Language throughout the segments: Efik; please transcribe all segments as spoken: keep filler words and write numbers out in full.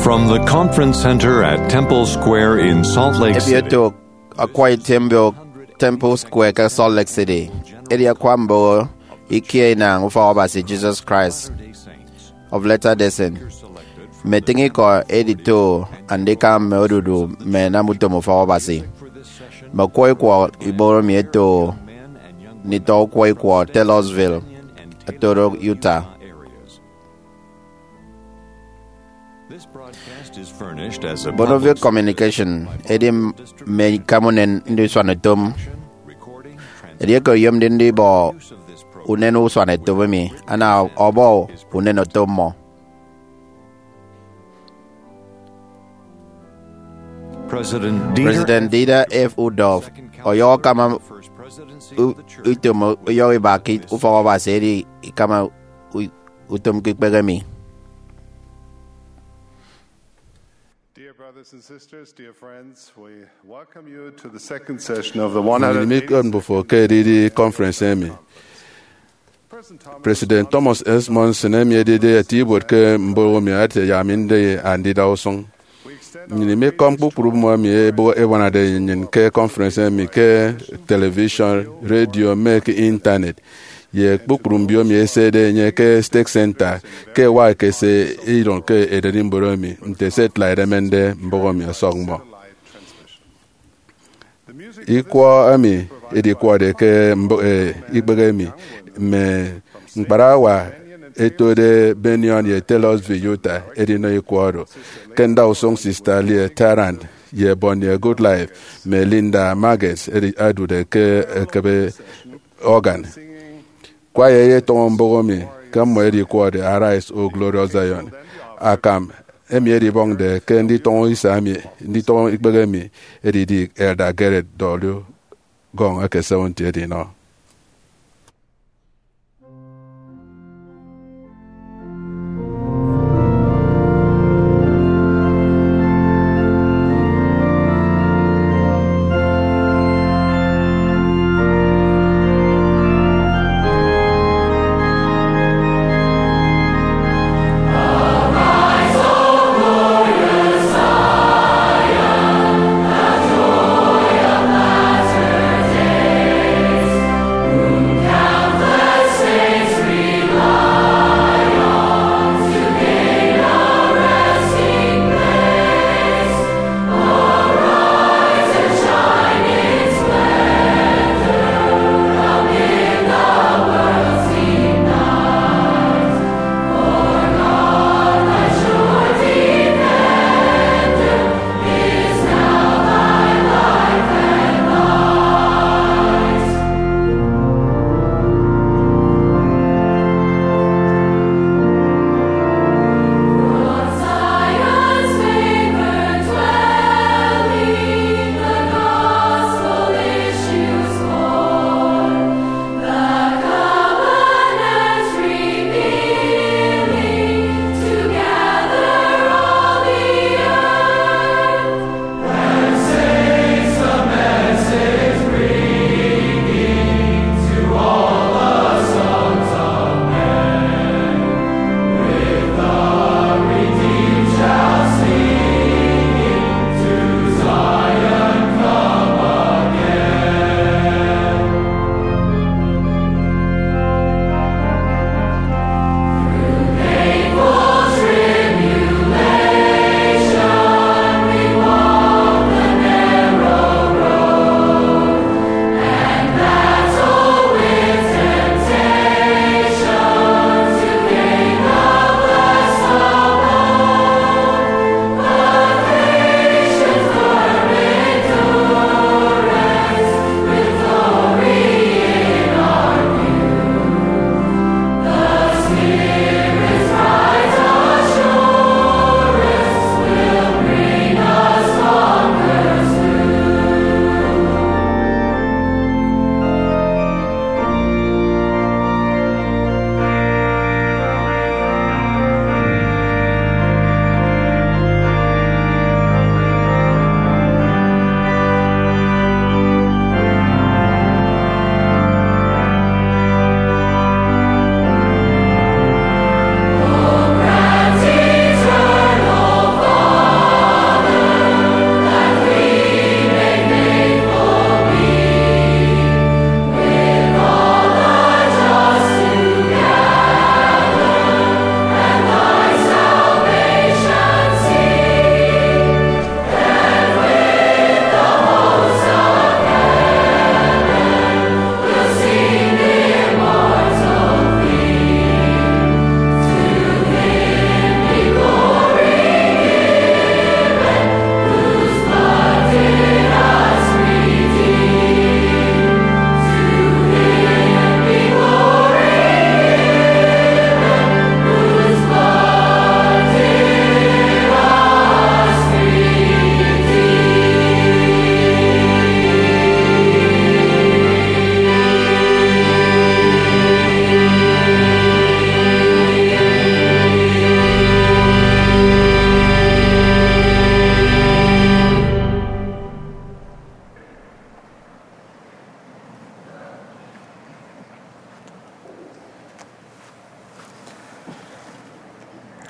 From the conference center at Temple Square in Salt Lake City. Ebiotok akwa item mbio Temple Square ke Salt Lake City. Edi akwa mboho ikie inañ ufọk Abasi Jesus Christ of Latter-day Saints. Mme etịñ ikọ edito andika mme odudu mme enamutom ufọk Abasi. Mme ọkwọ ikwọ iboho mi eto nditọ ọkwọ ikwọ Taylorsville, Arcturus, Utah. Bonneville Communication edi mme ikam unen ndisuan utom. Edieke oyomde ndibọ unen usuan utom emi, ana ọbọ unen oto mmọ. President Dieter F. Uchtdorf ọyọhọ akama u-, utom uyọhọ iba ke ufọk Abasi edi ikama u-, utom ke ikpehe emi. Dear brothers and sisters, dear friends, we welcome you to the second session of the Nnyịn one hundred ikot mbufo ke edidi conference emi. President Thomas S. Monson, emi edide eti ibuot ke mbụk emi, ate yak mi ndi andida usụñ. Nnyịn imikọm kpukpru mmọ emi ẹbuana-, ẹbuanade nnyịn ke conference emi ke television, radio, mme ke internet, ye kpukpru mbio emi ẹsede enye ke State Center ke ẹwak ẹkese iron ke ererimbot emi, nte satellite ẹmende mbụk emi ọsọk mmọ. Ikwọ emi edikwọde ke mbụk, eh, ikpehe emi, mme ñkparawa ẹtode Bennion ye Taylorsville, Utah, ẹdinọ ikwọ oro. Ke ndausụñ Sister Leah Tarrant ye Bonnie Goodlife mme Linda Maggs ẹdi-, ẹdude ke ekebe organ. Kwaya eyetọñọ mbụk emi ke mmọ ẹdikwọde Arise, O Glorious Zion. Akam emi edibọñde ke nditọñọ isa emi, nditọñọ ikpehe emi, edidi Elder Garrett W. Gong eke Seventh-day edinọ.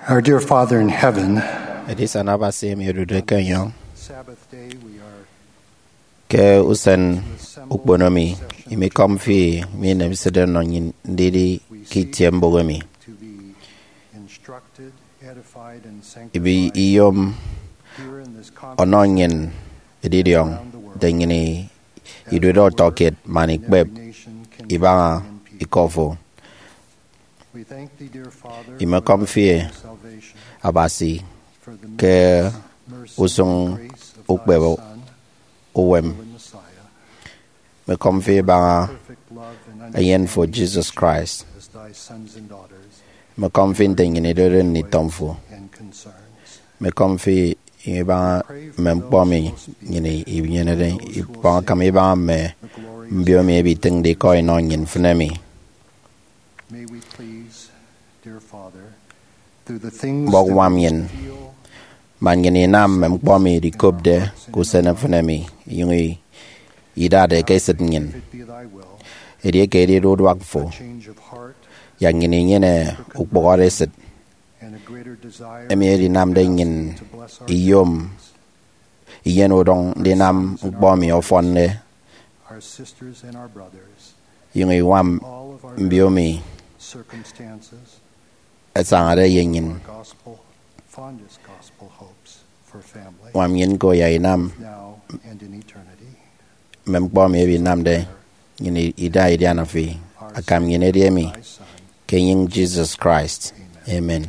Our dear Father in heaven, Edisana Abasi emi odude ke enyọñ, Sabbath day we are ke usen ukpono mi, imikọm fi mi inemesede nnọ nnyin ndidi ke itie mbụk emi. To be instructed, edified, and ibi sanctified iyom here in this ọnọ conference. Nnyin edidiọñ nte nnyin idude ọtọkiet man ikpep ibaña ikọ fo. Imekọm fi Abasi ke usụñ ukpep uwem. Imekọm fi ibaña eyen fo Jesus Christ. Imekọm fi nte nnyin idude nditọñ fo. Imekọm fi ibaña mme ñkpọ mi nnyin inyenede ikpọñ akam ibaña mme mbio mi ebitịñde ikọ inọ nnyin mfịn emi. May we please, dear Father, through the things Mbọk that we nnyin, feel, man nnyin inam mme ñkpọ mi idikopde ke usen mfịn emi, inyụñ idade ke esịt nnyin. If it be thy will, edieke edide uduak fo, a change of heart, yak nnyin inyene ukpụhọde esịt, and a greater desire emi edinamde nnyin to bless our iyom iyen udọñ ndinam ñkpọ emi ọfọnde, our sisters and our brothers, inyụñ iñwam all of our mbio mi circumstances, ẹsañade ye nnyin. Our gospel, fondest gospel hopes for family, ñwam nnyin ko yak inam now and in eternity. Mme ñkpọ emi edinamde nnyin ida idiana fi, akam nnyin edi emi, ke enyịñ Jesus Christ. Amen.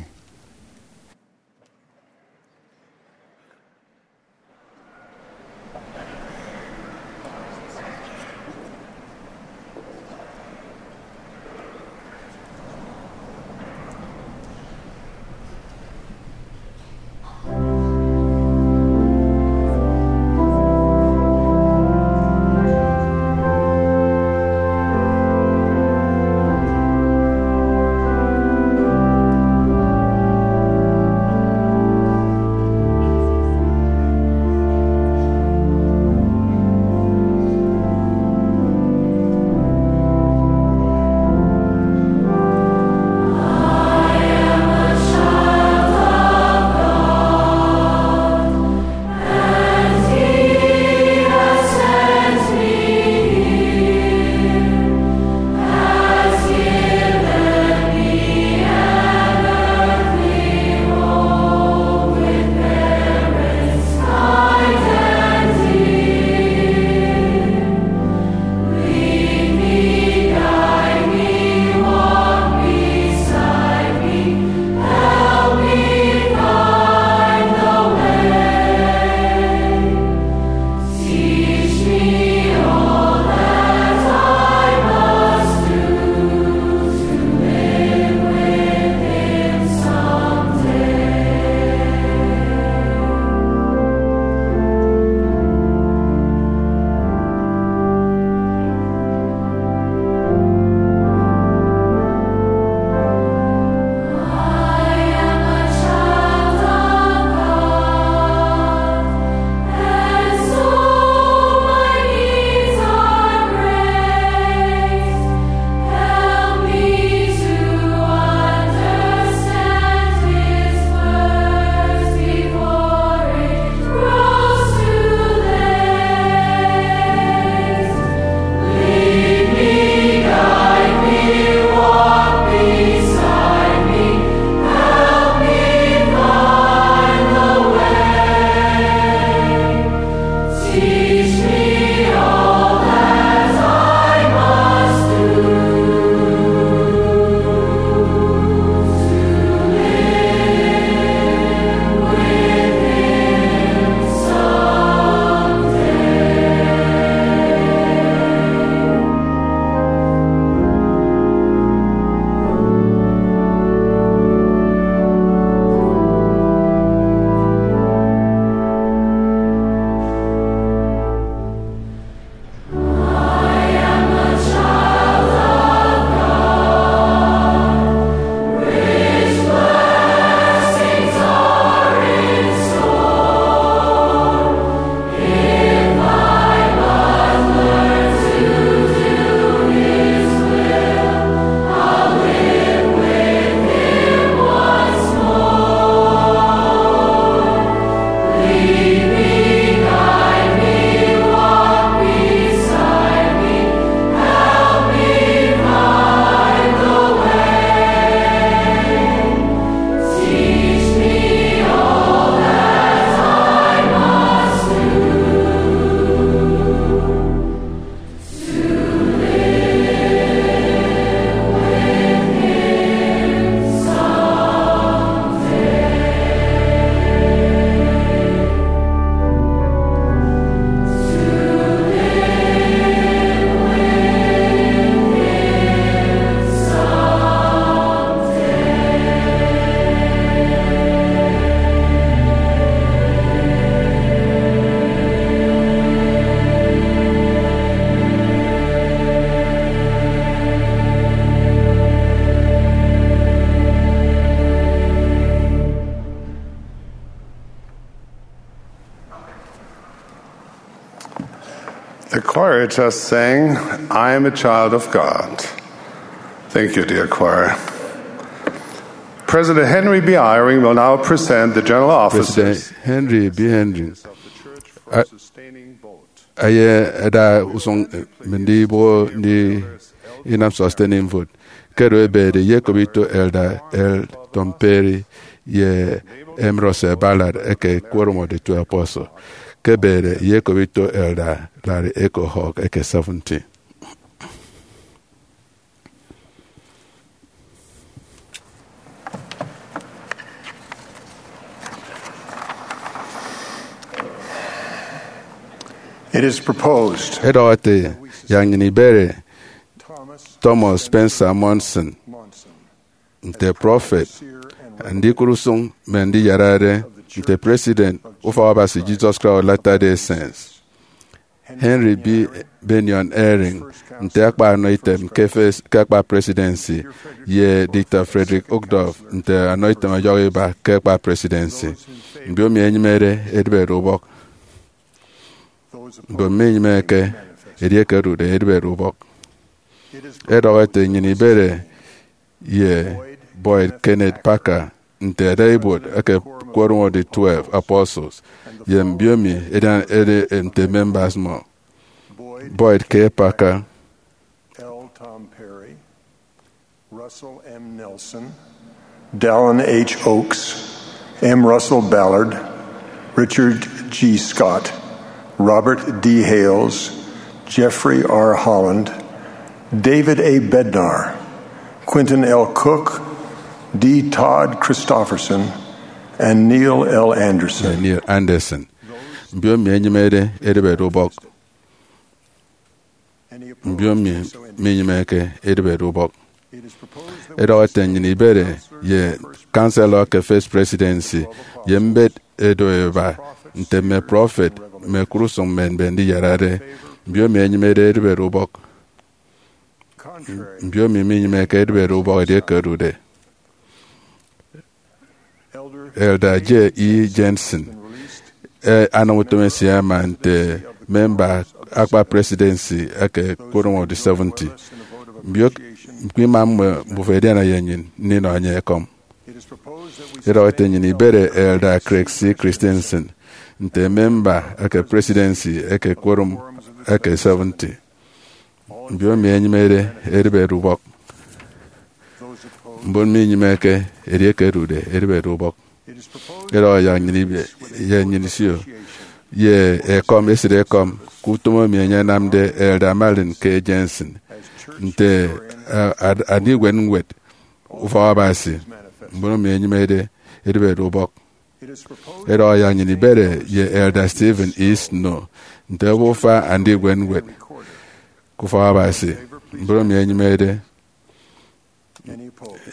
Choir just sang, "I am a child of God." Thank you, dear choir. President Henry B. Eyring will now present the general officers. President Henry B. Henry, a- sustaining vote. Aye ada usung, eh, mme ndi ibo ndi inam sustaining vote. Ke edu ebede ye ekop ito Elder L. Tom Perry ye M. Russell Ballard eke Quorum of the Twelve Apostles. Ke ebede ye ekop ito Elder Larry Echo Hawk eke Seventy. It is proposed. Edọhọ ete, yak nnyịn ibere Thomas Spencer Monson nte prọfet, andikụt usụñ mme ndiyarade nte president Ufọk Abasi Jesus Christ of Latter-day Saints, Henry B. Bennion Eyring nte akpa anọ item ke fes-, ke akpa presidency, ye Dieter Friedrich Uchtdorf nte anọ item ọyọhọ iba ke akpa presidency. Mbiomi ẹnyịmede edịbede ubọk. Mbon minyịmeke, edieke ẹdude, edịbede ubọk. Edọhọ ete nnyịn ibere ye Boyd Kenneth Packer nte ada ibuot eke Quorum of the Twelve Apostles, ye mbiomi edian ede nte members mmọ: Boyd K. Packer, L. Tom Perry, Russell M. Nelson, Dallin H. Oaks, M. Russell Ballard, Richard G. Scott, Robert D. Hales, Jeffrey R. Holland, David A. Bednar, Quentin L. Cook, D. Todd Christofferson, and Neil L. Andersen. Neil Andersen. Mbiomi ẹnyịmede edịbede ubọk. Mbiomi minyịmeke edịbede ubọk. Edọhọ ete nnyịn ibere ye Counselor ke First Presidency ye mbet edo eba nte mme prọfet mme ekụt usụñ mme mbe ndiyarade. Mbiomi ẹnyịmede edịbede ubọk. Mbiomi minyịmeke edịbede ubọk edieke ẹdude. Elder J. E. Jensen, e, anam utom esie ama nte memba akpa presidency eke Quorum of the Seventy. Mbio, ñkpọ ima mmọ mbufo ẹdiana ye nnyịn ndinọ enye ekọm. Edọhọ ete nnyịn ibere Elder Craig C. Christensen nte memba eke presidency eke Quorum eke Seventy. Mbiomi ẹnyịmede edịbede ubọk. Mbon minyịmeke, edieke ẹdude, edịbede ubọk. Edọhọ yak nnyịn ibe ye nnyịn isio ye ekọm, esịt ekọm, ke utom emi enye anamde Elder Marlin K. Jensen nte, eh, ad-, andikpep ñwed Ufọk Abasi. Mbon emi ẹnyịmede edịbede ubọk. Edọhọ yak nnyịn ibere ye Elder Stephen E. Snow nte obufa andikpep ñwed ke Ufọk Abasi. Mbon emi ẹnyịmede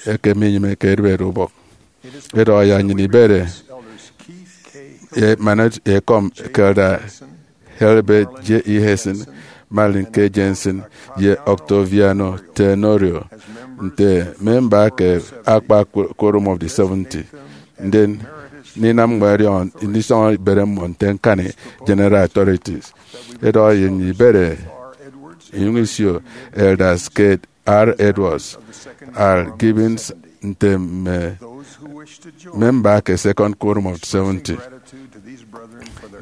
eke minyịmeke edịbede ubọk. Edọhọ yak nnyịn ibere ye man ekọm ke Elder Herbert J. E. Heston, Marlin K. Jensen, ye Octaviano Tenorio nte memba ke akpa Quorum of the Seventy. Ndien, ndinam ñkpọ ẹdiọñọ ndisọñọ ibere mmọ nte ñkani General Authorities. Edọhọ ye nnyịn ibere inyụñ isio Elders Kate R. Edwards, R. Gibbons nte mme memba ke Second Quorum of Seventy.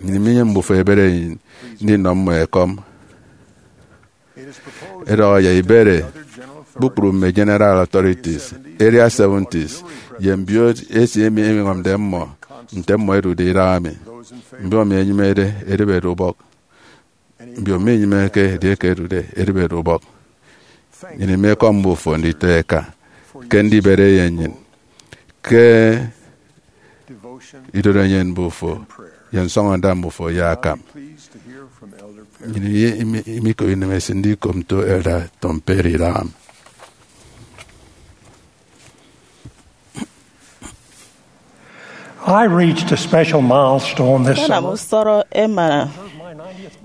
Nnyịn minyịn mbufo ebere enyịn ndinọ mmọ ekọm. Edọhọ yak ibere kpukpru mme General Authorities, Area Seventies, ye mbio esie emi ẹñwamde mmọ nte mmọ ẹdude idaha mi. Mbio emi ẹnyịmede edịbede ubọk. Mbio minyịmeke edieke ẹdude edịbede ubọk. Nnyịn imekọm mbufo nditọ eka ke ndibere ye nnyịn ke idorenyin mbufo ye nsọñọnda mbufo ye akam. Nnyịn imi-, imikop inemesịt ndikop nto Elder Tom Perry idaha mi. I reached a special milestone this Nkanam summer. Usọrọ emana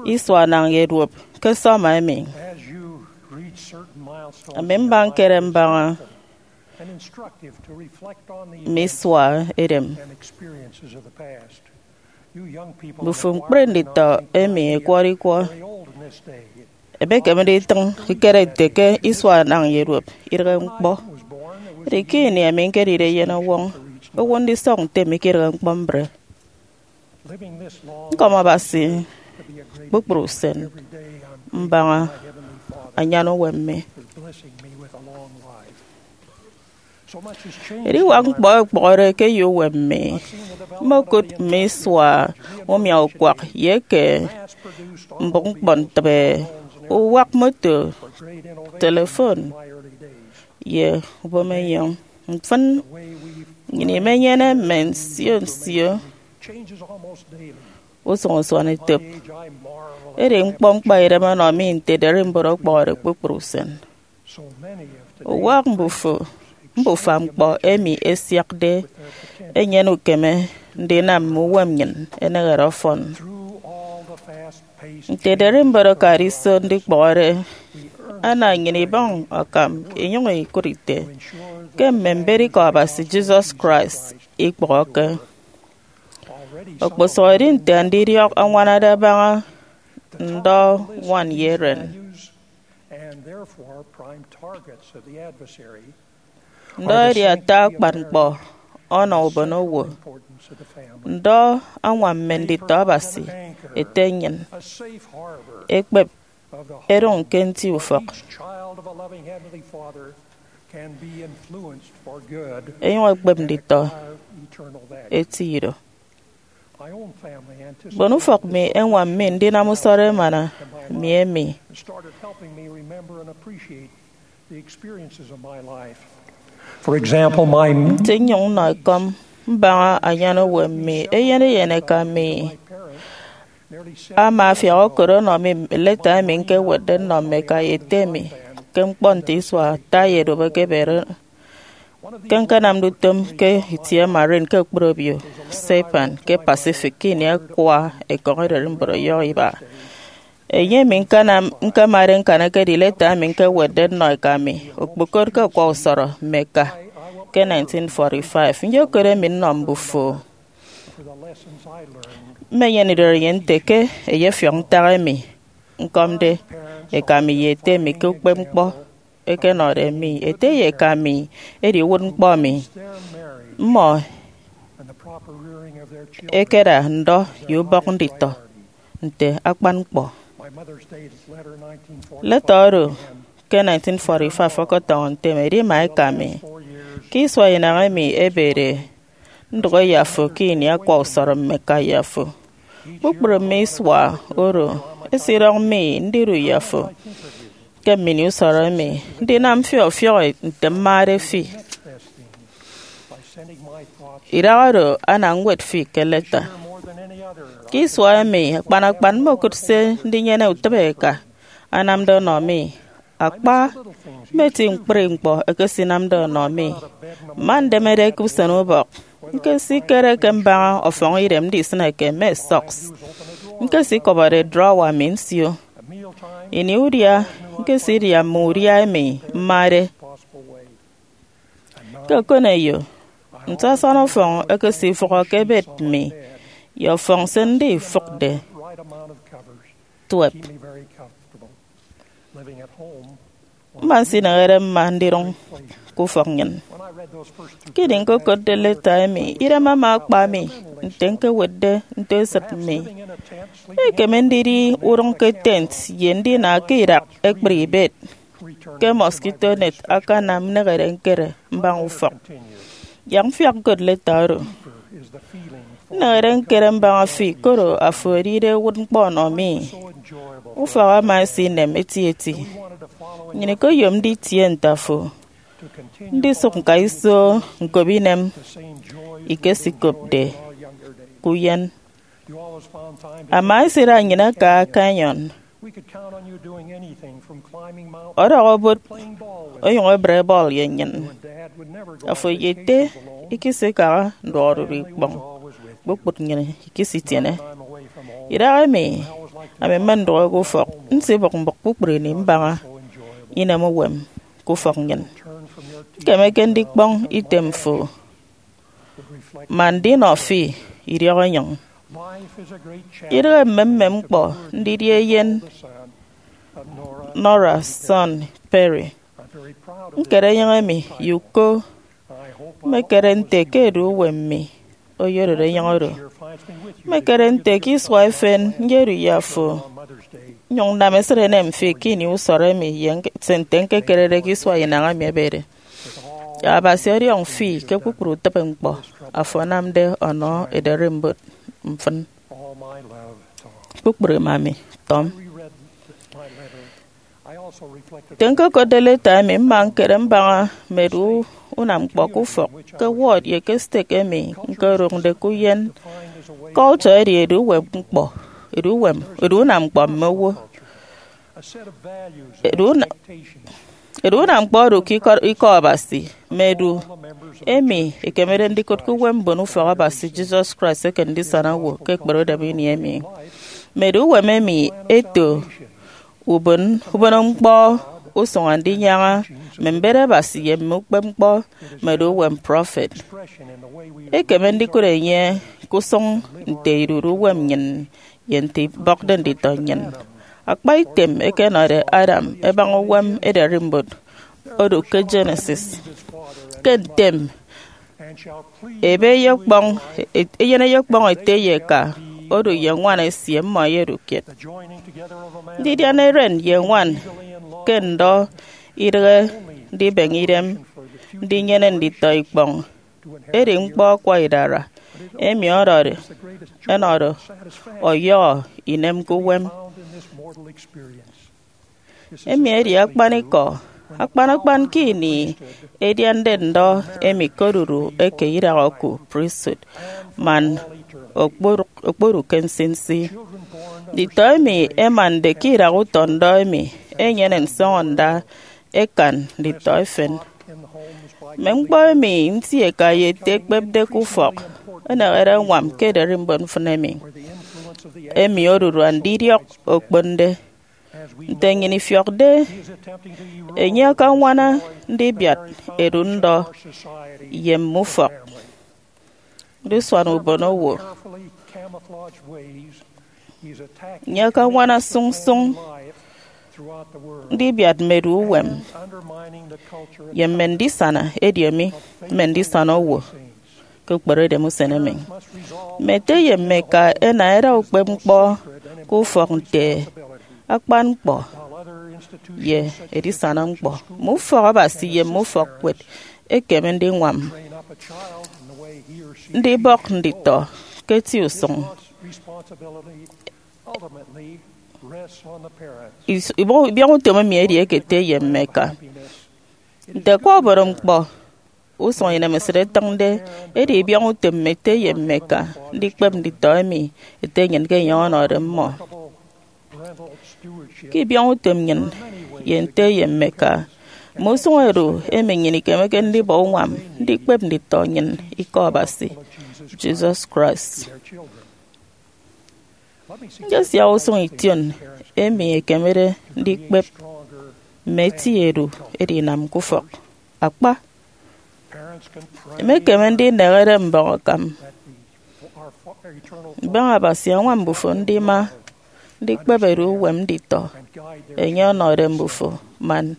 isua anañ ye duop ke summer emi. As you reach certain milestones, ami mba ñkere mbaña and instructive to reflect on the mme isua edem. And experiences of the past. You young people Mbufo ñkpri nditọ emi ẹkwọrọ ikwọ. Very old Emekeme nditịñ ikere nte ke isua anañ ye duop idịghe ñkpọ. Edi ke ini emi ñkedide eyenọwọñ, owo ndisọk nte mi ke idịghe ñkpọ mbre. Nkọm Abasi kpukpru usen mbaña anyan uwem mi. Ediwak ñkpọ ẹkpọhọde ke ye uwem mi. Mmokụt mme isua umiaukwak ye eke mbụk ñkpọntịbe, uwak moto, telefon, ye ubomenyọñ. Mfịn, nnyịn imenyene mme nsio nsio usụñ usuanetop. Edi ñkpọ ñkpaidem ọnọ mi nte ederimbot ọkpọhọde kpukpru usen. Uwak mbufa ñkpọ emi ẹsiakde enyene ukeme ndinam mme uwem nnyịn ẹnehede ọfọn. Nte ederimbot akade iso ndikpọhọde, ana nnyịn ibọñ akam inyụñ ikụt ite ke mme mbet ikọ Abasi Jesus Christ ikpọhọke. Okposụhọde nte andidiọk añwanade abaña ndọ Juan ye Eren. Ndọ edi ata akpan ñkpọ ọnọ ubonowo. Ndọ añwam mme nditọ Abasi ete nnyịn ekpep edụñ ke nti ufọk, enyụñ ekpep nditọ eti ido. Mbon ufọk mi ẹñwam mi ndinam usọrọ emana mi emi. For example, my Nte nnyụñ nnọ ekọm mbaña anyan uwem mi, eyen eyen eka mi ama afiak okot ọnọ mi leta emi ñkewetde nnọ mme eka ye ete mi ke ñkpọ nte isua ata ye edube ke ebede. Ke ñkanamde utom ke itie Marin ke okporo obio Saipan ke Pacific ke ini akwa ekọñ ererimbot ọyọhọ iba, enye emi ñkanam ñkemade ñkan ekedi leta emi ñkewetde nnọ eka mi, okpokot ke akwa usọrọ mme eka ke nineteen forty-five. Nyokot emi nnọ mbufo. Mmenyene idụt enye nte ke eyefiọk ntak emi ñkọmde eka mi ye ete mi ke ukpepñkpọ ẹkenọde mi. Ete ye eka mi edi uwụtñkpọ mi. Mmọ ẹkeda ndọ ye ubọk nditọ nte akpan ñkpọ. Leta oro ke nineteen forty-five ọkọtọñọ ntem edima eka mi. Ke isua inañ emi ebede, ndụhe ye afo ke ini akwa usọrọ mme eka ye afo. Kpukpru mme isua oro esidọñ mi ndidu ye afo ke mmini usọrọ emi, ndinam fi ọfiọk nte mmade fi. Idaha oro ana ñwet fi ke leta. Ke isua emi akpan akpan mmokụt se ndinyene utịbe eka anamde ọnọ mi. Akpa, mmeti ñkpri ñkpọ ẹkesinamde ọnọ mi. Mma ndemede ke usen ubọk, ñkesikere ke mbaña ọfọñ idem ndisịneke mme sọks. Ñkesikọbọde drawer mi nsio. Ini udia, ñkesidia mme udia emi mmade. Ke okoneyo, nte asana ọfọñ ẹkesifụhọ ke bed mi ye ọfọñ se ndifụkde tuep. Mma nsinehede mma ndidụñ ke ufọk nnyịn. Ke ini ñkokotde leta emi, idem ama akpa mi nte ñkewetde nto esịt mi. Ekeme ndidi udụñ ke tent ye ndina ke idak ekpri ibet ke mosquito net akanam nnehede ñkere mbaña ufọk. Yak mfiak ñkot leta oro. Nnehede ñkere mbaña fi koro afo edide uwụtñkpọ ọnọ mi. Ufọk ama esinem etieti. Nnyịn ikoyomde itie nte afo. Ndisụk ñka iso ñkop inem ikesikopde ke uyen. Ama esida nnyịn aka Canyon. Ọdọhọ obot onyụñ ebre bọl ye nnyịn. Afo ye ete ikisikaha nduọk odudu ikpọñ. Kpukpru nnyịn ikisitiene. Idahaemi, ami mmendụhe ke ufọk, nsibụk mbụk kpukpru ini mbaña inem uwem ke ufọk nnyịn. Ñkemeke ndikpọñ item fo man ndinọ fi idiọk enyịñ. Idịghe mmemmem ñkpọ ndidi eyen Nora Son Perry. Ñkere enyịñ emi ye uko. Mmekere nte ke edu uwem mi oyododo enyịñ oro. Mmekere nte ke isua efen nyedu ye afo, nnyụñ nnam esịt enem fi ke ini usọrọ emi ye nte nte ñkekerede ke isua inañ emi ebede. Yak Abasi ọdiọñ fi ke kpukpru utịbeñkpọ afo anamde ọnọ ederimbot mfịn. Kpukpru ima mi, Tom. Nte ñkokotde leta emi, mma ñkere mbaña mme edu unam ñkpọ ke ufọk, ke ward, ye ke stake emi ñkodụñde ke uyen culture edi edu uwem ñkpọ, edu uwem, edu unam ñkpọ mme owo. Edu una- Edu unam ñkpọ odu ke ikọ, ikọ Abasi, mme edu emi ekemede ndikụt ke uwem mbon ufọk Abasi Jesus Christ eke ndisana owo ke ekpere udịm ini emi. Mme edu uwem emi eto ubon, ubon ñkpọ usụñ andinyaña mme mbet Abasi ye mme ukpepñkpọ mme edu uwem prọfet. Ekeme ndikụt enye ke usụñ nte idude uwem nnyịn ye nte ibọkde nditọ nnyịn. Akpa item eke ẹnọde Adam ẹbaña uwem ederimbot odu ke Genesis. Ke ntem, ebe eyekpọñ, eyen eyekpọñ ete ye eka odu ye ñwan esie, mmọ ẹyedu kiet. Ndidian eren ye ñwan ke ndọ idịghe ndibeñe idem ndinyene nditọ ikpọñ. Edi ñkpọ akwa idara emi ọdọde, ẹnọde ọyọhọ inem ke uwem. Emi edi akpanikọ, akpan akpan ke ini ediande ndọ emi ke odudu eke idak oku priesthood, man okpodụk, okpodụk ke nsinsi. Nditọ emi ẹmande ke idak utọ ndọ emi ẹnyene nsọñọnda ẹkan nditọ efen. Mme ñkpọ emi nti eka ye ete ẹkpepde ke ufọk ẹnehede ẹñwam ke ederimbot mfịn emi, emi odudu andidiọk okponde. Nte nnyịn ifiọkde, enye akañwana ndibiat edu ndọ ye mme ufọk ndisuan ubonowo. Enye akañwana sụñsụñ ndibiat mme edu uwem ye mme ndisana ediomi mme ndisana owo ke ukperedem usen emi. Mme ete ye mme eka ẹna ẹda ukpepñkpọ ke ufọk nte akpan ñkpọ ye edisana ñkpọ. Mme ufọk Abasi ye mme ufọk kiet ẹkeme ndiñwam ndibọk nditọ ke eti usụñ. Is- ibiọñ, ibiọñ utom emi edi eke ete ye mme eka. Nte akwa obodo ñkpọ usụñ inemesịt etịñde, edi ibiọñ utom mme ete ye mme eka ndikpep nditọ emi ete nnyịn ke enye ọnọde mmọ. Ke ibiọñ utom nnyịn ye nte ye mme eka, mme usụñ edu emi nnyịn ikemeke ndibọ uñwam ndikpep nditọ nnyịn ikọ Abasi, Jesus Christ. Nyesiak usụñ ition emi ekemede ndikpep mme eti edu edinam ke ufọk. Akpa, emekeme ndinehede mbọñ akam. Mbaña Abasi añwam mbufo ndima ndikpep edu uwem nditọ enye ọnọde mbufo man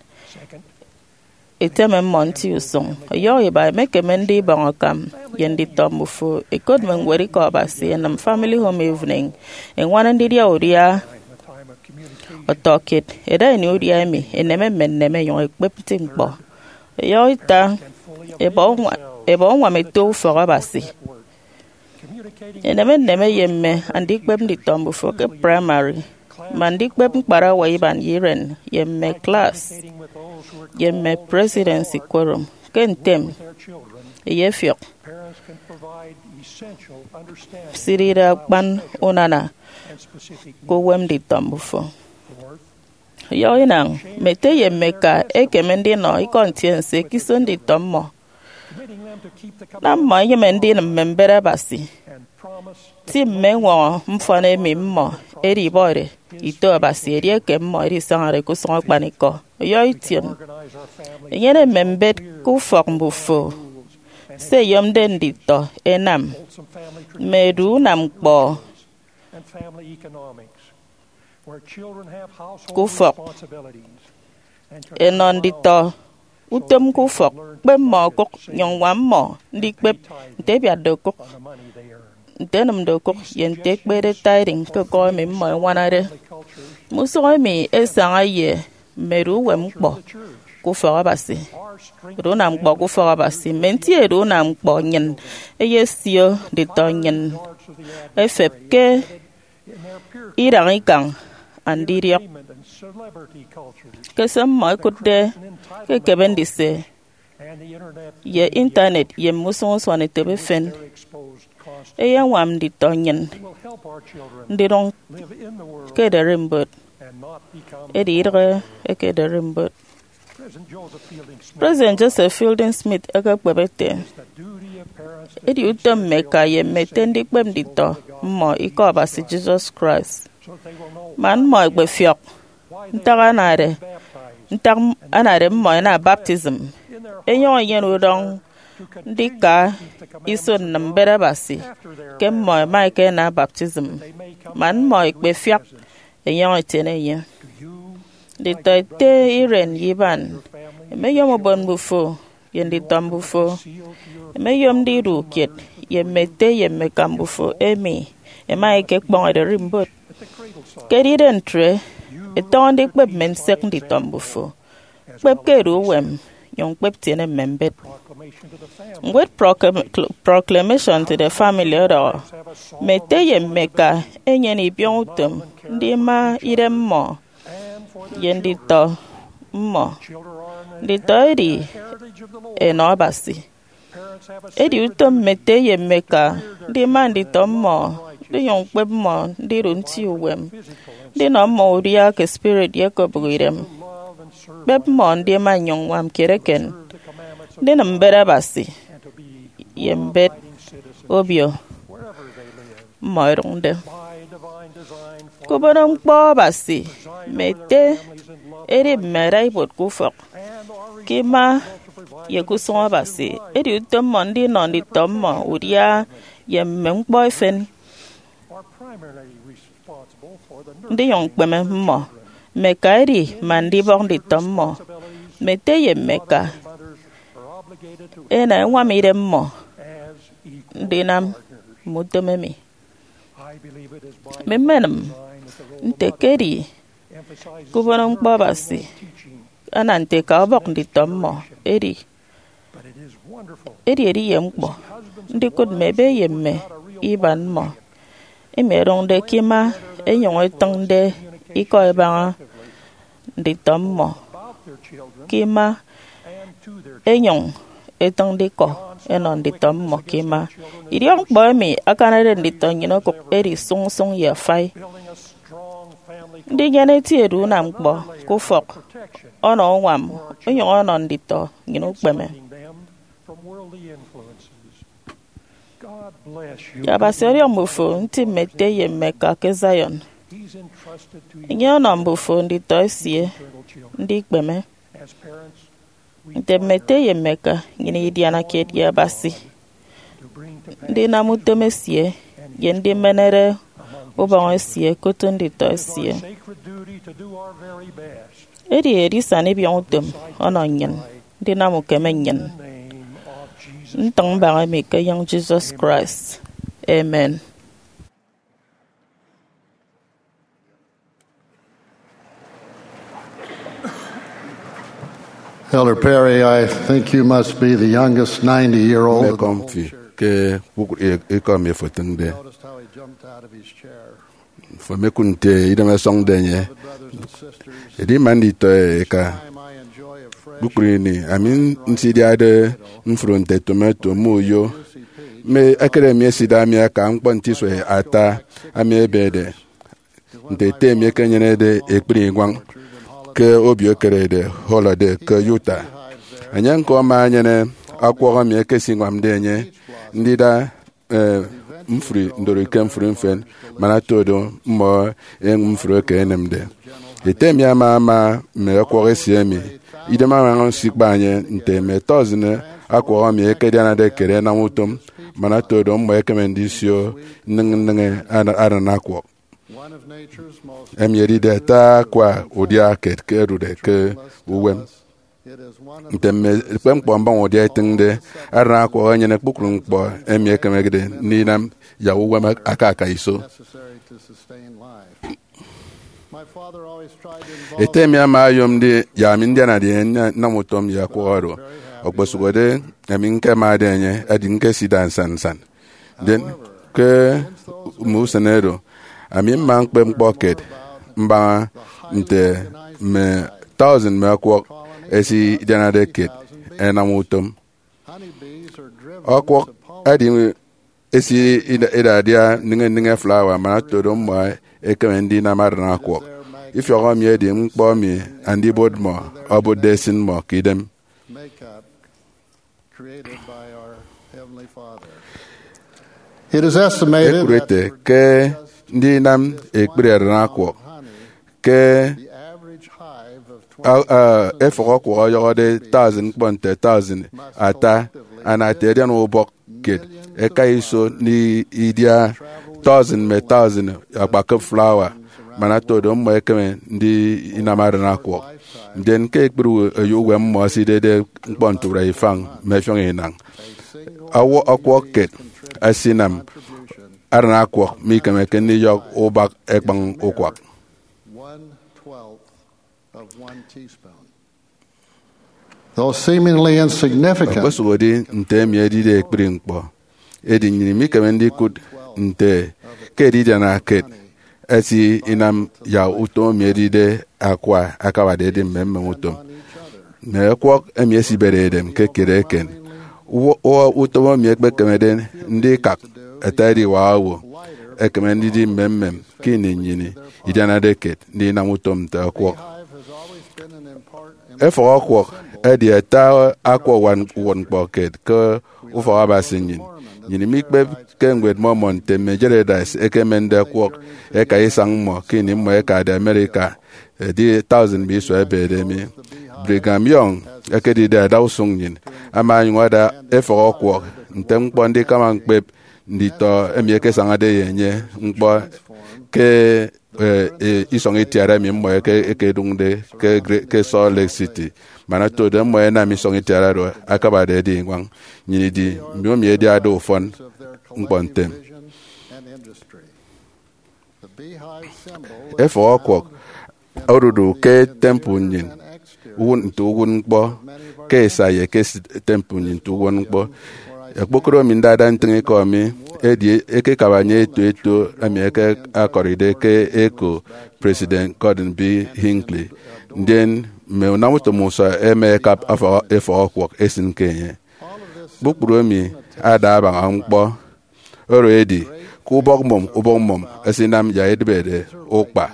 eteme mmọ nti usụñ. Ọyọhọ iba, emekeme ndibọñ akam ye nditọ mbufo, ẹkot mme ñwed Ikọ Abasi, ẹnịm Family Home Evening, ẹñwana ndidia udia ọtọkiet, ẹda ini udia emi, ẹneme mme nneme, ẹnyụñ ẹkpep nti ñkpọ. Ọyọhọ ita, ẹbọ uñwa-, ẹbọ uñwam ẹto ufọk Abasi. Ẹneme nneme ye mme andikpep nditọ mbufo ke praịmari, mme andikpep ñkparawa iban ye iren, ye mme klas, ye mme presidency quorum. Ke ntem, ẹyefiọk sidide akpan unana ke uwem nditọ mbufo. Ọyọhọ inañ, mme ete ye mme eka ẹkeme ndinọ ikọ ntiense ke iso nditọ mmọ. Nam mmọ ẹnyịme ndinịm mme mbet Abasi. Ti mme ñwọñọ mfọn emi mmọ ẹdibọde ito Abasi edieke mmọ ẹdisañade ke usụñ akpanikọ. Ọyọhọ ition, enyene mme mbet ke ufọk mbufo. Se ẹyomde nditọ ẹnam, mme edu unam ñkpọ, ke ufọk, ẹnọ nditọ utom ke ufọk, kpep mmọ okụk, nyụñ ñwam mmọ ndikpep nte ẹbiatde okụk, nte ẹnịmde okụk, ye nte ẹkpede tithing ke ekọñ emi mmọ ẹñwanade. Mme usụñ emi ẹsaña ye mme edu uwem ñkpọ ke ufọk Abasi. Edu unam ñkpọ ke ufọk Abasi, mme nti edu unam ñkpọ nnyịn ẹyesio nditọ nnyịn ẹfep ke idañ ikañ andidiọk ke se mmọ ẹkụtde ke ekebe ndise ye Intanet ye mme usụñ usuanetop efen. Eyeñwam nditọ nnyịn ndidụñ ke ederimbot, edi idịghe eke ederimbot. President Joseph Fielding Smith ekekpep ete, edi utom mme eka ye mme ete ndikpep nditọ mmọ Ikọ Abasi Jesus Christ, man mmọ ẹkpefiọk ntak anade, ntak anade mmọ ẹna baptism, ẹnyụñ ẹnyene udọñ ndika iso nnịm mbet Abasi ke mmọ ẹma ẹkena baptism, man mmọ ẹkpefiak ẹnyọñ ẹtiene enye. Nditọ ete iren ye iban ẹmeyom ubon mbufo ye nditọ mbufo, ẹmeyom ndidu kiet ye mme ete ye mme eka mbufo emi ẹma ẹkekpọñ ederimbot. Ke edide ntre, ẹtọñọ ndikpep mme nsek nditọ mbufo. Kpep ke edu uwem, nyụñ kpep tiene mme mbet. Ñwed Proclam- Proclamation to the Family ọdọhọ, mme ete ye mme eka ẹnyene ibiọñutom ndima idem mmọ ye nditọ mmọ. Nditọ edi enọ Abasi. Edi utom mme ete ye mme eka ndima nditọ mmọ, ndinyụñ ñkpep mmọ ndidu nti uwem, ndinọ mmọ udia ke spirit ye ke obụk idem. Kpep mmọ ndima nnyụñ ññwam kiet eken, ndinịm mbet Abasi ye mbet obio mmọ ẹdụñde. Ke ubon ñkpọ Abasi, mme ete edi mme adaibuot ke ufọk, ke ima, ye ke usụñ Abasi. Edi utom mmọ ndinọ nditọ mmọ udia ye mme ñkpọ efen, ndinyụñ ñkpeme mmọ. Mme eka edi man ndibọk nditọ mmọ. Mme ete ye mme eka ẹna ẹñwam idem mmọ ndinam mme utom emi. Mme mmenịm nte ke edi ke ubon ñkpọ Abasi ana nte eka ọbọk nditọ mmọ. Edi, edi ediye ñkpọ ndikụt mme ebe ye mme iban mmọ emi ẹdụñde ke ima, ẹnyụñ ẹtịñde ikọ ẹbaña nditọ mmọ ke ima, ẹnyụñ ẹtịñde ikọ ẹnọ nditọ mmọ ke ima. Idiọkñkpọ emi akanade nditọ nnyịn okụk edi sụñsụñ ye afai. Ndinyene eti edu unam ñkpọ ke ufọk ọnọ uñwam onyụñ ọnọ nditọ nnyịn ukpeme. Abasi ọdiọñ mbufo nti mme ete ye mme eka ke Zion. Enye ọnọ mbufo nditọ esie ndikpeme. Nte mme ete ye mme eka, nnyịn idiana kiet ye Abasi ndinam utom esie ye ndimenere ubọñ esie ke otu nditọ esie. Edi edisana ibiọñutom ọnọ nnyịn ndinam ukeme nnyịn ntịñ mbaña emi ke enyịñ Jesus Christ. Amen. Elder Perry, I think you must be the youngest ninety year old. Mmekọm fi ke kpukpru ikọ emi efo etịñde. Noticed how he jumped out of his chair. Fo mekụt nte idem ẹsọñde enye. Edi ima nditọ eka. Kpukpru ini, ami nsidiade mfro nte tomato, mme uyo, mme ekere emi esida mi aka ñkpọ nte isua ata ami ebede. Nte ete emi ekenyenede ekpri iñwañ ke obio ekerede holiday ke Utah. Enye ñko ama enyene akwọk emi ekesiñwamde enye ndida eh, mfri ndori ke mfri mfen, man ato do mmọ enyịñ mfri eke enemde. Ete mi ama ama mme ọkwọk esie emi, idem añwaña nsikpa enye nte mme tọsịn akwọk emi ekedianade ekere ẹnam utom, man ato do mmọ ẹkeme ndisio nneñe nneñe ana-, aran akwọk. Emi edide ata akwa udia kiet ke odude ke uwem. Nte mme ekpep ñkpọ mbaña udia etịñde, aran akwọk enyene kpukpru ñkpọ emi ekemekde ndinam yak uwem ak-, aka aka iso. Ete mi ama oyom ndi yak ami ndianade enye nnam utom ye akwọk oro. Okposụkde ami ñkemade enye, edi ñkesida nsan nsan. Ndien, ke mme usen oro, ami mma ñkpep ñkpọ kiet mbaña nte mme tọusịn mme akwọk esidianade kiet ẹnam utom. Akwọk edi esi ida ida adia nneñe nneñe flawa, man otodo mmọ ẹkeme ndinam aran akwọk. Ifiọk emi edi ñkpọ emi Andibot mmọ obụtde esịn mmọ ke idem. It is estimated ekụt ete ke ndinam ekpri aran akwọk ke a- a- efọk ọkwọk ọyọhọde tọusịn ñkpọ nte tọusịn ata, ana ata edian ubọk kiet ẹka iso ndidia tọusịn mme tọusịn akpakịp flawa, man otodo mmọ ẹkeme ndinam aran akwọk. Ndien ke ekpri eyo uwem mmọ ẹsidede ñkpọ ntụre ifañ mme ẹfiọñ inañ, awo- ọkwọk kiet ẹsinam aran akwọk mikemeke ndiyọk ubak ẹkpañ ukwak. Though seemingly insignificant, okposụkedi nte emi edide ekpri ñkpọ, edi nnyịn imikeme ndikụt nte ke edidiana kiet esinam yak utom emi edide akwa akabade edi mmemmem utom. Mme ọkwọk emi ẹsibede edem ke kiet eken. Uwa- uwa utom emi ekpekemede ndikak ata ediwak owo ekeme ndidi mmemmem ke ini nnyịn idianade kiet ndinam utom nte ọkwọk. Efọk ọkwọk edi ata akwa uwụtñkpọ kiet ke ufọk Abasi nnyịn. Nnyịn imikpep ke Ñwed Mormon nte mme Gileadites ẹkemende ọkwọk ẹka isañ mmọ ke ini mmọ ẹkade America, edi tọusịn mme isua ẹbede mi. Brigham Young ekedide adausụñ nnyịn, ama onyụñ ada efọk ọkwọk nte ñkpọ ndikama ñkpep nditọ emi ẹkesañade ye enye ñkpọ ke e, e, isọñ itiara emi mmọ eke- ekedụñde ke Gre- ke Salt Lake City. Man otodo mmọ ẹnam isọñ itiara oro akabade edi iñwañ, nnyịn idi mbiomi ẹdiade ufọn ñkpọ ntem. Efọk ọkwọk odudu ke temple nnyịn, uwụt nte uwụtñkpọ ke esa ye ke temple nnyịn nte uwụtñkpọ. Okpokoro mi ndada ntịñikọ mi edi ekekaba enye eto eto emi eke akọride ke eko President Gordon B. Hinckley, ndien mme unamutom usọ ẹma ẹkap efọk ọkwọk ẹsịn ke enye. Kpukpru emi ada abaña ñkpọ oro edi ke ubọk mmọñ ubọk mmọñ ẹsinam yak edịbede ukpa.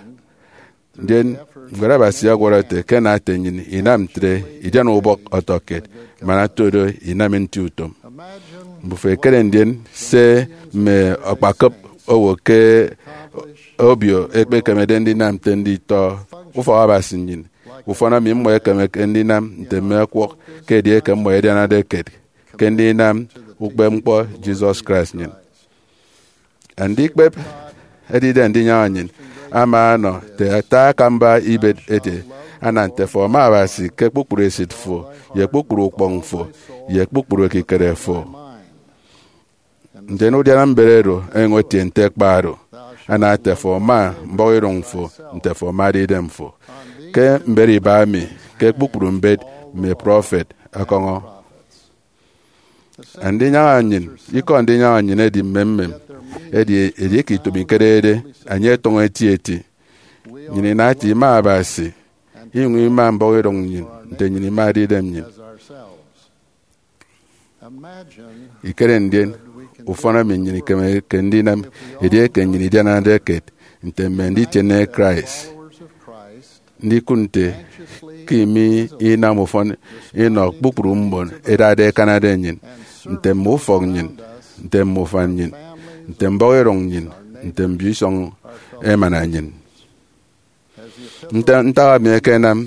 Ndien Ñwed Abasi ọwọrọ ete ke ana ete nnyịn inam ntre, idian ubọk ọtọkiet, man otodo inam nti utom. Mbufo ẹkere ndien se mme akpakịp owo ke obio ẹkpekemede ndinam nte nditọ ufọk Abasi nnyịn. Ufọn emi mmọ ẹkemeke ndinam nte mme ọkwọk ke edieke mmọ ẹdianade kiet ke ndinam ukpepñkpọ Jesus Christ nnyịn. Andikpep edide ndinyaña nnyịn ama anọ te ata akamba ibet ete, ana nte fo ma Abasi ke kpukpru esịt fo, ye kpukpru ukpọñ fo, ye kpukpru ekikere fo. Ndien udiana mbet oro enyụñ etie nte kpa oro, ana nte fo ma mbọhọidụñ fo, nte fo ma edidem fo. Ke mbet iba emi, ke kpukpru mbet mme prọfet ọkọñọ. Ndinyaña nnyịn, ikọ ndinyaña nnyịn edi mmemmem, edi edieke ito mi ikedede, enye etọñọ eti eti. Nnyịn inati ima Abasi, inyụñ ima mbọhọidụñ nnyịn nte nnyịn ima edidem nnyịn. Ikere ndien ufọn emi nnyịn ikemeke ndinam edieke nnyịn idianade kiet nte mme nditiene Christ. Ndikụt nte ke imi inam ufọn inọ kpukpru mbon ẹdade ẹkanade nnyịn, nte mme ufọk nnyịn, nte mme ufan nnyịn, nte mbọhọidụñ nnyịn, nte mbio isọñ emana nnyịn. Nte ntak emi ekenam,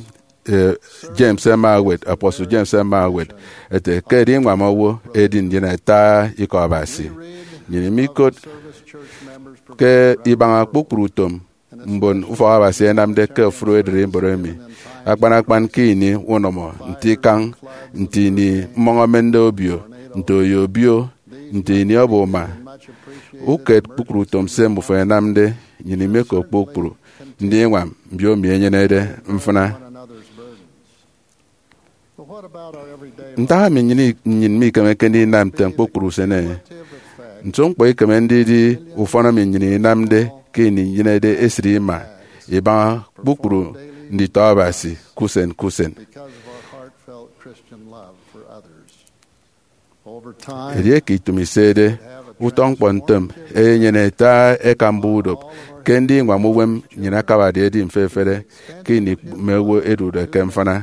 eh, James ẹma ẹwet, apostle James ẹma ẹwet ete ke ediñwam owo edi ndien ata ikọ Abasi. Nnyịn imikot ke ibaña kpukpru utom mbon ufọk Abasi ẹnamde ke ofụri ererimbot emi, akpan akpan ke ini unọmọ, nte ikañ, nte ini mmọñ emende obio, nte oyo obio, nte ini ọbọ uma. Uket kpukpru utom se mbufo ẹnamde, nnyịn imekop kpukpru ndiñwam mbiomi ẹnyenede mfịna. Ntak emi nnyịn, nnyịn mikemeke ndinam ntem kpukpru usen? Nso ñkpọ ikeme ndidi ufọn emi nnyịn inamde ke ini inyenede esịt ima ibaña kpukpru nditọ Abasi ke usen ke usen? Edieke itum isede, utọ ñkpọ ntem eyenyene ata ẹka mbuba udop ke ndiñwam uwem nnyịn akabade edi mfefere ke ini mme owo ẹdude ke mfịna.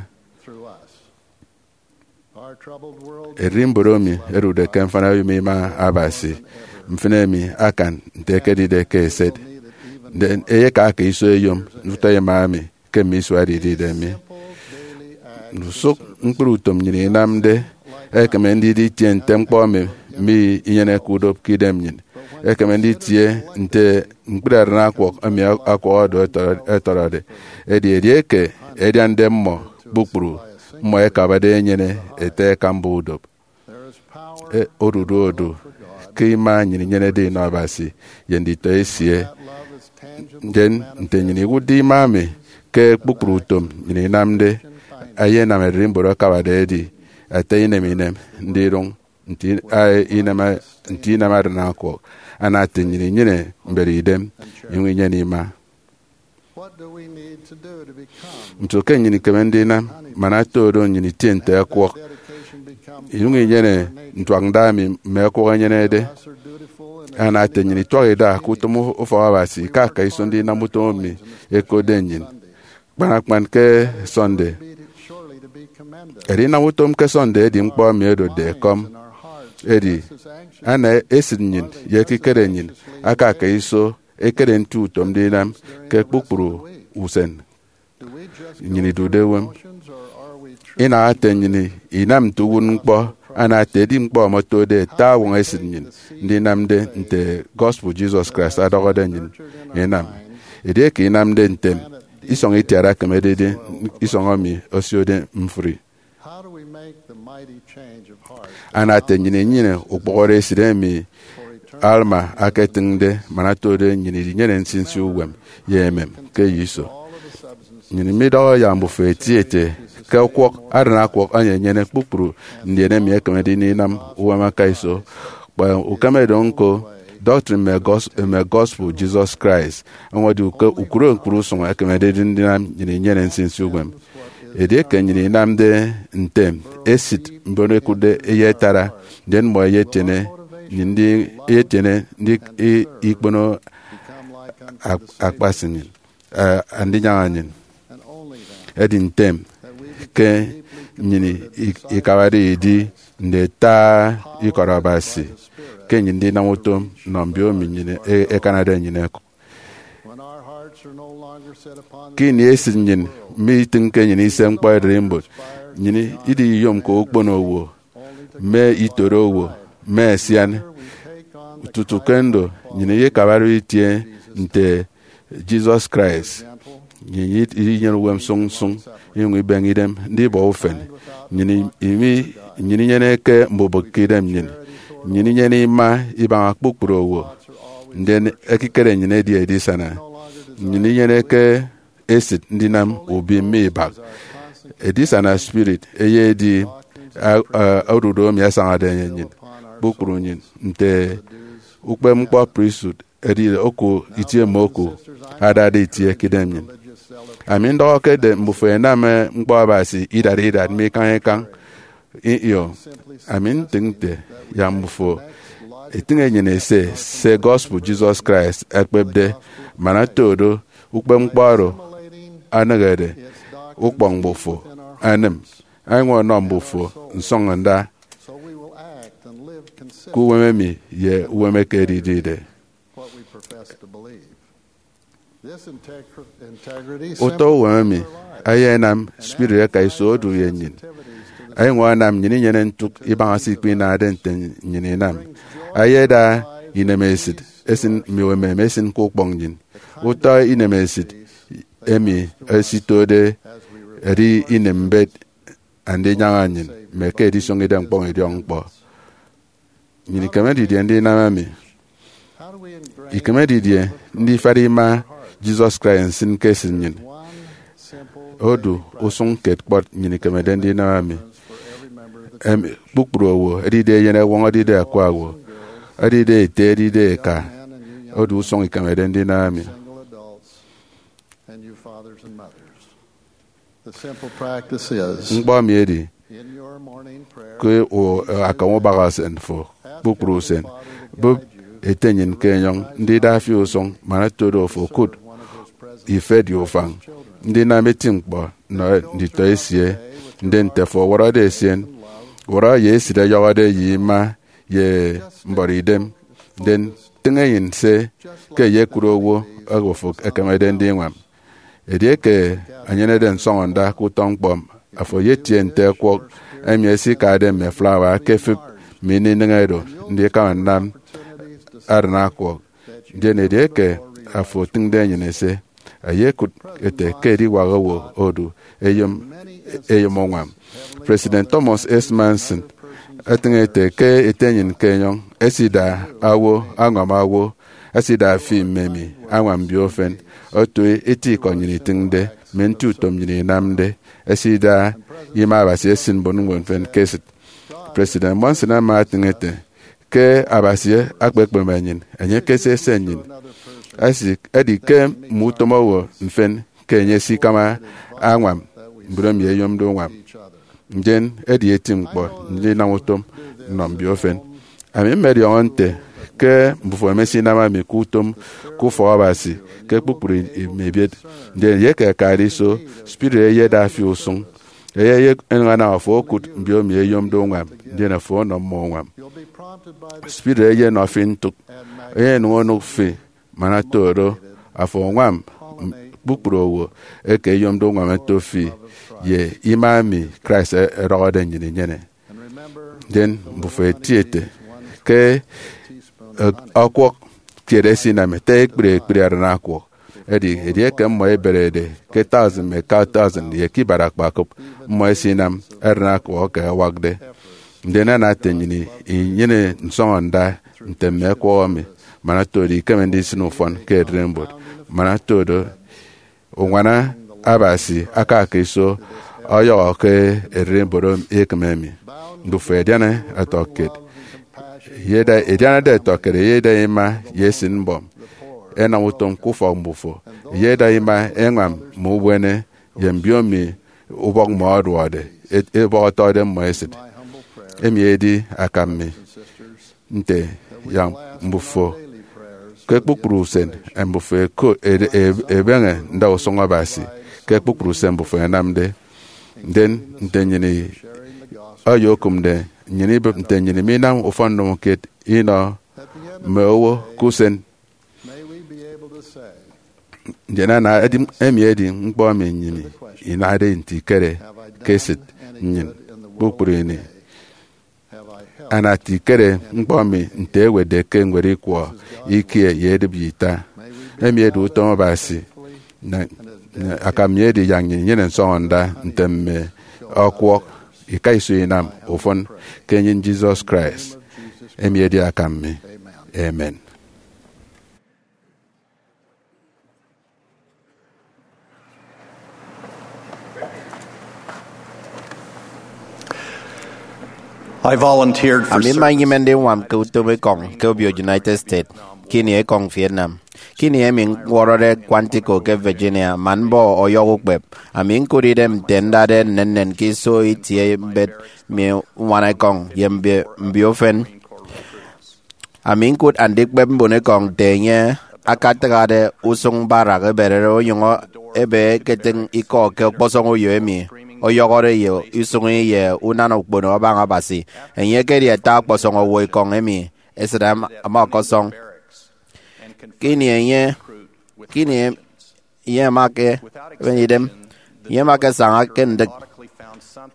Ererimbot emi ẹdude ke mfịna oyom ima Abasi mfịna emi akan nte ekedide ke eset. Ndien eyeka aka iso eyom utọ ima emi ke mme isua ẹdidide mi. Ndusụk ñkpri utom nnyịn inamde ẹkeme ndidi itie nte ñkpọ emi minyeneke udop ke idem nnyịn. Ẹkeme nditie nte ñkpri arịne akwụk emi akwọhọde ẹtọrọ-, ẹtọrọde. Edi edieke ẹdiande mmọ kpukpru, mmọ ẹkabade ẹnyene ete ẹka mbuba udop. E, odudu odu ke ima nnyịn inyenede inọ Abasi ye nditọ esie. Ndien nte nnyịn iwụtde ima emi ke kpukpru utom nnyịn inamde, eyenam ererimbot akabade edi ata inem inem ndidụñ nte i-, a, inam, nte inam arịne akwụk, ana ete nnyịn inyene mbet idem, inyụñ inyene ima. Nso ke nnyịn ikeme ndinam man ata odo nnyịn itie nte ẹkwọk, inyụñ inyene ntuak nda emi mme ẹkwọk ẹnyenede? Ana ete nnyịn ituak ida ke utom ufọk Abasi ke aka iso ndinam utom emi ẹkotde nnyịn, kpan akpan ke Sunday. Edinam utom ke Sunday edi ñkpọ emi odotde ekọm. Edi, ana esịt nnyịn ye ekikere nnyịn aka ke iso ekere nti utom ndinam ke kpukpru usen. Nnyịn idude uwem. Inaha ete nnyịn inam nte uwụtñkpọ, ana ete edi ñkpọ emi otode ata añwaña esịt nnyịn ndinamde nte gospel Jesus Christ ọdọhọde nnyịn inam. Edieke inamde ntem, isọñ itiat ekeme ndidi isọñ emi osiode mfri. Ana ete nnyịn inyene ukpọhọre esịt emi Alma aketịñde man otode nnyịn idinyene nsinsi uwem ye emem ke eyo iso. Nnyịn midọhọ yak mbufo eti ete ke ọkwọk, arịne akwụk emi enyene kpukpru ndien emi ekemede ndinam uwem aka iso. Kpa ukeme do ñko, doctrine mme gos-, mme gospel Jesus Christ, ọwọñọde uke ukụre ñkpri usụñ ekemede ndinam nnyịn inyene nsinsi uwem. Edieke nnyịn inamde ntem esịt mbon ẹkụtde eyetara, ndien mmọ ẹyetiene nnyịn ndi, ẹyetiene ndi i-, ikpono ak-, akpasi nnyịn, eh, andinyaña nnyịn. Edi ntem ke nnyịn i-, ikabade idi nde ata ikọt Abasi, ke nnyịn ndinam utom nnọ mbiomi nnyịn e-, ẹkanade nnyịn ẹkụk. Ke ini esịt nnyịn mitịñke nnyịn ise ñkpọ ererimbot, nnyịn idiyomke ukpono owo, mme itoro owo, mme asian. Tutu ke ndo, nnyịn ikabade itie nte Jesus Christ. Nnyịn idinyene uwem sụñ sụñ, inyụñ ibeñe idem ndibọ ufen. Nnyịn imi, nnyịn inyeneke mbubịk ke idem nnyịn. Nnyịn inyene ima ibaña kpukpru owo. Ndien ekikere nnyịn edi edisana. Nnyịn inyeneke esịt ndinam ubim mme ibak. Edisana spirit eyedi a-, a-, odudu emi asañade enye nnyịn, kpukpru nnyịn, nte ukpepñkpọ priesthood edide oku itie mme oku adade itie ke idem nnyịn. Ami ndọhọke ete mbufo ẹnam, eh, ñkpọ Abasi idat idat mme ikañ ikañ. Ih, ih, ami ntịñ nte yak mbufo itịñ enyịn ise se gospel Jesus Christ ekpepde, man oto do ukpepñkpọ oro anehede ukpọñ mbufo, anịm, añwaña ọnọ mbufo nsọñọnda ke uwem emi ye uwem eke edidide. Utọ uwem emi eyenam spirit aka iso odu ye nnyịn, enyụñ anam nnyịn inyene ntụk ibaña se ikpinade nte nnyịn inam. Eyeda inemesịt esin mme emem esin ke ukpọñ nnyịn. Utọ inemesịt emi esitode edi inem mbet andinyaña nnyịn mme ke edisioño idem ñkpọñ idiọk ñkpọ. Nnyịn ikeme didie ndinam emi? Ikeme didie ndifat ima Jesus Christ nsịn ke esịt nnyịn? Odu usụñ kiet kpọt nnyịn ikemede ndinam emi. Em, kpukpru owo, edide eyen ewọñ, edide akwa owo, edide ete, edide eka, odu usụñ ikemede ndinam emi. Ñkpọ emi edi ke u-, akam ubak usen fo kpukpru usen. Bụp ete nnyịn ke enyọñ ndida fi usụñ man otodo ofo okụt ifet ye ufañ ndinam eti ñkpọ nnọ nditọ esie. Ndi nte afo ọwọrọde esien, wọrọ ye esịt ọyọhọde ye ima ye mbọrọ idem, ndi tịñ enyịn se ke eyekụt owo oro afo ekemede ndiñwam. Edieke enyenede nsọñọnda ke utọ ñkpọ, afo eyetie nte ẹkwọk emi ẹsikade mme flawa ke efịp mme ini inịñe do ndikama nnam aran akwọk. Ndien edieke afo otịñde enyịn ese, eyekụt ete ke ediwak owo odu eyom, eyom uñwam. President Thomas S. Monson etịñ ete ke ete nnyịn ke enyọñ esida owo añwam owo, esida fi mme emi añwam mbio efen, otu eti ikọ nnyịn itịñde, mme nti utom nnyịn inamde, esida ima Abasi esịn mbon ñwed efen ke esịt. President Monson ama etịñ ete ke Abasi akpekpeme nnyịn, enye ekese ese nnyịn. Esi, edi ke mme utom owo mfen ke enye esikama añwam mbon emi eyomde uñwam. Ndien edi eti ñkpọ ndinam utom nnọ mbio efen. Ami mmediọñọ nte ke mbufo emesinam emi ke utom ke ufọk Abasi ke kpukpru mme ebiet. Ndien ye ke akade iso, spirit eyeda fi usụñ, eye enyụñ anam afo okụt mbio emi eyomde uñwam, ndien afo ọnọ mmọ uñwam. Spirit eyenọ fi ntụk, eyenụñ onụk fi, man oto do, afo añwam kpukpru owo eke eyomde uñwam ẹto fi ye ima emi Christ ọdọhọde nnyịn inyene. Ndien mbufo eti ete ke ọkwọk kiet esinam ete ekpri ekpri aran akwọk. Edi edieke mmọ ẹberede ke thousand mme ka thousand ye ke ibat akpakop, mmọ ẹsinam aran akwọk eke ẹwakde. Ndien ana ete nnyịn inyene nsọñọnda nte mme ẹkwọk emi, man oto do ikeme ndisịn ufọn ke ererimbot, man oto do uñwana Abasi aka aka iso ọyọhọ ke ererimbot ekịm emi. Mbufo ẹdiana ẹtọkiet, eyeda, ẹdianade ẹtọkiet, eyeda ima ye esịt mbọm, ẹnam utom ke ufọk mbufo, eyeda ima ẹñwam mme ubuene ye mbio emi ubọk mmọ ọduọde, e-, ubọk ọtọde mmọ esịt. Emi edi akam mi nte yak mbufo ke kpukpru usen mbufo ẹko-, ede-, e-, ebeñe ndausụñ Abasi ke kpukpru usen mbufo ẹnamde. Ndien nte nnyịn i-, oyokụmde nnyịn ibịp nte nnyịn minam ufọn nnụmkeet inọ mme owo ke usen. Ndien ana edi, emi edi ñkpọ emi nnyịn inade nte ikere ke esịt nnyịn kpukpru ini. Ana ete ikere ñkpọ mi nte ewetde ke ñwed ikwọ ikie ye edịp ye ita. Emi edi utom Abasi. Na, na akam mi edi yak nnyịn inyene nsọñọnda nte mme ọkwọk ika iso inam ufọn ke enyịn Jesus Christ. Emi edi akam mi. Amen. I volunteered for Ami mma service. Inyịme ndiñwam ke utom ekọñ ke obio United States, ke ini ekọñ Vietnam. Ke ini emi ñwọrọde Quantico ke Virginia, man mbọ ọyọhọ ukpep, ami ñkụt idem nte ndade nnennen ke iso itie mbet mi uñwana ekọñ ye mbio, mbio efen. Ami ñkụt andikpep mbonekọñ nte enye akatịghade usụñ barak eberere onyụñ ebe eketịñ ikọ ke ọkpọsọñ uyo emi ọyọhọde ye usụñi ye unana ukpono abaña Abasi. Enye ekedi ata ọkpọsọñ owo ekọñ emi esịt ama, ama ọkọsọñ. Ke ini enye, ke ini enye ama ke ebeñe idem, enye ama ke saña ke ndịk.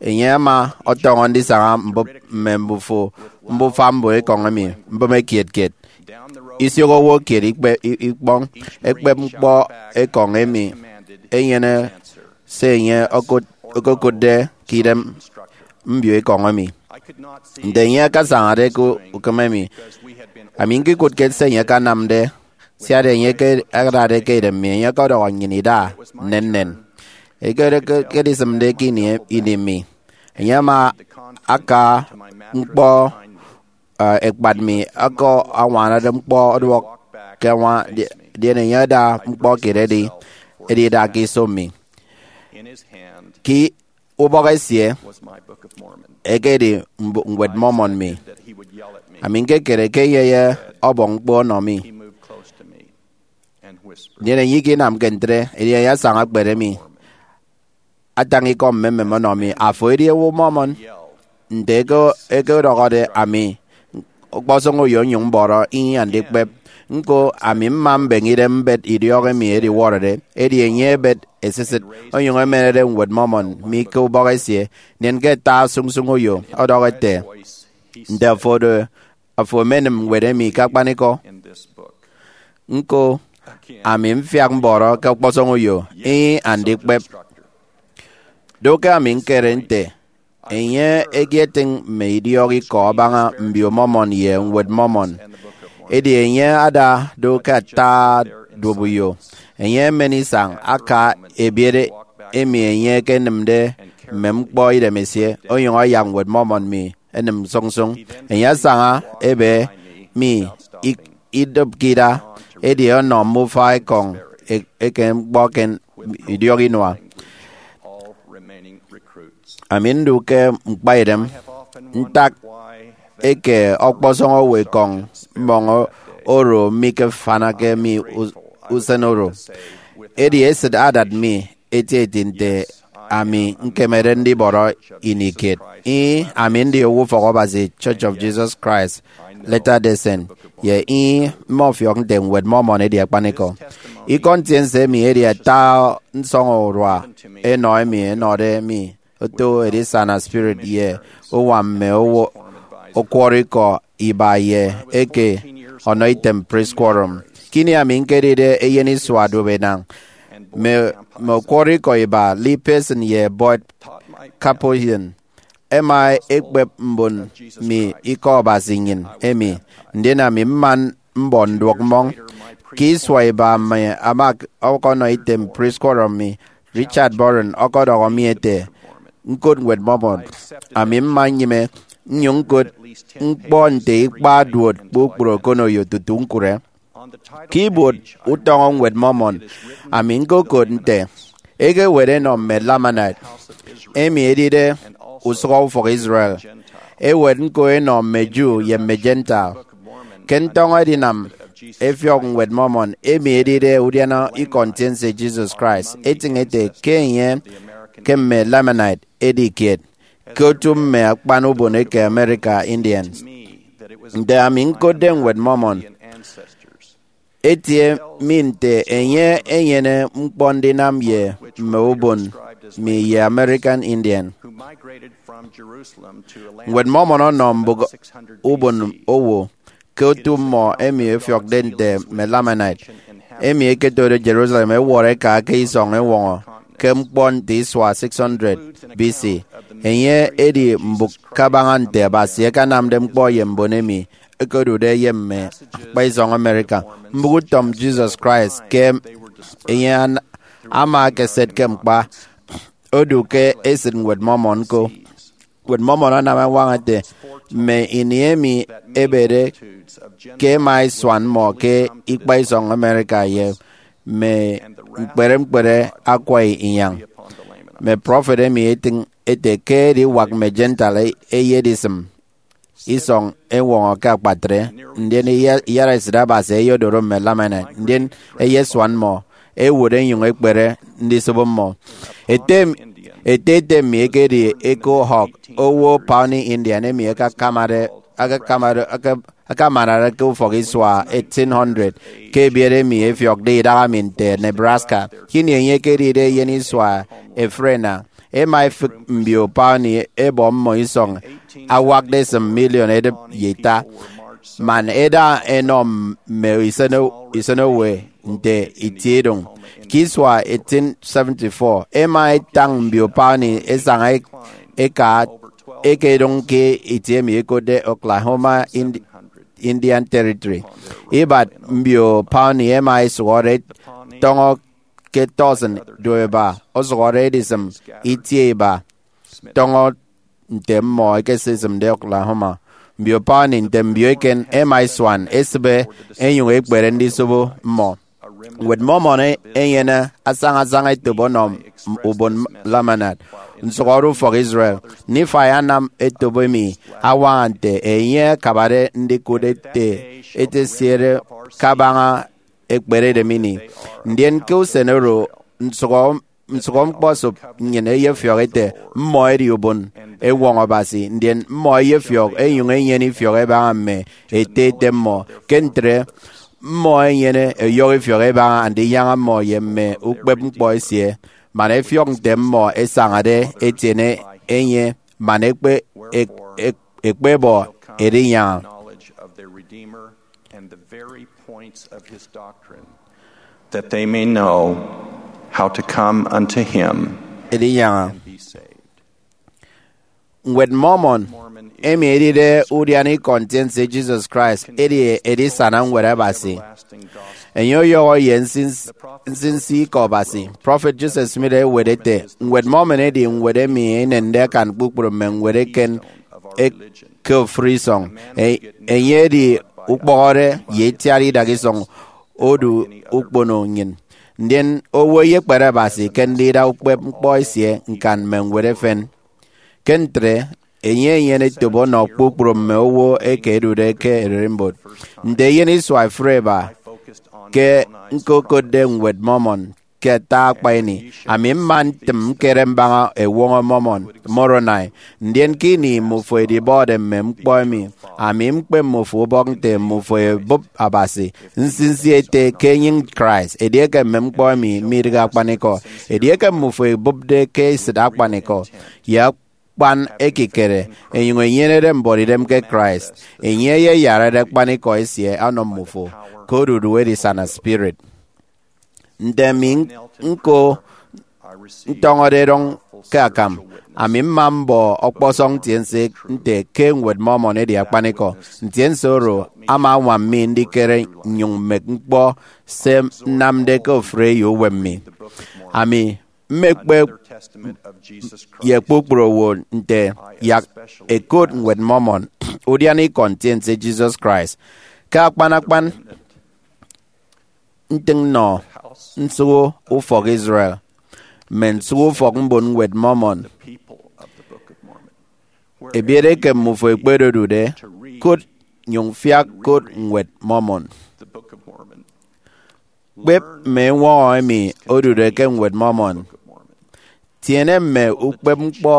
Enye ama ọtọñọ ndisaña mbụp mme mbufo, mbufa mbon ekọñ emi, mbụme kiet kiet. Isio owo kiet ikpe-, i-, ikpọñ ekpep ñkpọ ekọñ emi enyene se enye okot-, okokụtde ke idem mbio ekọñ emi. Nte enye akasañade ke ukeme mi, ami ñkikụt kiet se enye akanamde, siat enye ke adade ke idem mi, enye ọkọdọhọ nnyịn ida nnennen. Eke, eke, ekedisịmde ke ini, ini mi, enye ama aka ñkpọ, uh, ekpat mi, ọkọ añwanade ñkpọ ọduọk ke añwa, di-, ndien enye ada ñkpọ kiet edi, edi ida ke iso mi. Ke ubọk esie ekedi mb-, ñwed Mormon mi. Ami ñkekere ke enye ye ọbọñ ñkpọ ọnọ mi. Ndien enye ikinamke ntre, edi enye asaña akpere mi, atañ ikọ mmemmem ọnọ mi, "Afo edi owo Mormon?" Nte eke, eke ọdọhọde, ami ọkpọsọñ uyo nnyụñ mbọrọ, "Ih, andikpep." Ñko, ami mma mbeñe idem mbet idiọk emi ediwọrọde, edi enye ebet esisịt, onyụñ emenede ñwed Mormon mi ke ubọk esie, ndien ke ata sụñsụñ uyo ọdọhọ ete, "Nte afo do, afo emenem ñwed emi ke akpanikọ?" Ñko, ami mfiak mbọrọ ke ọkpọsọñ uyo, "Ih, andikpep." Do ke ami ñkere nte enye eketịñ mme idiọk ikọ abaña mbio Mormon ye ñwed Mormon. Edi enye ada do ke ata duop uyo. Enye emen isañ aka ebiet emi enye ekenịmde mme ñkpọ idemesie, onyụñ ayak ñwed Mormon mi enịm sụñsụñ. Enye asaña ebe mi ik-, idịpke ida, edi ọnọ mme ufak ekọñ e-, eke ñkpọ ke idiọk inua. Ami ndu ke ñkpaidem ntak eke ọkpọsọñ owo ekọñ mmọñ oro mikefanake mi us-, usen oro. Edi esịt adat mi etieti nte ami ñkemede ndibọrọ ini kiet. Ih, ami ndi owo ufọk Abasi Church of Jesus Christ Latter-day Saint, ye ih, mmọfiọk nte ñwed Mormon edi akpanikọ. Ikọ ntiense emi edi ata nsọñurua enọ emi ẹnọde mi oto edisana spirit ye uwa mme owo ọkwọrọ ikọ iba ye eke ọnọ item priest quorum. Kini ami ñkedide eyen isua duop enañ, mme, mme ọkwọrọ ikọ iba, Lee Pearson ye Boyd Capuchin, ẹma ẹkpep mbon mi ikọ Abasi nnyịn emi, ndien ami mma mbọ nduọk mmọñ. Ke isua iba mi ama ọkọnọ item priest quorum mi, Richard Burton ọkọdọhọ mi ete, ñkot ñwed Mormon. Ami mma nnyịme nnyụñ ñkot ñkpọ nte ikpa duot kpukpru okoneyo tutu ñkụre. Ke ibuot utọñọ ñwed Mormon, ami ñkokot nte, "Ekewet enọ mme Lamanite, emi edide usụhọ ufọk Israel. Ewet ñko enọ mme Jew ye mme Gentile." Ke ntọñọ edinam efiọk ñwed Mormon, emi edide udiana ikọ ntiense Jesus Christ, etịñ ete ke enye ke mme Lamanite edi kiet ke otu mme akpan ubon eke America Indians. Nte ami ñkotde ñwed Mormon, etie mi nte enye enyene ñkpọ ndinam ye mme ubon mi ye American Indian. Ñwed Mormon ọnọ mbụk ubon owo ke otu mmọ emi ẹfiọkde nte mme Lamanite, emi ẹketode Jerusalem ẹwọrọ ẹka ke isọñ ẹñwọñọ ke ñkpọ nte isua six hundred B C. Enye edi mbụk kabaña nte Abasi akanamde ñkpọ ye mbon emi ẹkedude ye mme ñkpa isọñ America. Mbụk utom Jesus Christ ke enye an-, ama ekeset ke ñkpa odu ke esịt ñwed Mormon ñko. Ñwed Mormon anam añwaña ete, mme ini emi ebede ke ẹma ẹsuan mmọ ke ikpa isọñ America ye mme ñkpere ñkpere akwa inyañ. Mme prọfet emi etịñ ete ke ediwak mme Gentile eyedisịm isọñ ẹñwọñọ ke akpatre, ndien iya-, iyaraesịt Abasi eyedoro mme Lamanite, ndien ẹyesuan mmọ, ẹwụt ẹnyụñ ẹkpere ndisobo mmọ. Ete, ete ete mi ekedi Echo Hawk, owo Pawnee Indian emi akakamade, akakamade, aka-, akamanade ke ufọk isua eighteen hundred, ke ebiet emi ẹfiọkde idaha mi nte Nebraska. Kini enye ekedide eyen isua efrena, ẹma ẹfịk mbio Pawnee ẹbọ mmọ isọñ awakde esịm miliọn edịp ye ita. man eda enọ mme isenowe nte itiedụñ. Ke isua eighteen seventy-four, ẹma ẹtañ mbio pauni ẹsaña ẹka ẹkedụñ ke itie emi ẹkotde Oklahoma Indian Territory. Ibat mbio pauni ẹma ẹsụhọde tọñọ ke tọsịn duoiba, osụhọde edisịm itie iba tọñọ nte mmọ ẹkesisịmde Oklahoma. Mbio pauni nte mbio eken ẹma ẹsuan ẹsịbe ẹnyụñ ẹkpere ndisobo mmọ. Ñwed Mormon enyene asaña-asaña etop ọnọ ubon Lamanite, nsụhọde ufọk Israel. Nifai anam etop emi añwaña nte enye akabade ndikụt ete ete esiere kabaña ekperedem ini. Ndien ke usen oro, nsụhọ nsụhọñkpọ esop nnyịn eyefiọk ete, mmọ ẹdi ubon ewọñ Abasi, ndien mmọ ẹyefiọk ẹnyụñ ẹnyene ifiọk ẹbaña mme ete ete mmọ. Ke ntre, mmọ ẹnyene ẹyọhọ ifiọk ẹbaña Andinyaña mmọ ye mme ukpepñkpọ esie, man ẹfiọk nte mmọ ẹsañade ẹtiene enye man ẹkpe- ẹk- ẹk- ẹkpebọ Edinyaña. Knowledge of their Redeemer and the very points of his doctrine, that they may know how to come unto him Edinyaña. And be saved. Ñwed Mormon, emi edide udiana ikọ ntiense Jesus Christ, edi edisana ñwed Abasi. Enye ọyọhọ ye nsinsi ikọ Abasi. Prọfet Joseph Smith ewet ete, Ñwed Mormon edi ñwed emi enende akan kpukpru mme ñwed eken ke ofụri isọñ. Enye edi ukpọhọde ye itiat idak isọñ odu ukpono nnyịn. Ndien owo eyekpere Abasi ke ndida ukpepñkpọ esie ñkan mme ñwed efen. Ke ntre, enye enyene etop ọnọ kpukpru mme owo eke ẹdude ke ererimbot. Nte eyen isua efuri eba ke ñkokotde Ñwed Mormon ke ata akpa ini, ami mma ntịm ñkere mbaña Ewọñọ Mormon, Moroni. Ndien ke ini mmufo edibọde mme ñkpọ emi, ami ñkpe mmufo ubọk nte mmufo ebụp Abasi nsinsi ete ke enyịñ Christ. Edieke mme ñkpọ emi midịghe akpanikọ, edieke mmufo ebụpde ke esịt akpanikọ ye akpan ekikere, enyụñ enyenede mbuọtidem ke Christ, enye eyeyarade akpanikọ esie ọnọ mmufo ke odudu edisana spirit. Nte ami ñko ntọñọde erọñ ke akam, ami mma mbọ ọkpọsọñ ntiense nte ke Ñwed Mormon edi akpanikọ. Ntiense oro ama añwam mi ndikere nnyụñ mmek ñkpọ se nnamde ke ofụri eyo uwem mi. Ami mmekpep ye kpukpru owo nte, yak ẹkot Ñwed Mormon udiana ikọ ntiense Jesus Christ. Ke akpan akpan, ntịñ nnọ nsụhọ ufọk Israel, mme nsụhọ ufọk mbon Ñwed Mormon. Ebiere ke mmufo ekpedodude, kot nyụñ fiak kot Ñwed Mormon. Kpep mme ewọñọ emi odude ke Ñwed Mormon. Tiene mme ukpepñkpọ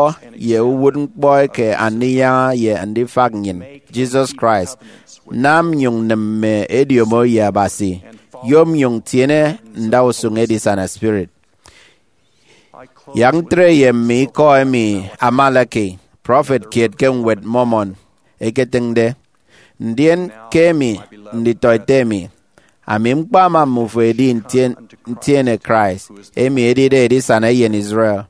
ye uwụtñkpọ eke Andinyaña ye Andifak nnyịn, Jesus Christ. Nam nyụñ nịm mme ediomo ye Abasi. Yom nyụñ tiene ndausụñ edisana spirit. Yak ntre ye mme ikọ emi Amaleki, prọfet kiet ke Ñwed Mormon, eketịñde. Ndien ke emi, nditọete mi, ami ñkpama mmufo edi ntien- ntiene Christ, emi edide edisana eyen Israel,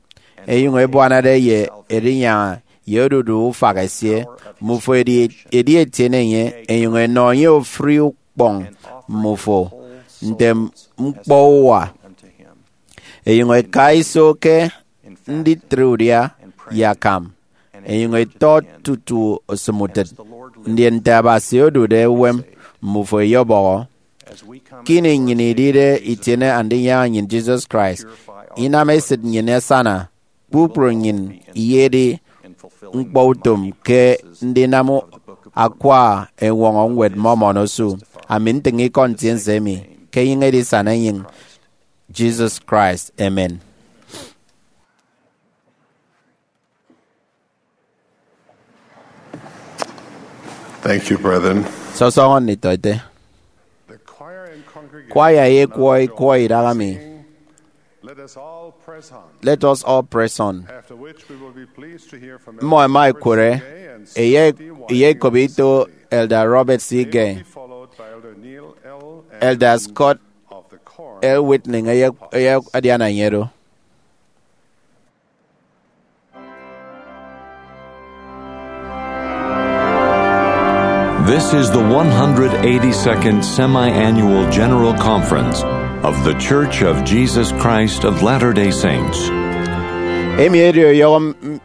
enyụñ ebuanade ye Edinyaña ye odudu ufak esie. Mmufo edi edi etiene enye, enyụñ enọ enye ofụri ukpọñ mmufo nte ñkpọ uwa, enyụñ eka iso ke nditre udia ye akam, enyụñ etọ tutu osịm utịt. Ndien nte Abasi odude uwem, mmufo eyebọhọ. Ke ini nnyịn idide itiene Andinyaña nnyịn Jesus Christ, inam esịt nnyịn asana, kpukpru nnyịn iyedi ñkpọutom ke ndinam akwa ewọñọ Ñwed Mormon osu. Ami ntịñ ikọ ntiense emi ke enyịñ edisana enyịñ Jesus Christ. Amen. Thank you, brethren. Sọsọñọ nditọete. The choir and congregation Kwaya ye ikwọ ikwọ idaha mi. Let us all press on. Let us all press on. After which we will be pleased to hear from Mmọ ẹma Elder ẹkwọrọ Gay and Sister D Y eyekop ito Wesley. Elder Robert C. Gay. Elder Scott L. Whitney eyek-, eyek-, adiana enye do. This is the one hundred eighty-second Semi-Annual General Conference of The Church of Jesus Christ of Latter-day Saints. Emi edi ọyọhọ m-, m-,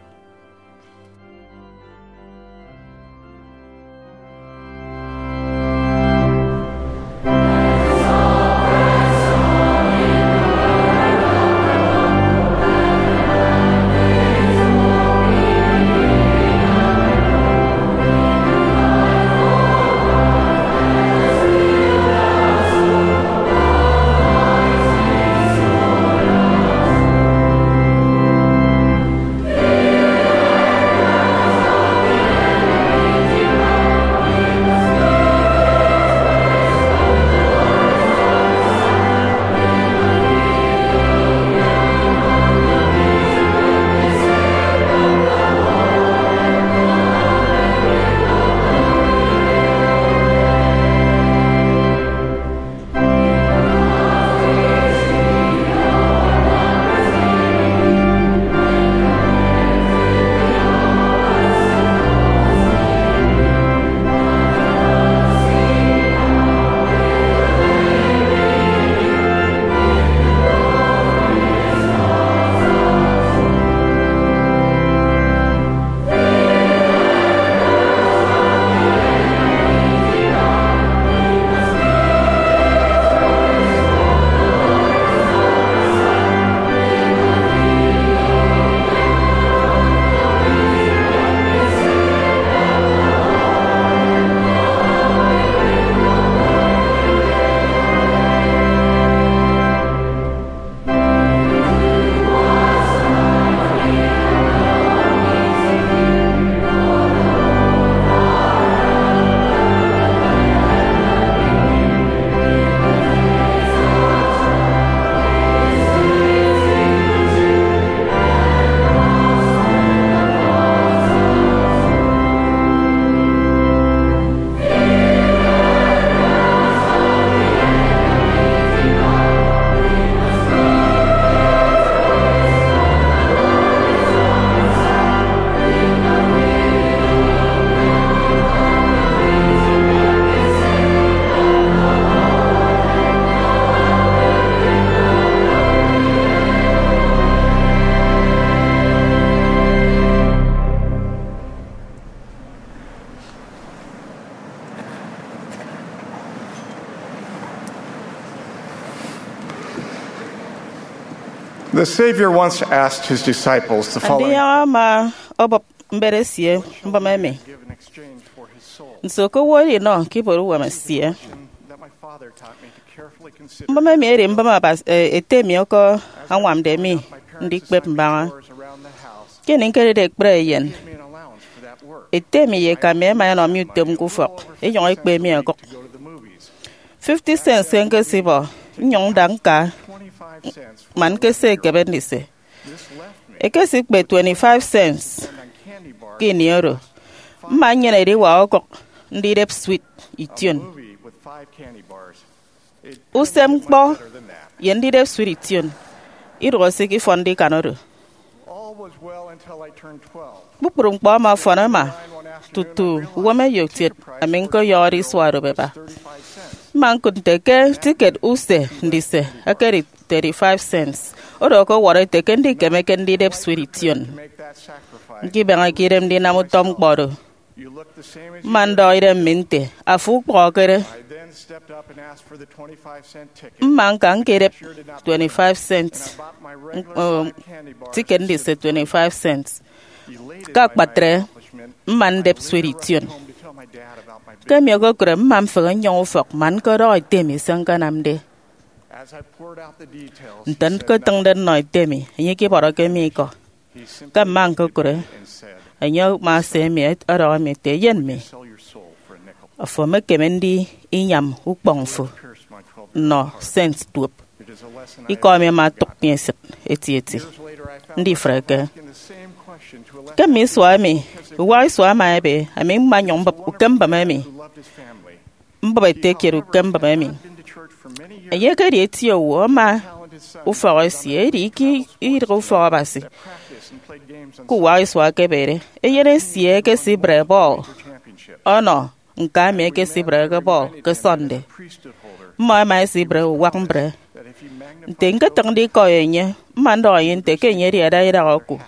The Savior once asked his disciples the following. Andiyaña ama ọbọp mbet esie mbọm emi: Nso ke owo edinọ ke ibuot uwem esie? Mbọm emi edi mbọm Abasi, eh, ete mi oko añwamde mi ndikpep mbaña. Ke ini ñkedide ekpri eyen, ete mi ye eka mi ẹma ẹnọ mi utom ke ufọk, ẹnyụñ ẹkpe mi ẹkụk fifty cents ke ñkesibọ, nnyụñ nda ñka man ñkese ekebe ndise. Ẹkesikpe twenty-five cents ke ini oro, mma nnyene ediwak okụk ndidep sweet ition. Usem ñkpọ ye ndidep sweet ition idụhe se ikifọnde ikan oro. Kpukpru ñkpọ ama ọfọn ama tutu uwem eyokiet ami ñkoyọhọde isua orụk eba. Mma ñkụt nte ke ticket use ndise ekedi thirty-five cents, oro ọkọwọrọ ete ke ndikemeke ndidep sweet ition. Ñkibeñeke idem ndinam utọ ñkpọ oro. Mma ndọhọ idem mi nte, "Afo ukpọhọkede." Mma ñka ñkedep twenty-five cents, um, ticket ndise twenty-five cents. Ke akpatre, mma ndep sweet ition. Ke emi okokụre, mma mfehe nnyọñ ufọk man ñkọdọhọ ete mi se ñkanamde. Nte ñketịñde nnọ ete mi, enye ikibọrọke mi ikọ. Ke mma ñkokụre, enye ama ese mi ọdọhọ mi ete, "Eyen mi, afo emekeme ndi inyam ukpọñ fo nnọ cent duop." Ikọ emi ama otụk mi esịt etieti. Ndifreke, Ke mme isua emi uwak isua ama ebe, ami mma nyụñ mbụp ukembịm emi. Mbụp ete kiet ukembịm emi. Enye ekedi eti owo ama ufọk esie, edi ke idịghe ufọk Abasi. Ke uwak isua ekebede, eyen esie ekesibre bọl ọnọ ñka emi ekesibreke bọl ke Sunday. Mmọ ẹma ẹsibre uwak mbre. Nte ñketịñde ikọ enye, mma ndọhọ enye nte ke enye edi ada idak oku,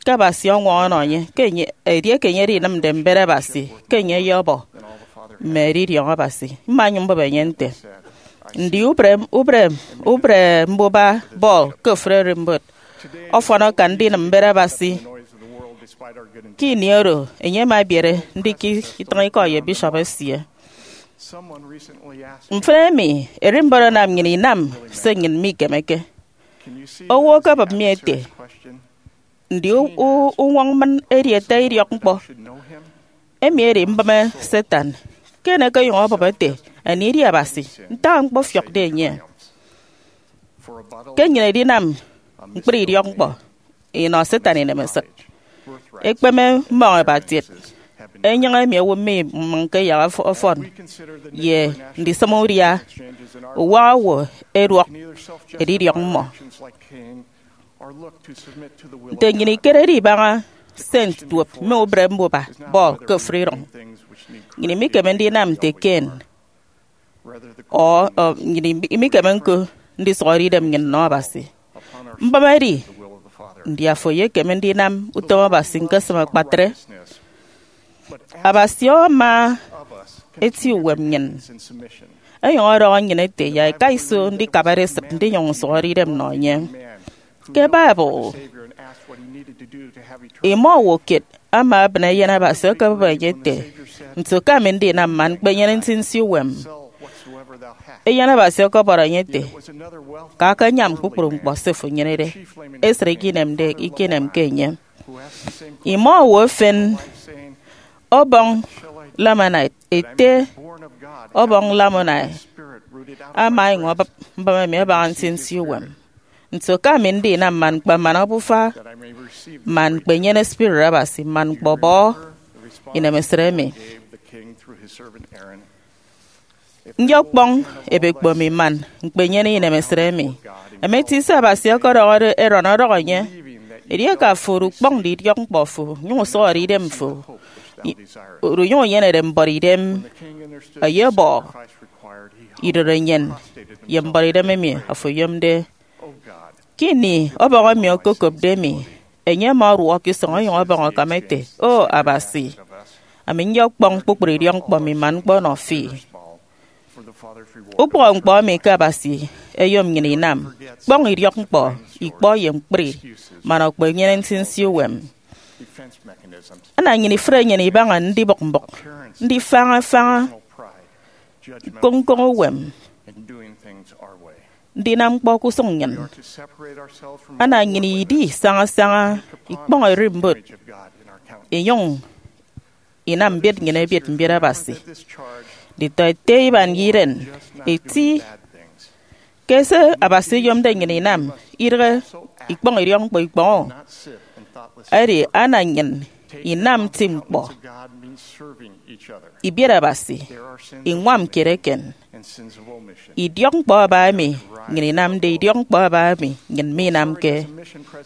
ke Abasi ọñwọñọ ọnọ enye, ke enye, edieke enye edinịmde mbet Abasi, ke enye eyebọ mme edidiọñ Abasi. Mma nyụñ mbụp enye nte, ndi ubre, ubre, ubre mbuba bọl ke ofụri ererimbot ọfọn akan ndinịm mbet Abasi? Ke ini oro, enye ama ebiere ndikịt itịñ ikọ ye bishop esie. Mfịn emi, ererimbot anam nnyịn inam se nnyịn mikemeke. Owo okebụp mi ete, ndi u- u- uñwọñ mmịn edi ete idiọkñkpọ? Emi edi mbịme Satan. Ken ekeyụñ obụp ete, anie edi Abasi? Ntak ñkpọfiọkde enye? Ke nnyịn edinam ñkpri idiọkñkpọ, inọ Satan inemesịt. Ekpeme mmọñ ebatiet, enyịñ emi owo mimịñke yak ọf- ọfọn, ye ndisịm udia uwak owo ẹduọk edidiọñ mmọ. Nte nnyịn ikerede ibaña Saint duop mme ubre mbuba bọl ke ofụri iroñ, nnyịn imikeme ndinam nte Cain, ọ, ọ, nnyịn imi- imikeme ñko ndisụhọde idem nnyịn nnọ Abasi. Mbịme edi, ndi afo eyekeme ndinam utom Abasi ñkesịm akpatre? Abasi ama eti uwem nnyịn, enyụñ ọdọhọ nnyịn ete, yak ika iso ndikabade esịt ndinyụñ nsụhọde idem nnọ enye. Ke Bible, imọ owo kiet ama ebịne Eyen Abasi ọkọbụp enye ete, nso ke ami ndinam man ñkpenyene nsinsi uwem? Eyen Abasi ọkọbọrọ enye ete, ka akanyam kpukpru ñkpọ se ofo enyenede, esịt ikinemde ikinemke enye. Imọ owo efen ọbọñ Lamanite ete, ọbọñ Lamanite ama enyụñ obụp mbịme emi abaña nsinsi uwem. Nso ke ami ndinam man ñkpeman obufa, man ñkpenyene Spirit Abasi, man ñkpọbọ inemesịt emi? Ndi ọkpọñ ebekpo mi man ñkpenyene inemesịt emi? Emeti se Abasi ọkọdọhọde Aaron ọdọhọ enye, edieke afo odukpọñde idiọkñkpọ fo, nyụñ usụhọde idem fo, i- odunyụñ unyenede mbuọt idem, eyebọ idorenyin ye mbuọt idem emi afo oyomde. Ke ini ọbọñ emi okokopde mi, enye ama ọduọk ke isọñ onyụñ ọbọñ akam ete, O Abasi, ami ndi ọkpọñ kpukpru idiọkñkpọ mi man ñkpọnọ fi. Ukpọhọñkpọ emi ke Abasi eyom nnyịn inam, kpọñ idiọkñkpọ, ikpọ ye ñkpri, man okpenyene nsinsi uwem. Ana nnyịn ifre enyịn ibaña ndibụk mbụk, ndifaña ifaña, ñkoñ ñkoñ uwem, ndinam ñkpọ ke usụñ nnyịn. Ana nnyịn idi saña saña, ikpọñ ererimbot, inyụñ inam mbiet nnyịn ebiet mbiet Abasi. Nditọete iban ye iren eti ke se Abasi oyomde nnyịn inam idịghe ikpọñ idiọkñkpọ ikpọñ-o. Edi ana nnyịn inam nti ñkpọ, ibiet Abasi, iñwam kiet eken. Idiọkñkpọ aba emi nnyịn inamde, idiọkñkpọ aba emi nnyịn minamke,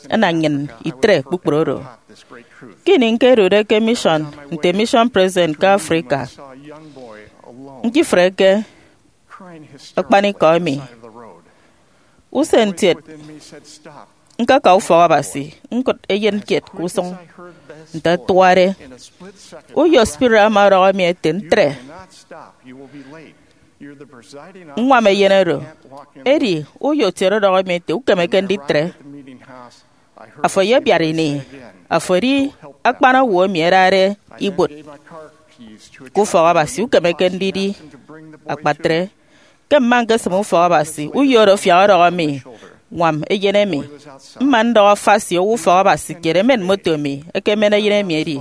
ana nnyịn itre kpukpru oro. Ke ini ñkedude ke mission nte mission president ke Africa, ñkifreke akpanikọ emi. Usen ntiet, ñkaka ufọk Abasi, ñkụt eyen kiet ke usụñ. Nte ẹtuade, uyo spirit ama ọdọhọ mi ete, Ntre! Ñwam eyen oro. Edi uyo kiet ọdọhọ mi ete, Ukemeke nditre. Afo eyebiat ini. Afo edi akpan owo emi ẹdade ibuot ke ufọk Abasi, ukemeke ndidi akpatre. Ke mma ñkesịm ufọk Abasi, uyo oro afiak ọdọhọ mi, Ñwam eyen emi. Mma ndọhọ Fasi, owo ufọk Abasi kiet, emen moto mi, ekemen eyen emi edi.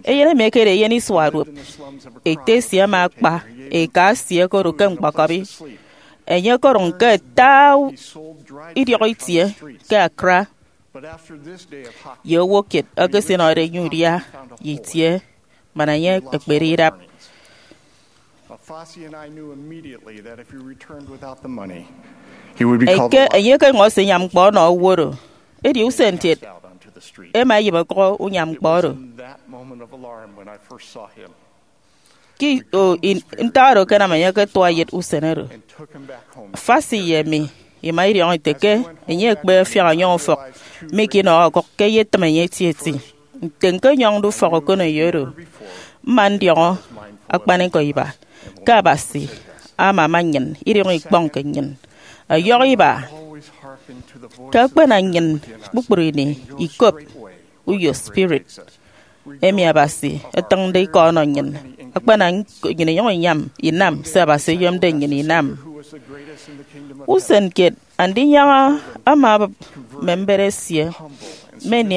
Eyen emi ekedi eyen isua duop. Ete esie ama akpa eka esie okodu ke ñkpọkọbi. Enye okodụñ ke ata idiọk itie ke Accra. Ye owo kiet eke esinọde enye udia ye itie, man enye ekpere idap. Eke enye ke ñwọs inyam ñkpọ ọnọ owo oro, edi usen kiet ema eyịbe ọkụk unyam ñkpọ oro. Ke i- o, in- ntak oro akanam enye akatua eyet usen oro. Fassi ye emi ima idiọñọ ite ke enye ekpe afiak ọnyọñ ufọk mi ke inọhọ ọkụk ke eyetịm enye etieti. Nte ñkenyọñde ufọk okoneyo oro, mma ndiọñọ akpanikọ iba ke Abasi amama nnyịn idiọñọ ikpọñ ke nnyịn. Ọyọhọ iba ke akpana nnyịn kpukpru ini ikop uyo spirit emi Abasi etịñde ikọ ọnọ nnyịn, akpana nnyịn inyụñ inyam inam se Abasi eyomde nnyịn inam. Usen kiet, Andinyaña ama abụp mme mbet esie, mme ini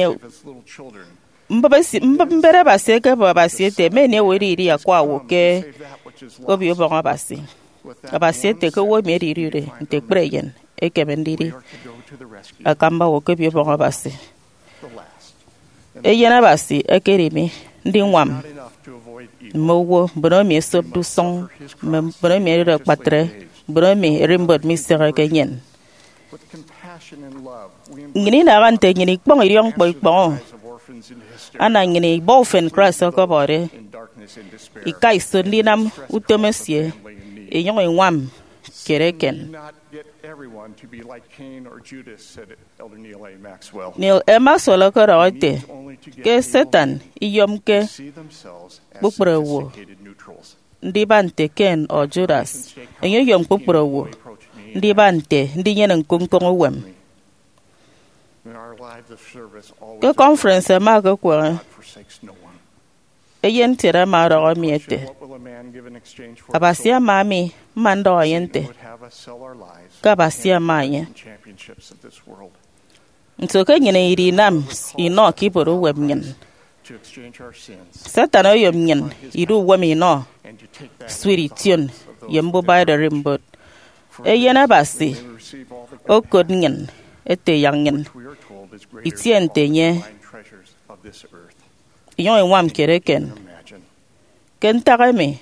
mbụp esi- mbụp mbet Abasi ekebụp Abasi ete, mme ini owo edidi akwa owo ke Obio Ubọñ Abasi. Abasi ete ke owo emi edidude nte ekpere eyen ekeme ndidi akamba owo ke Obio Ubọñ Abasi. Eyen Abasi ekedi mi ndiñwam mme owo, mbon emi esopde usụñ, mme mbon emi ẹdide akpatre, mbon emi ererimbot misehe ke enyịn. Nnyịn inaha nte nnyịn ikpọñ idiọkñkpọ ikpọñ, ana nnyịn ibọ ufen Christ ọkọbọde, ika iso ndinam utom esie, inyụñ iñwam kiet eken. Neal A. Maxwell ọkọdọhọ ete ke Satan iyomke kpukpru owo ndiba nte Cain or Judas. Enye oyom kpukpru owo ndiba nte ndinyene ñkoñkoñ uwem. Ke conference ẹma ẹkekwọrọ, eyen ntiede ama ọdọhọ mi ete, Abasi ama mi, mma ndọhọ enye nte ke Abasi ama enye. Nso ke nnyịn idi inam inọ ke ibuot uwem nnyịn? Satan oyom nnyịn idu uwem inọ, swit ition, ye mbuba ererimbot. Eyen Abasi okot nnyịn ete yak nnyịn itie nte enye, inyụñ iñwam kiet eken. Ke ntak emi,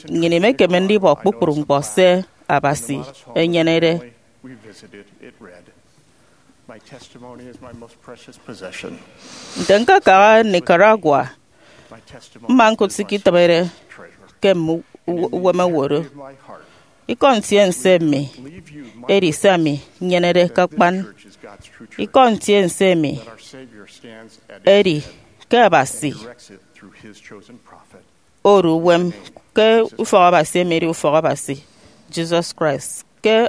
nnyịn imekeme ndibọ kpukpru ñkpọ se Abasi enyenede. Nte ñkakaha Nicaragua, mma ñkụt se iketịbede ke mme u- u- uwem owo do. Ikọ ntiense mi edi se ami nyenede ke akpan. Ikọ ntiense mi edi ke Abasi odu uwem, ke ufọk Abasi emi edi ufọk Abasi Jesus Christ, ke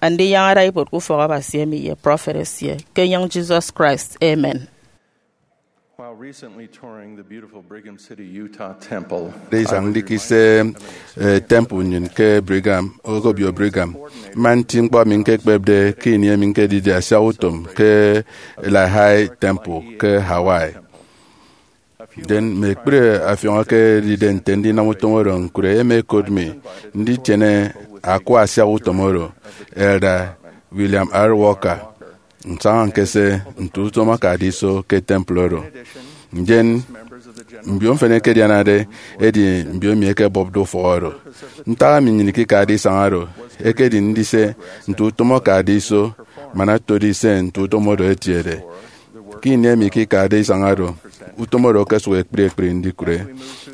Andinyaña ada ibuot ke ufọk Abasi emi ye prọfet esie, ke enyịñ Jesus Christ. Amen. While recently touring the beautiful Brigham City, Utah temple, Ada isañ ndikise, eh, temple nnyịn ke Brigham, Okobio Brigham. Mma nti ñkpọ emi ñkekpepde ke ini emi ñkedide asiahutom ke Lehi Temple ke Hawaii. Ndien mme ekpri afiọñ eke edide nte ndinam utom oro ñkụre, ema ekot mi nditiene akwa asiahutom oro, Elder William R. Walker. Nsaña ñkese nte utom akade iso ke temple oro. Ndien mbio mfịn ẹkedianade ẹdi mbio emi ẹkebọpde ufọk oro. Ntak emi nnyịn ikikade isañ oro ekedi ndise nte utom akade iso man otode ise nte utom oro etiede. Ke ini emi ikikade isañ oro, utom oro okosụk ekpri ekpri ndikụre.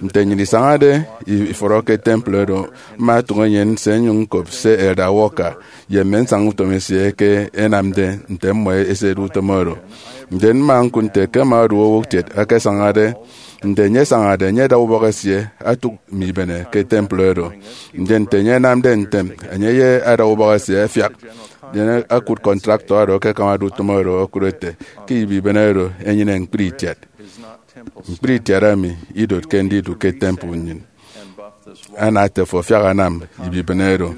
Nte nnyịn isañade i- ifọrọ ke temple oro, mma ntụk enyịn nse nnyụñ ñkop se Elder Walker ye mme nsaña utom esie eke ẹnamde nte mmọ ẹsede utom oro. Ndien mma ñkụt nte ke ẹma ẹdu owo kiet eke asañade. Nte enye asañade, enye ada ubọk esie otụk mi ibene ke temple oro. Ndien nte enye anamde ntem, enye ye ada ubọk esie ẹfiak. Ndien akụt contractor oro eke akamade utom oro okụt ete ke ibibene oro enyene ñkpri itiat. Ñkpri itiat emi idotke ndidu ke temple nnyịn. Ana ete, fo afiak anam ibibene oro.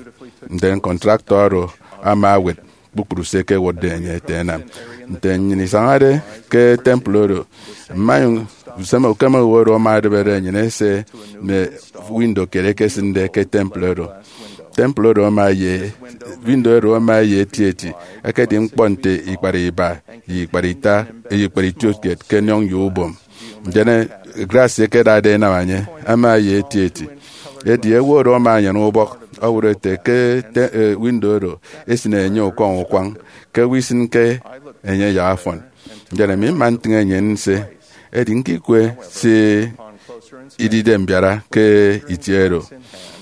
Ndien contractor oro ama ewet kpukpru se ẹkewụtde enye ete ẹnam. Nte nnyịn isañade ke temple oro, mma nyụñ usem ukeme owo oro ama edịbede enyịn ese mme window kiet ekesịnde ke temple oro. Temple oro ama ye window oro ama ye eti eti, ekedi ñkpọ nte ikpara iba, ye ikpara ita, ye ikpara itiot kiet ke enyọñ ye ubom. Ndien, eh, glass ekedade enam enye ama ye eti eti. Edi ewe oro ama anyene ubọk, ọwọrọ ete ke te, eh, window oro esin enye ukwañ ukwañ, ke ewe isinke enye yak afọn. Ndien ami mma ntịñ enye nse, edi ñkikwe se idide mbiara ke itie oro.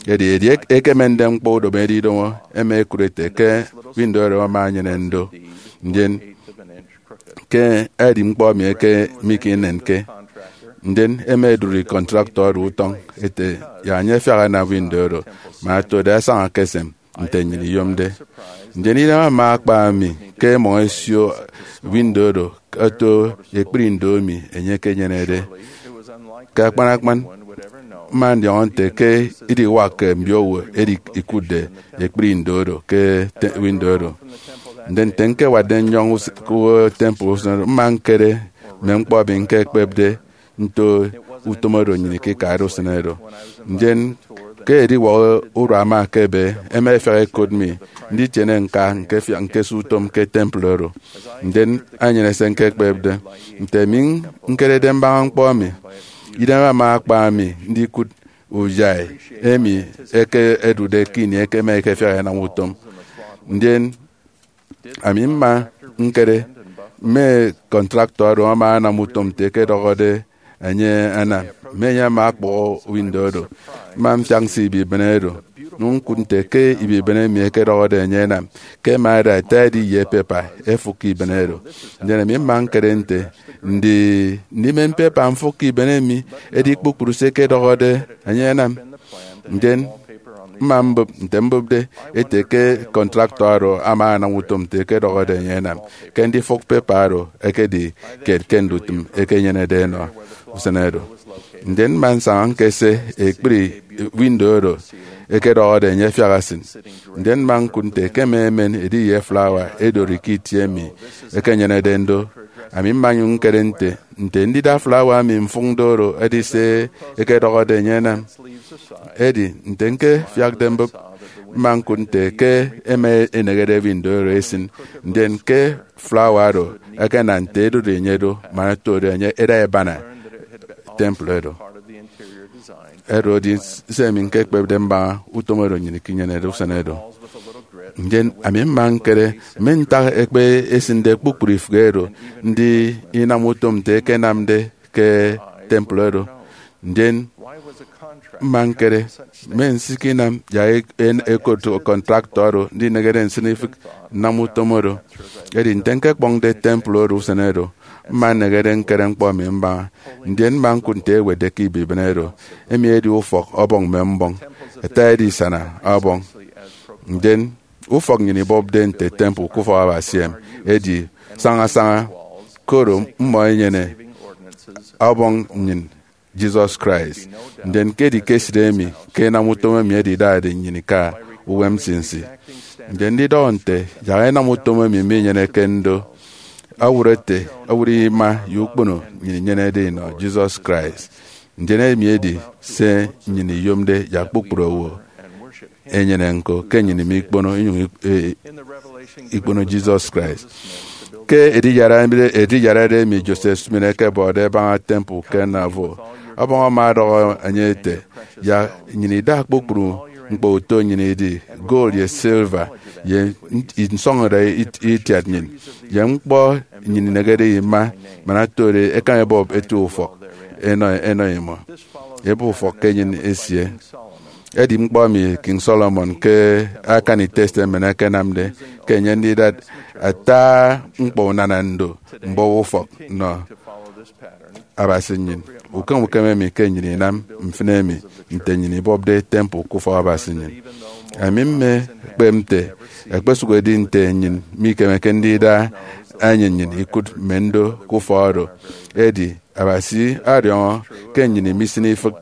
Edi edi ek-, ekemende ñkpọ udomo edidomo, ema ekụt ete ke window oro ama anyene ndo. Ndien ke edi ñkpọ emi eke mikịnenke, ndien ema edụri contractor oro utọñ ete ya enye afiak anam window oro, man otode asaña ke esem nte nnyịn iyomde. Ndien idem ama akpa mi ke mmọñ esio window oro oto ekpri ndo emi enye ekenyenede. Ke akpan akpan, mma ndiọñọ nte ke idiwak ke mbiowo edi ikụtde ekpri ndo oro ke te-, window oro. Ndien nte ñkewatde nnyọñ us-, ke temple usen oro, mma ñkere mme ñkpọ emi ñkekpepde nto utom oro nnyịn ikikade usen oro. Ndien ke ediwak oro ama ekebe, ema efiak ekot mi nditiene ñka ñkefiak ñkese utom ke temple oro. Ndien enyene se ñkekpepde. Nte ami ñkerede mbaña ñkpọ emi, idem ama akpa mi ndikụt uyai emi eke edude ke ini eke ema ekefiak enam utom. Ndien ami mma ñkere mme contractor oro ama anam utom nte ekedọhọde enye anam, mme enye ama akpọhọ window oro. Mma mfiak nse ibibene oro, nụm ñkụt nte ke ibibene emi ekedọhọde enye enam, ke ema ẹda ẹta ẹdi ye pepa ẹfụk ke ibibene oro. Ndien ami mma ñkere nte ndi ndimen pepa mfụk ke ibibene emi edi kpukpru se ẹkedọhọde enye enam. Ndien mma mbụp nte mbụpde ete ke contractor oro ama anam utom nte ekedọhọde enye enam, ke ndifụk pepa oro ekedi kiet ke ndutịm ekenyenede enọ usen oro. Ndien mma nsaña ñkese ekpri window oro ekedọhọde enye afiak asịn. Ndien mma ñkụt nte ke mme emen edi ye flawa edori ke itie emi ekenyenede ndo. Ami mma nyụñ ñkere nte, nte ndida flawa emi mfụk ndo oro edi se ekedọhọde enye enam. Edi nte ñkefiakde mbụp, mma ñkụt nte ke ema enehede window oro esịn, ndien ke flawa oro ẹkenam nte edori enye do, man otode enye eda ẹbana temple oro. Oro edi se emi ñkekpepde mbaña utom oro nnyịn ikinyenede usen oro. Ndien ami mma ñkere mme ntak ekpe esịnde kpukpru ifịk oro ndi inam utom nte ekenamde ke temple oro. Ndien mma ñkere mme nsikinam yak e-, en-, ekot contractor oro ndinehede nsịn ifịk nnam utom oro. Edi nte ñkekpọñde temple oro usen oro, mma nnehede ñkere ñkpọ emi mbaña. Ndien mma ñkụt nte ewetde ke ibibene oro, emi edi ufọk ọbọñ mme mbọñ, ẹta edisana ọbọñ. Ndien ufọk nnyịn ibọpde nte temple ke ufọk Abasi em edi sañasaña, koro mmọ ẹnyene ọbọñ nnyịn, Jesus Christ. Ndien ke edi ke esịt emi ke inam utom emi edidade nnyịn ika uwem nsinsi. Ndien ndidọhọ nte yak enam utom emi minyeneke ndo, ọwọrọ ete, ọwọrọ ima ye ukpono nnyịn inyenede inọ Jesus Christ. Ndien emi edi se nnyịn iyomde yak kpukpru owo enyene ñko, ke nnyịn mikpono inyụñ ik-, e-, ikpono Jesus Christ. Ke ediyara, ediyarade emi Joseph Smith ekebọde ebaña temple ke Nauvoo, ọbọñ ama ọdọhọ enye ete, yak nnyịn ida kpukpru ñkpọ uto nnyịn idi, gold ye silver, ye nsọñọde it-, itiat nnyịn, ye ñkpọ nnyịn inehede ima, man otode ẹkan ẹbọp eti ufọk ẹnọ, ẹnọ imọ. Ebe ufọk ke enyịn esie. Edi ñkpọ emi King Solomon ke akani testament akanamde, ke enye ndida ata ñkpọ unana ndo mbọhọ ufọk nọ Abasi nnyịn. Ukem ukem emi ke nnyịn inam mfịna emi nte nnyịn ibọpde temple ke ufọk Abasi nnyịn. Ami mmekpep nte ekpesụk edi nte nnyịn mikemeke ndida enyịn nnyịn ikụt mme ndo ke ufọk oro. Edi Abasi ọdiọñọ ke nnyịn imisịn ifịk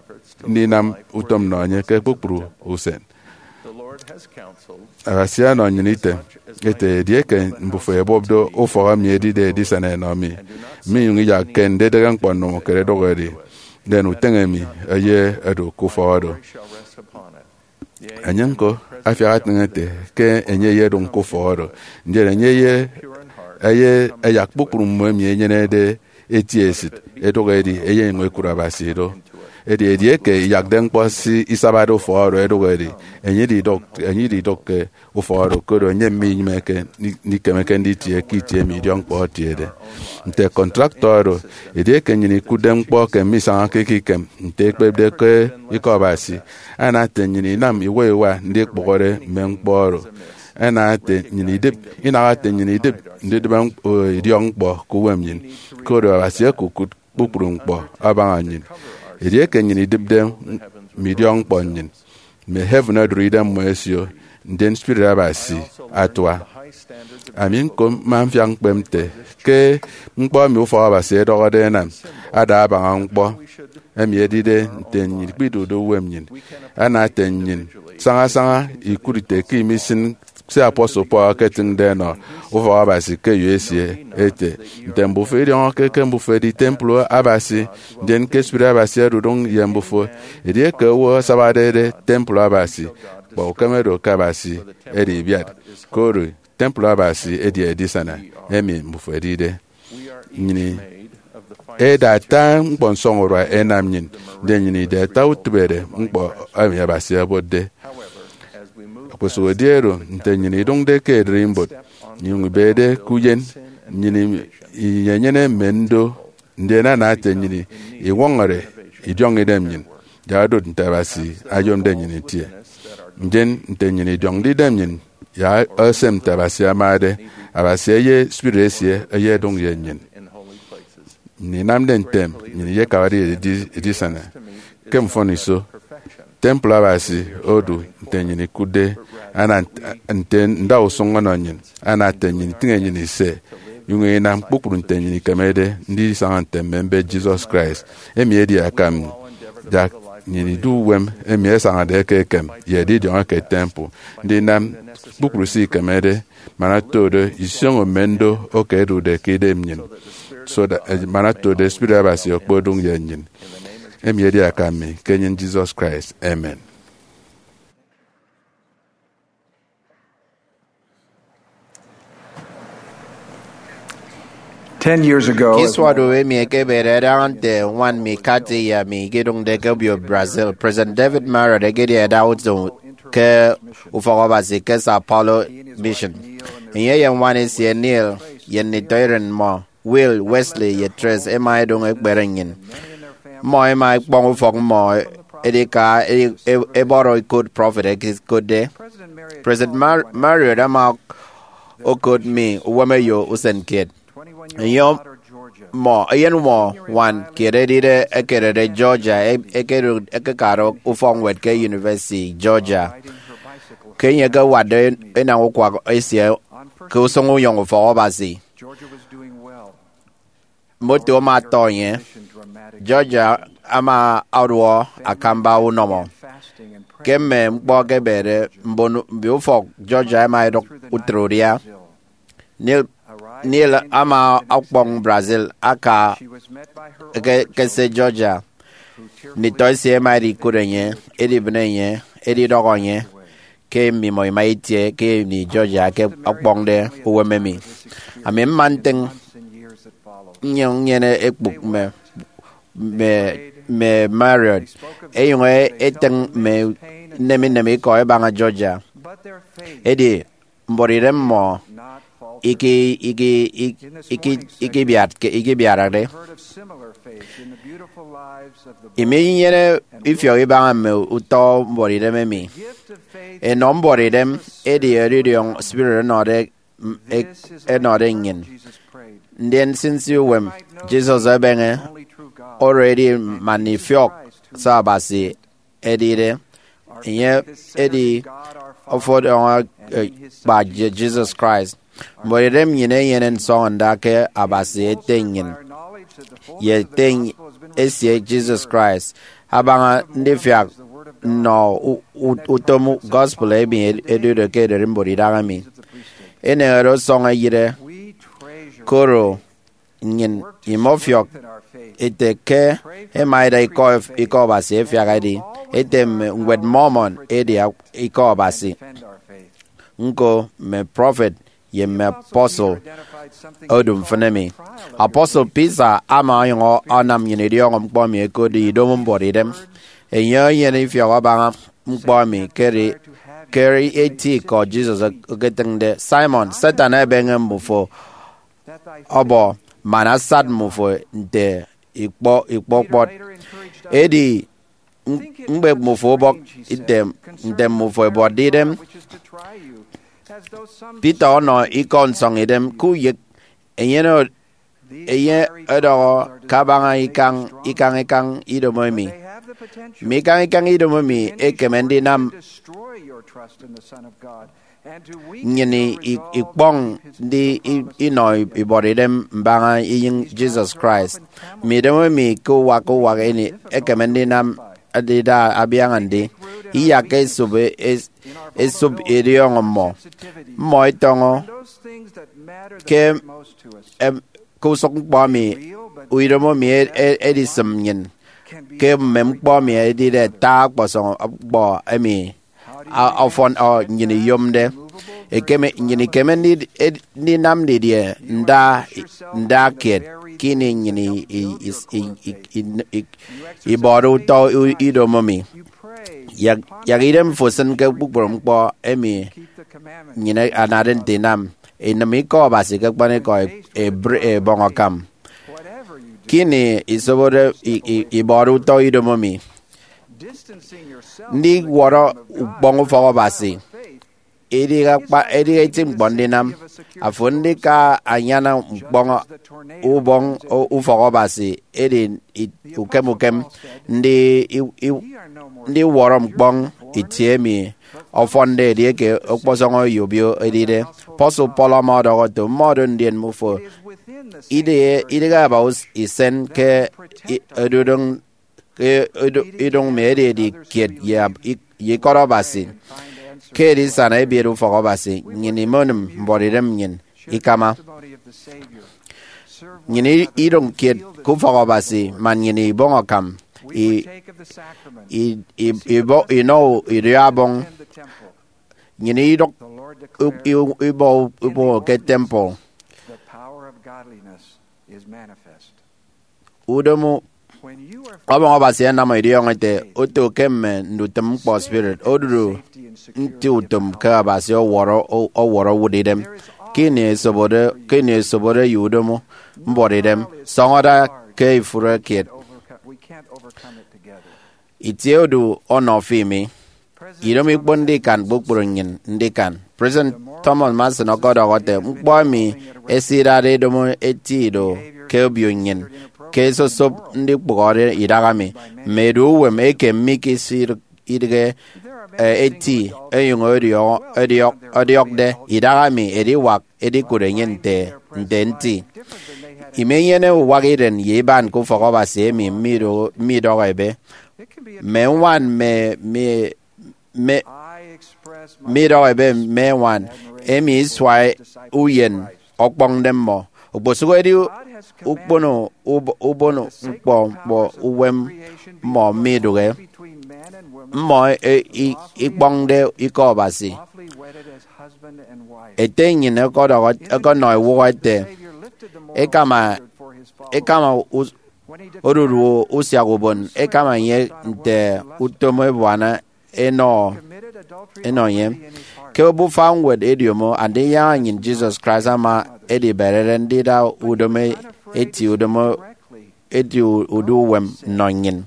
ndinam utom nnọ enye ke kpukpru usen. Abasi ọnọ nnyịn item ete, edieke mbufo ẹbọpde ufọk emi edide edisana ẹnọ mi, minyụñ iyakke ndidịghe ñkpọ nnụm ukere idụk edi, ndien uteñe mi eye edu ke ufọk oro. Enye ñko afiak etịñ ete ke enye eyedụñ ke ufọk oro, ndien enye ye eye ẹyak kpukpru mmọ emi ẹnyenede eti esịt, edụk edi eyenyụñ ekụt Abasi do. Edi edieke iyakde ñkpọ se isabade ufọk oro edụk edi, enye ididụk, enye ididụkke ufọk oro, koro enye minyịmeke, mikemeke nditie ke itie emi idiọkñkpọ etiede. Nte kọntraktọ oro, edieke nnyịn ikụtde ñkpọ ke misañake ke ikem nte ekpepde ke Ikọ Abasi, ana ete nnyịn inam iwa iwa ndikpụhọre mme ñkpọ oro. Ana ete nnyịn idịp, inaha ete nnyịn idịp ndidịbe ñk-, o, idiọkñkpọ ke uwem nnyịn, koro Abasi okokụt kpukpru ñkpọ abaña nnyịn. Edieke nnyịn idịpde mme idiọkñkpọ nnyịn, mme heaven odụri idemmọ ẹsio, ndien Spirit Abasi atua. Ami ñko mma mfiak ñkpep nte ke ñkpọ emi ufọk Abasi edọhọde ẹnam ada abaña ñkpọ emi edide nte nnyịn ikpidụkde uwem nnyịn. Ana ete nnyịn saña saña ikụt ite ke imisịn se apostle Paul eketịñde ẹnọ ufọk Abasi ke eyo esie ete, nte mbufo idiọñọke ke mbufo ẹdi tempụl Abasi, ndien ke Spirit Abasi odụdụñ ye mbufo. Edieke owo asabarede tempụl Abasi, kpa ukeme do ke Abasi edi ibiat, koro tempụl Abasi edi edisana emi mbufo ẹdide. Nnyịn eda ata ñkpọ nsọñurua ẹnam nnyịn, ndien nnyịn ida ata utịbede ñkpọ emi Abasi obotde. Okposụkedi oro, nte nnyịn idụñde ke ererimbot, nnyịn inyụñ ibede ke uyen, nnyịn inyenyene mme ndo, ndien ana ete nnyịn iwọñọre idiọñidem nnyịn, yak odot nte Abasi oyomde nnyịn itie. Ndien nte nnyịn idiọñde idem nnyịn yak osem nte Abasi amade, Abasi eye Spirit esie eyedụñ ye nnyịn. Nnyịn inamde ntem, nnyịn iyekabade edi-, edisana ke mfọniso. Tempụl Abasi odu nte nnyịn ikụtde, ana nt-, nte ndausụñ ọnọ nnyịn, ana ete nnyịn itịñ enyịn ise, inyụñ inam kpukpru nte nnyịn ikemede ndisaña nte mme mbet Jesus Christ. Emi edi akam mi, yak nnyịn idu uwem emi ẹsañade eke ekem ye edidiọñ eke tempụl, ndinam kpukpru se ikemede, man oto do isioño mme ndo eke ẹdude ke idem nnyịn, so that, eh, man oto do Spirit Abasi okpodụñ ye nnyịn. Emi edi akam mi ke enyịn Jesus Christ. Amen. Ten years ago, ke isua odu emi ekebede adaña nte ñwan mi Kathy ye ami ikidụñde ke obio Brazil, President David Marriott ekedi adausụñ ke Ufọk Abasi ke Sao Paulo Mission. Enye ye ñwan esie Neil ye nditọiren mmọ, Will, Wesley, ye Tres, ẹma ẹdụñ ẹkpere nnyịn. Mmọ ẹma ẹkpọñ ufọk mmọ edika e-, e-, ẹbọrọ ikot prọfet ẹkekotde. President Mar-, Marriott ama okot mi uwemeyo usen kiet. Eyen mmọ, eyen mmọ ñwan kiet edide ekedede Georgia, e-, ekedu-, ekekade ufọkñwed ke University Georgia. Ke enye ekewatde enañ ukwak esie ke usụñ unyọñ Ufọk Abasi, moto ama atọ enye. Georgia ama ọduọ akamba unọmọ. Ke mme ñkpọ ẹkebede, mbon mbioufọk Georgia ẹma ẹdụk utịt udia. Neil, Neil ama ọkpọñ Brazil aka ke, ke se Georgia. Nditọ esie ẹma ẹdikụt enye, ẹdibịne enye, ẹdidọhọ enye ke mmimọ ima itie ke ini Georgia ke ọkpọñde uwem emi. Ami mma ntịñ nnyụñ nnyene ekpụk mme, mme, mme Marriott, ẹnyụñ ẹtịñ mme nneme nneme ikọ ẹbaña Georgia. Edi mbuọtidem mmọ iki-, iki-, iki-, iki-, ikibiatke, ikibiarade. Iminyene ifiọk ibaña mme utọ mbuọtidem emi. Enọ mbuọtidem edi edidiọñ spirit ẹnọde, m-, e-, ẹnọde nnyịn. Ndien nsinsi uwem Jesus ebeñe, oro edi man ifiọk se Abasi edide. Enye edi ofụt ọñọ, eh, kpa Je-, Jesus Christ. Mbuọtidem nnyịn enyene nsọñọnda ke Abasi Ete nnyịn, ye Ete esie Jesus Christ, abaña ndifiak nnọ u-, u-, utom gospel emi ed-, edude ke ererimbot idahaemi. Enehede ọsọñ eyịre, koro nnyịn imọfiọk ete ke ẹma ẹda ikọ, ikọ Abasi ẹfiak ẹdi ete mme Ñwed Mormon edi ikọ Abasi, ñko mme prọfet ye mme apostle odu mfịn emi. Apostle Peter ama ọnyụñ anam nnyịn idiọñọ ñkpọ emi ẹkotde idomo mbuọtidem. Enye enyene ifiọk abaña ñkpọ emi ke edi, ke edi eti ikọ Jesus eketịñde, Simon, Satan ebeñe mmufo ọbọ man asat mmufo nte ikpọ, ikpọ kpọt. Edi m-, mkpep mmufo ubọk nte, nte mmufo ẹbuọtde idem. Peter ọnọ ikọ nsọñidem ke uyek enyene, enye ọdọhọ kabaña ikañ, ikañ ikañ idomo emi. Mme ikañ ikañ idomo emi ekeme ndinam nnyịn i-, i-, ikpọñ ndi i-, inọ ibuọtidem mbaña inyụñ Jesus Christ. Mme idomo emi ke uwak ke uwak emi ekeme ndinam ndida abiaña ndi iyakke esop, es-, esop idiọñọ mmọ. Mmọ itọñọ ke, em, ke usụk ñkpọ emi, idomo emi e-, e-, edisịm nnyịn ke mme ñkpọ emi edide ata ọkpọsọñ ñkpọ emi a-, ọfọn, ọ, nnyịn iyomde. Ekeme, nnyịn ikeme ndi-, ed-, ndinam didie nda, nda kiet ke ini nnyịn i-, i-, i-, i-, i-, i-, i-, ibọde utọ u-, idomo mi? Yak, yak idem fo sịn ke kpukpru ñkpọ emi nnyịn anade nte inam, inịm ikọ Abasi ke akpanikọ e-, ebre-, ebọñ akam. Ke ini isobode i-, i-, ibọde utọ idomo mi, ndiwọrọ ukpọñ ufọk Abasi idighe akpa, idighe eti ñkpọ ndinam. Afo ndika anyana ñkpọñ ubọñ ufọk Abasi edi i-, ukem ukem ndi-, i-, i-, ndiwọrọ ñkpọñ itie emi ọfọnde edieke ọkpọsọñ oyobio edide. Apostle Paul ama ọdọhọ ete, mmọdo ndien mmufo idịghe, idịghe aba us-, isen ke i-, edudụñ, ke edu-, idụñ mi ededi kiet ye ab-, ik-, ye ikọt Abasi. Ke edisana ebiet ufọk Abasi, nnyịn imenịm mbuọtidem nnyịn ikama. Nnyịn i-, idụñ kiet ke ufọk Abasi man nnyịn ibọñ akam, i-, i-, i-, ibọ-, inọ idiọkbọñ. Nnyịn idụk u-, i-, ibọ ubọhọ ke temple. Udomo ọbọñ Abasi anam idiọñọ ete, oto ke mme ndutịm ñkpọ spirit odudu nti utom ke Abasi ọwọrọ, ọwọrọ owụt idem. Ke ini esobode, ke ini esobode ye udomo mbuọtidem, sọñọ da ke ifụre kiet. Itie odu ọnọ fi mi. Idomo ikponde ikan kpukpru nnyịn ndikan. President Thomas Monson ọkọdọhọ ete, ñkpọ emi ẹsidade idomo eti ido ke obio nnyịn ke esosop ndikpụhọde idaha mi, mme edu uwem eke mikesịdịghe, eh, eti, ẹnyụñ ẹdiọk-, ẹdiọk-, ẹdiọkde idaha mi ediwak edikụt enye nte, nte nti. Imenyene uwak iren ye iban ke ufọk Abasi emi mido-, midọhọ ebe. Mme ñwan mme, mme, mme, midọhọ ebe mme ñwan emi isua uyen ọkpọñde mmọ. Okposụk edi ukpono ub-, ubon ñkpọ, ñkpọ uwem mmọ midụhe. Mmọ e-, i-, ikpọñde ikọ Abasi. Ete nnyịn ọkọdọhọ, ọkọnọ ewụhọ ete, ekama, ekama us-, odudu usiak ubon, ekama enye nte utom ebuana enọ, enọ enye. Ke obufa ñwed ediomo Andinyaña Nnyịn Jesus Christ ama ediberede ndida udomo eti, udomo eti udu uwem nnọ nnyịn.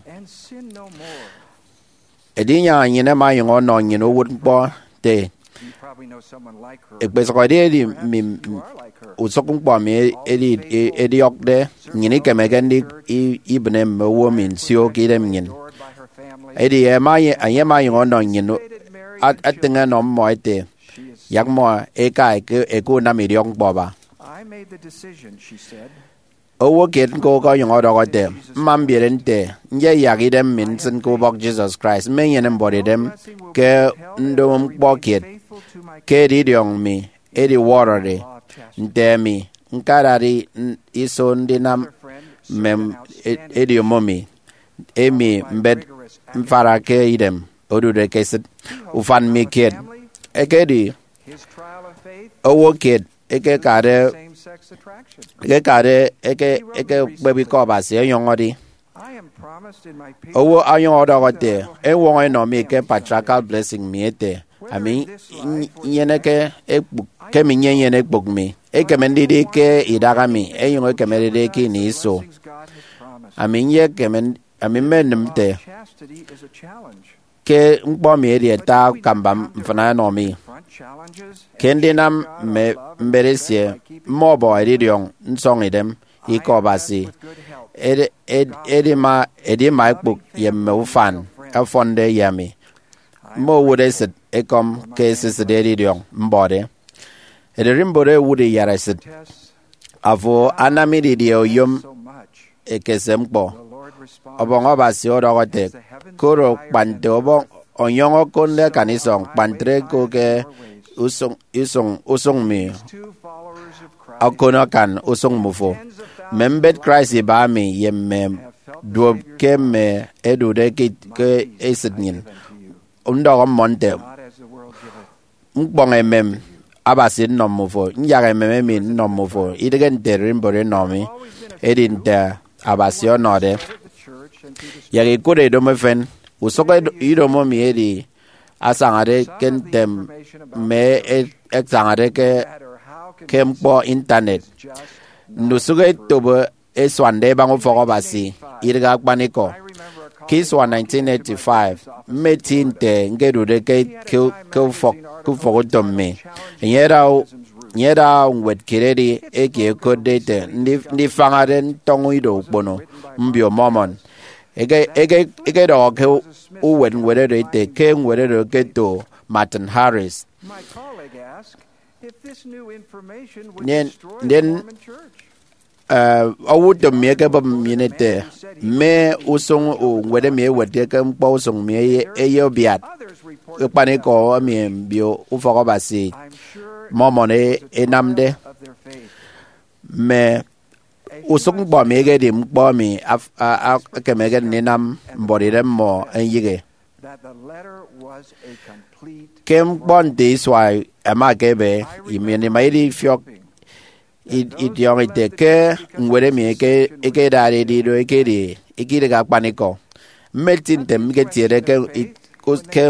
Edinyaña nnyịn ẹma ẹnyụñ ọnọ nnyịn uwụtñkpọ nte, ekpesụk ediedi mi, usụk ñkpọ mi edi, ediọkde, nnyịn ikemeke ndi, i-, ibịne mme owo mi nsio ke idem nnyịn. Edi ẹma, enye ẹma ẹnyụñ ọnọ nnyịn, a-, atịñ ẹnọ mmọ ete, yak mmọ ẹka eke, eke unam idiọk ñkpọ aba. Owo kiet ñko ọkọnyụñ ọdọhọ ete, mma mbiere nte, nyeyak idem mi nsịn ke ubọk Jesus Christ, mmenyene mbuọtidem ke ndomo ñkpọ kiet, ke edidiọñ mi ediwọrọde. Nte emi, ñkadade n-, iso ndinam mme e- ediomo mi, emi mbet mfara ke idem odude ke esịt. Ufan mi kiet ekedi owo kiet ekekade ekekade eke- ekekpep ikọ Abasi ọnyọñọde. Owo ọnyọñ ọdọhọ ete, ewọñọ enọ mi ke patriarchal blessing mi ete, ami nyeneke ekpuk, ke mi nyenyene ekpuk mi. Ekeme ndidi ke idaha mi, enyụñ ekemedede ke ini iso. Ami nyekeme, ami mmenịm nte ke ñkpọ mi edi ata akamba mfịna ẹnọ mi. Ke ndinam mme mbet esie, mma ọbọ edidiọñ nsọñidem ikọ Abasi, edi- edi- edima edima ekpụk ye mme ufan ẹfọnde ye ami. Mma owụt esịt ekọm ke esisịt edidiọñ mbọde. Ererimbot ewụt iyara esịt. Afo anam didie oyom ekese ñkpọ? Ọbọñ Abasi ọdọhọ ete, koro kpa nte ọbọñ ọnyọñ okụnde akan isọñ, kpa ntre ko ke usụñ, usụñ, usụñ mi okon akan usụñ mmufo. Mme mbet Christ iba mi ye mme duop ke mme ẹdude ke, ke esịt nnyịn, ndọhọ mmọ nte, ñkpọñ emem Abasi nnọ mmufo, nyak emem emi nnọ mmufo, idịghe nte ererimbot enọ mi, edi nte Abasi ọnọde. Yak ikụt edomo efen, usụk edo- idomo mi edi asañade ke ntem mme e- ẹsañade ke, ke ñkpọ intanet. Ndusụk etop esuande ebaña ufọk Abasi, idịghe akpanikọ. Ke isua nineteen eighty-five, mmeti nte ñkedude ke, ke, ke ufọk, ke ufọk utom mi. Enye ada, enye ada ñwed kiet edi eke ẹkotde ete, Ndi- Ndifañade Ntọñọ Ido Ukpono Mbio Mormon. Eke- eke- ekedọhọ ke uwet ñwed oro ete ke ñwed oro eketo Martin Harris. Ndien, ndien, eh, owo utom mi ekebọp nnyịn ete, mme usụñ ñwed emi ewetde ke ñkpọ usụñ mi eye- eye ubiat akpanikọ emi mbio ufọk Abasi Mormon e- enamde. Mme usụk ñkpọ mi ekedi ñkpọ emi af- a- a- ekemeke ndinam mbuọtidem mmọ eyịghe. Ke ñkpọ nte isua ẹma ẹkebe, emi ima idifiọk i- idiọñọ ite ke ñwed emi eke- ekedade edido ekedi, ekedịghe akpanikọ. Mmeti nte ñketiede ke i- ke,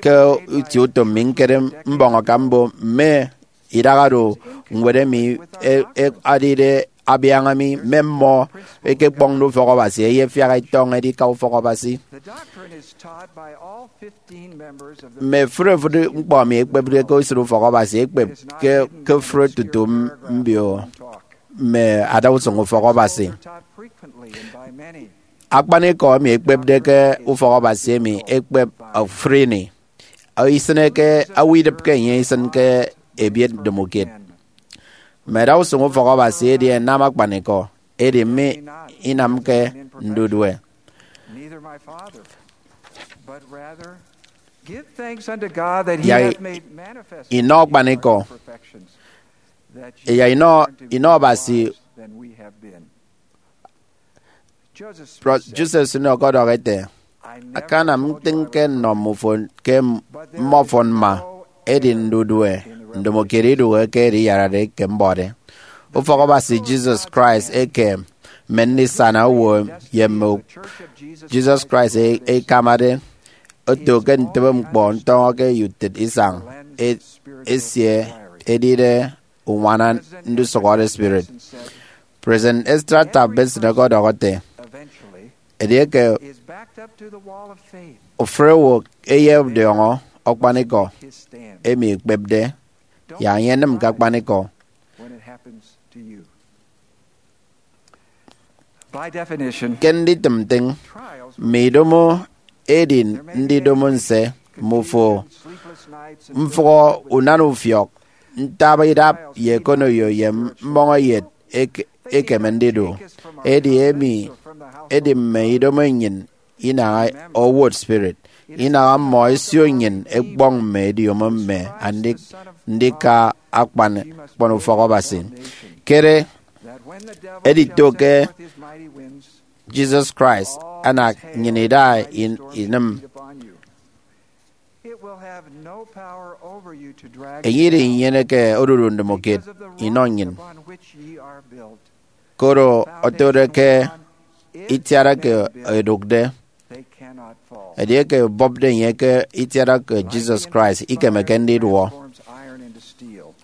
ke itie utom mi ñkere mbọñ akam mbo mme idaha do ñwed emi e- e- adide abiaña mi, mme mmọ ekekpọñde ufọk Abasi ẹyefiak ẹtọñọ edika ufọk Abasi. Mme fụri fụri ñkpọ emi ekpepde ke esịt ufọk Abasi ekpep ke, ke fụri tutu m- mbio mme adausụñ ufọk Abasi. Akpanikọ emi ekpepde ke ufọk Abasi emi ekpep ofụri ini. Isịne ke owo idịpke enye isịn ke ebiet ndomokiet. Mme adausụñ ufọk Abasi edi ẹnam akpanikọ, edi mme inamke ndudue. Neither my Father, but rather give thanks unto God that he Yak hath made manifest inọ akpanikọ, perfections, that ye ye inọ, inọ Abasi. Than we have been. Joseph Smith said, Joseph Smith ọkọdọhọ ete, akanam ntịñ ke nnọ mmọ ufọn ke mmọ ufọn mma, edi ndudue ndomokiet idụhe ke ediyarade ke mbọde. Ufọk Abasi Jesus Christ eke mme ndisana owo ye mme Jesus Christ e- ekamade oto ke ntịbe ñkpọ ntọñọ ke utịt isañ e- esie edide uñwana ndusụhọde spirit. President Ezra Taft Benson ọkọdọhọ ete, edieke ofụri owo eyediọñọ akpanikọ emi ekpepde, yak enye enịm ke akpanikọ. Ke nditịm ntịñ, mme idomo edi ndidomo nse, mmufo mfụhọ unana ufiọk, ntaba idap ye ekonoyo ye mmọñeyet eke- ekeme ndidu. Edi emi edi mme idomo nnyịn inaha owot spirit, inaha mmọ ẹsio nnyịn ẹkpọñ mme ediomo mme andik ndika akpan, akpan ufọk Abasi. Kere Edito ke Jesus Christ anak nnyịn ida in- inịm. It will have no power over you to drag Enye irenyeneke odudu ndomokiet inọ nnyịn, upon which ye are built. Koro otode ke itiara ke edụkde, They cannot fall. Edieke ebọpde enye ke itiara ke Jesus Christ, ikemeke ndiduọ. Transforms iron into steel.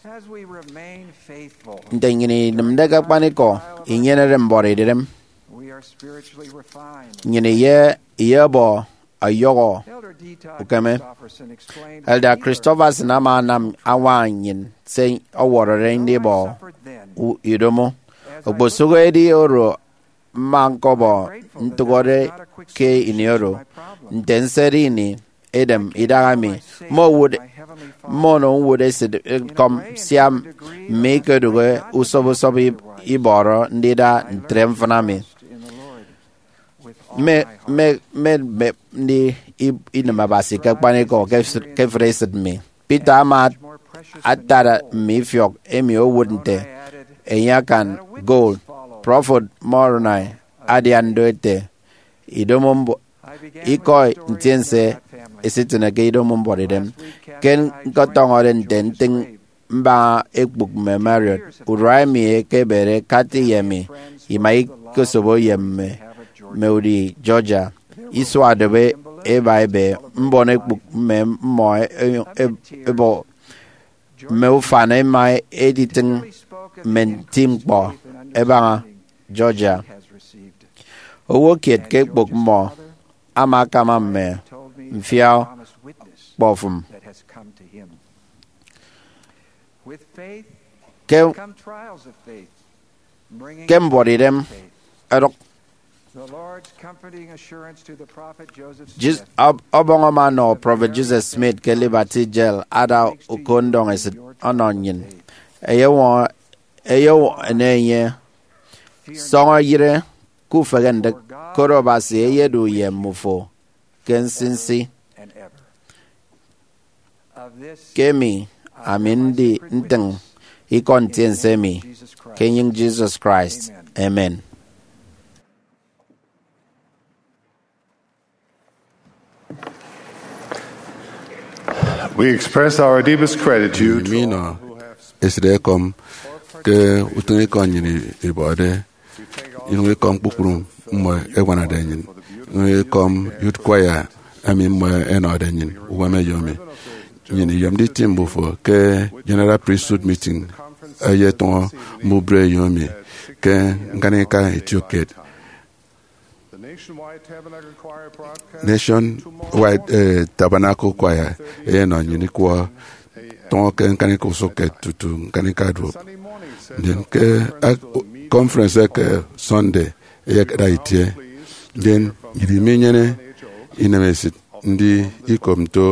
As we remain faithful, Nte nnyịn inịmde ke akpanikọ, inyenede mbuọtidem, we are spiritually refined. Nnyịn iye iyebọ ọyọhọ Elder D. Todd ukeme. Christofferson explained Elder that here Christofferson ama anam añwaña nnyịn se ọwọrọde ndibọ suffered then u- idomo. As I look Okposụkedi oro mma ñkọbọ ntụhọde ke ini oro, nte nsede ini, edem idaha mi, mme owụt, mme ono ñwụt esịt ñkọm, sia mme ikedụhe usọp usọp ib- ibọrọ ndida ntre mfịna mi. Mme mme mme mme ndi ib- inịm Abasi ke akpanikọ ke s- ke efịt esịt mi. Peter ama atara mme ifiọk emi owụt nte enye akan gold. Prọfet Moroni adian do ete, idomo mbu- ikọ ntiense esitịne ke idomo mbuọtidem. Ke ñkọtọñọde nte ntịñ mbaña ekpụk mme Marriott, urua emi ekebede Kathy ye mi ima ikosobo ye mme mme udi Georgia. Isua dobe eba ebe mbon ekpụk mme mmọ e- e- ebo mme ufan ema editịñ mme nti ñkpọ ẹbaña Georgia. Owo kiet ke ekpok mmọ ama akama mme mfia kpọfụm. Ke, ke mbuọtidem ẹdụk, Jis- ọb- ọbọñ ama ọnọ Prọfet Joseph Smith ke Liberty Jail ada uko ndọñesịt ọnọ nnyịn. Ẹyewọñọ, ẹyewọñọ enye, sọñọ yịre ke ufehe ndịk, koro Abasi eyedu ye mmufo ke nsinsi. Ke emi ami ndi ntịñ ikọ ntiense emi ke enyịñ Jesus Christ. Amen. We express our deepest gratitude to all who have esịt ekọm ke utịñikọ nnyịn ibọde, inyụñ ikọm kpukpru mmọ ẹñwanade nnyịn, inyụñ ikọm Youth Choir emi mmọ ẹnọde nnyịn uwem ẹyomi. Nnyịn iyomde iti mbufo ke General Priesthood Meeting eyetụñọ mbubreyo emi ke ñkanika itiokiet. Nationwide, eh, Tabernacle Choir eyenọ nnyịn ikwọ tụñọ ke ñkanika usụkkiet tutu ñkanika duop. Ndien ke ak- conference eke Sunday eyekada itie. Ndien nnyịn minyene inemesịt ndi ikop nto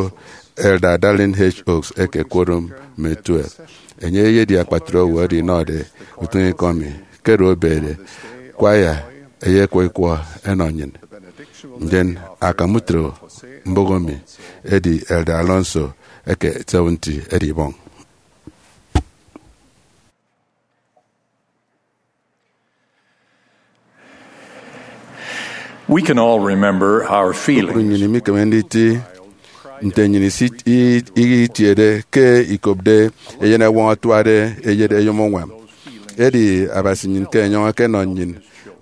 Elder Dallin H. Oaks eke Quorum mme Twelve. Enye eyedi akpatre owo oro inọde utịñikọ mi. Ke oro obede, choir eyekwọ ikwọ ẹnọ nnyịn. Ndien akam utro mbụk emi edi Elder Alonso eke Seventy edibọñ. We can all remember our feelings. Kpukpru nnyịn imikeme nditi nte nnyịn isi- i- itiede ke ikopde eyen ẹwọñ atuade eyet eyom uñwam. Edi Abasi nnyịn ke enyọñ ekenọ nnyịn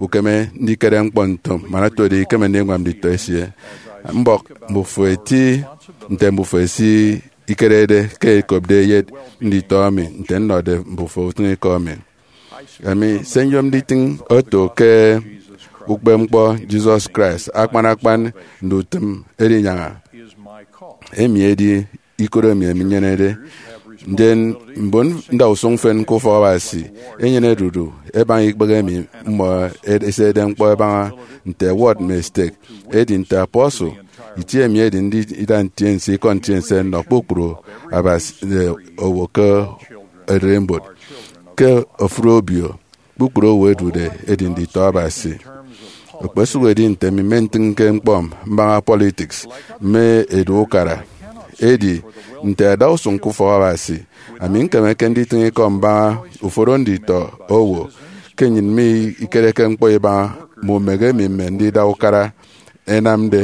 ukeme ndikere ñkpọ nto man otode ikeme ndiñwam nditọ esie. Mbọk mbufo eti nte mbufo esi ikerede ke ikopde eyet nditọ mi nte nnọde mbufo utịñikọ mi. Emi se nyom nditịñ oto ke ukpepñkpọ Jesus Christ akpan akpan ndutịm edinyaña. Emi edi ikot emi ami nyenede. Ndien mbon ndausụñ mfịn ke ufọk Abasi enyene dudu ẹbaña ikpehe emi mmọ ed- ẹsede ñkpọ ẹbaña nte ward mme stake. Edi nte apostle, itie emi edi ndida ntiense ikọ ntiense nnọ kpukpru Abasi, eh, owo ke ererimbot. Ke ofụri obio, kpukpru owo ẹdude ẹdi nditọ Abasi. Okposụkedi nte mi mmentịñke ñkpọ mbaña politics mme edu ukara, edi nte ẹda usụñ ke ufọk Abasi. Ami ñkemeke nditịñ ikọ mbaña uforo nditọ owo ke nnyịn mikereke ñkpọ ibaña mme umehe emi mme ndida ukara ẹnamde.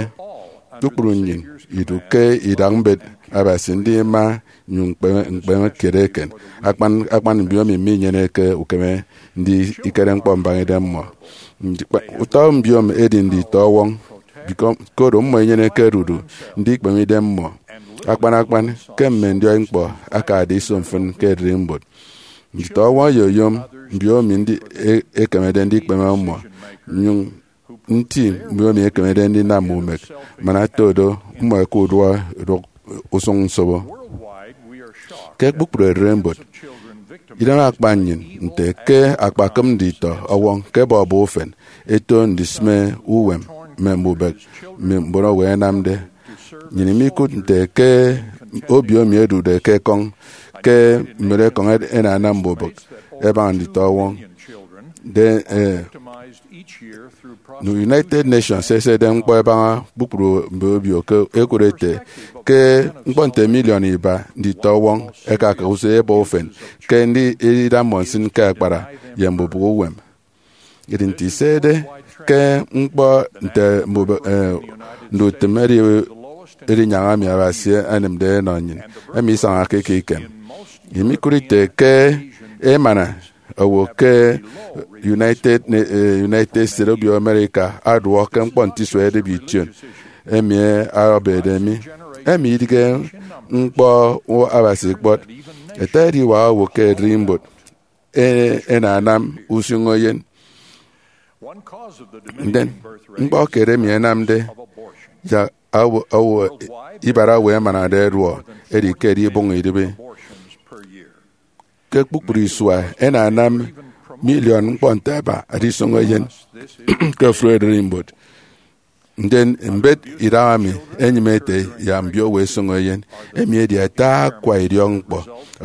Kpukpru nnyịn idu ke idak mbet Abasi ndima nnyụñ ñkpeme, ñkpeme kiet eken. Akpan akpan mbiomi minyeneke ukeme ndikere ñkpọ mbaña idemmọ. Ndi-, kpa-, utọ mbiomi edi nditọ ọwọñ, bikọ-, koro mmọ inyeneke ẹdudu ndikpeme idemmọ, akpan akpan ke mme ndiọi ñkpọ akade iso mfịn ke ererimbot. Nditọ ọwọñ ẹyeyom mbiomi ndi-, e-, ekemede ndikpeme mmọ, nnyụñ nti mbiomi ekemede ndinam mme umek, man ato do mmọ ẹka uduak idụk usụñ nsobo. Ke kpukpru ererimbot, idem akpa nnyịn nte ke akpakịp nditọ ọwọñ ke bọbọ ufen ẹto ndisịme uwem mme mbubịk mme mbon owo ẹnamde. Nnyịn imikụt nte ke obio emi ẹdude ke ekọñ ke mbon ekọñ ẹd-, ẹnanam mbubịk ẹbaña nditọ ọwọñ. De, eh, United Nations esede ñkpọ ẹbaña kpukpru mme obio ke ẹkụt ẹte ke ñkpọ nte miliọn iba nditọ ọwọñ ẹkaka usụñ ẹbọ ufen ke ndi-, ndida mmọ nsịn ke akpara ye mbubịk uwem. Edi nte isede ke ñkpọ nte mbube, eh, ndutịm edi, edi nyaña emi Abasi anịmde enọ nnyịn, emi isañake ke ikem. Imikụt ite ke emana owo ke United, eh, United States, obio America aduọ ke ñkpọ nte isua edịbe ition emi abede mi. Emi idịghe ñkpọ Abasi kpọt. Ete ediwak owo ke ererimbot e-, ẹnanam usụñ eyen. Ndien, ñkpọ kiet emi ẹnamde yak owo, owo, ibara owo ẹmanade ẹduọ edi ke ẹdibụñ idịbi. Ke kpukpru isua, ẹnanam miliọn ñkpọ nte aba adisụñ eyen ke ofụri ererimbot. Ndien mbet idaha mi enyịme ete yak mbiowo ẹsọñọ eyen. Emi edi ata akwa idiọkñkpọ.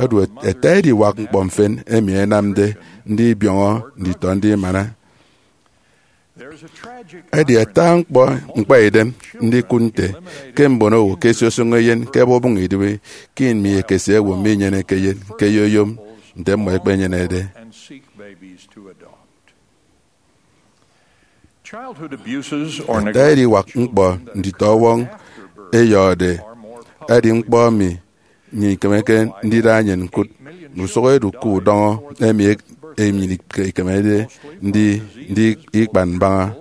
Odu ata ediwak ñkpọ mfịn emi ẹnamde ndibiọñọ nditọ ndimana. Edi ata ñkpọ ñkpaidem ndikụt nte ke mbon owo ke ẹsiosọñọ eyen ke ẹbubụñ idịbi ke ini mi ekese owo minyeneke eyen ke ẹyeyom nte mmọ ẹkpenyenede. Childhood abuses or Ata ediwak ñkpọ nditọ ọwọñ eyọhọde edi ñkpọ emi nnyịn ikemeke ndida nnyịn ñkụt. Ndusụk edu ke udọñọ emi ek-, emi nnyịn ikemede ndi, ndi ikpan mbaña.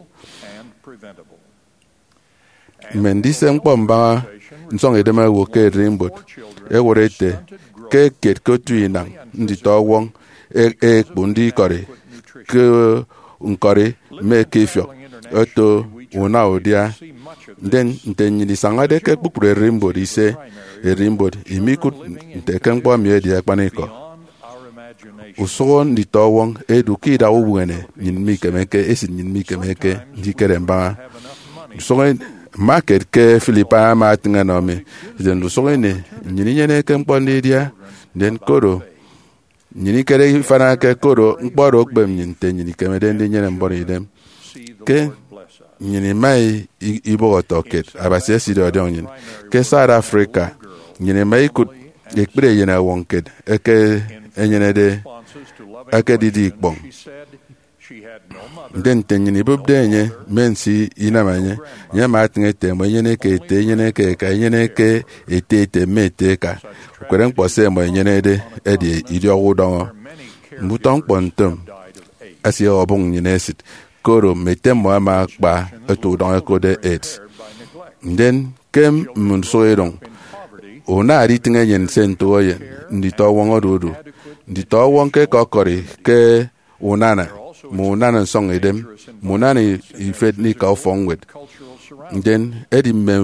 Mme ndise ñkpọ mbaña nsọñidem owo ke ererimbot ẹwọrọ ete ke kiet ke otu inañ nditọ ọwọñ e-, ekpu ndikọri ke ñkọri mme ke ifiọk oto una udia. Ndien nte nnyịn isañade ke kpukpru ererimbot ise, ererimbot imikụt nte ke ñkpọ emi edi akpanikọ. Usụhọ nditọ ọwọñ edu ke idak ubuene nnyịn mikemeke, esịt nnyịn mikemeke ndikere mbaña. Ndusụk ini, mma kiet ke Philippines ama atịñ ẹnọ mi, ete ndusụk ini nnyịn inyeneke ñkpọ ndidia, ndien koro nnyịn ikere ifanake koro ñkpọ oro okpep nnyịn nte nnyịn ikemede ndinyene mbon idem. Ke nnyịn ima i-, i-, ibọhọ ọtọkiet, Abasi esidi ọdiọñ nnyịn. Ke South Africa, nnyịn ima ikụt ekpri eyen ọwọñ kiet eke enyenede ekedide ikpọñ. Ndien nte nnyịn ibụpde enye, mme nsi inam enye, enye ama atịñ ete, mme inyeneke ete, inyeneke eka, inyeneke ete ete, mme ete eka. Ukpere ñkpọ se ẹmọ ẹnyenede edi idiọk udọñọ. Mme utọ ñkpọ ntom asie ọbụñ nnyịn esịt, koro mme ete mmọ ẹma ẹkpa otu udọñọ ẹkotde AIDS. Ndien ke mme ndusụk idụñ, una aditịñ enyịn se ntụk eyen nditọ ọwọñ odudu. Nditọ ọwọñ ke ẹkọkọri ke unana, mme unana nsọñidem, mme unana ifet ndika ufọkñwed. Ndien edi mme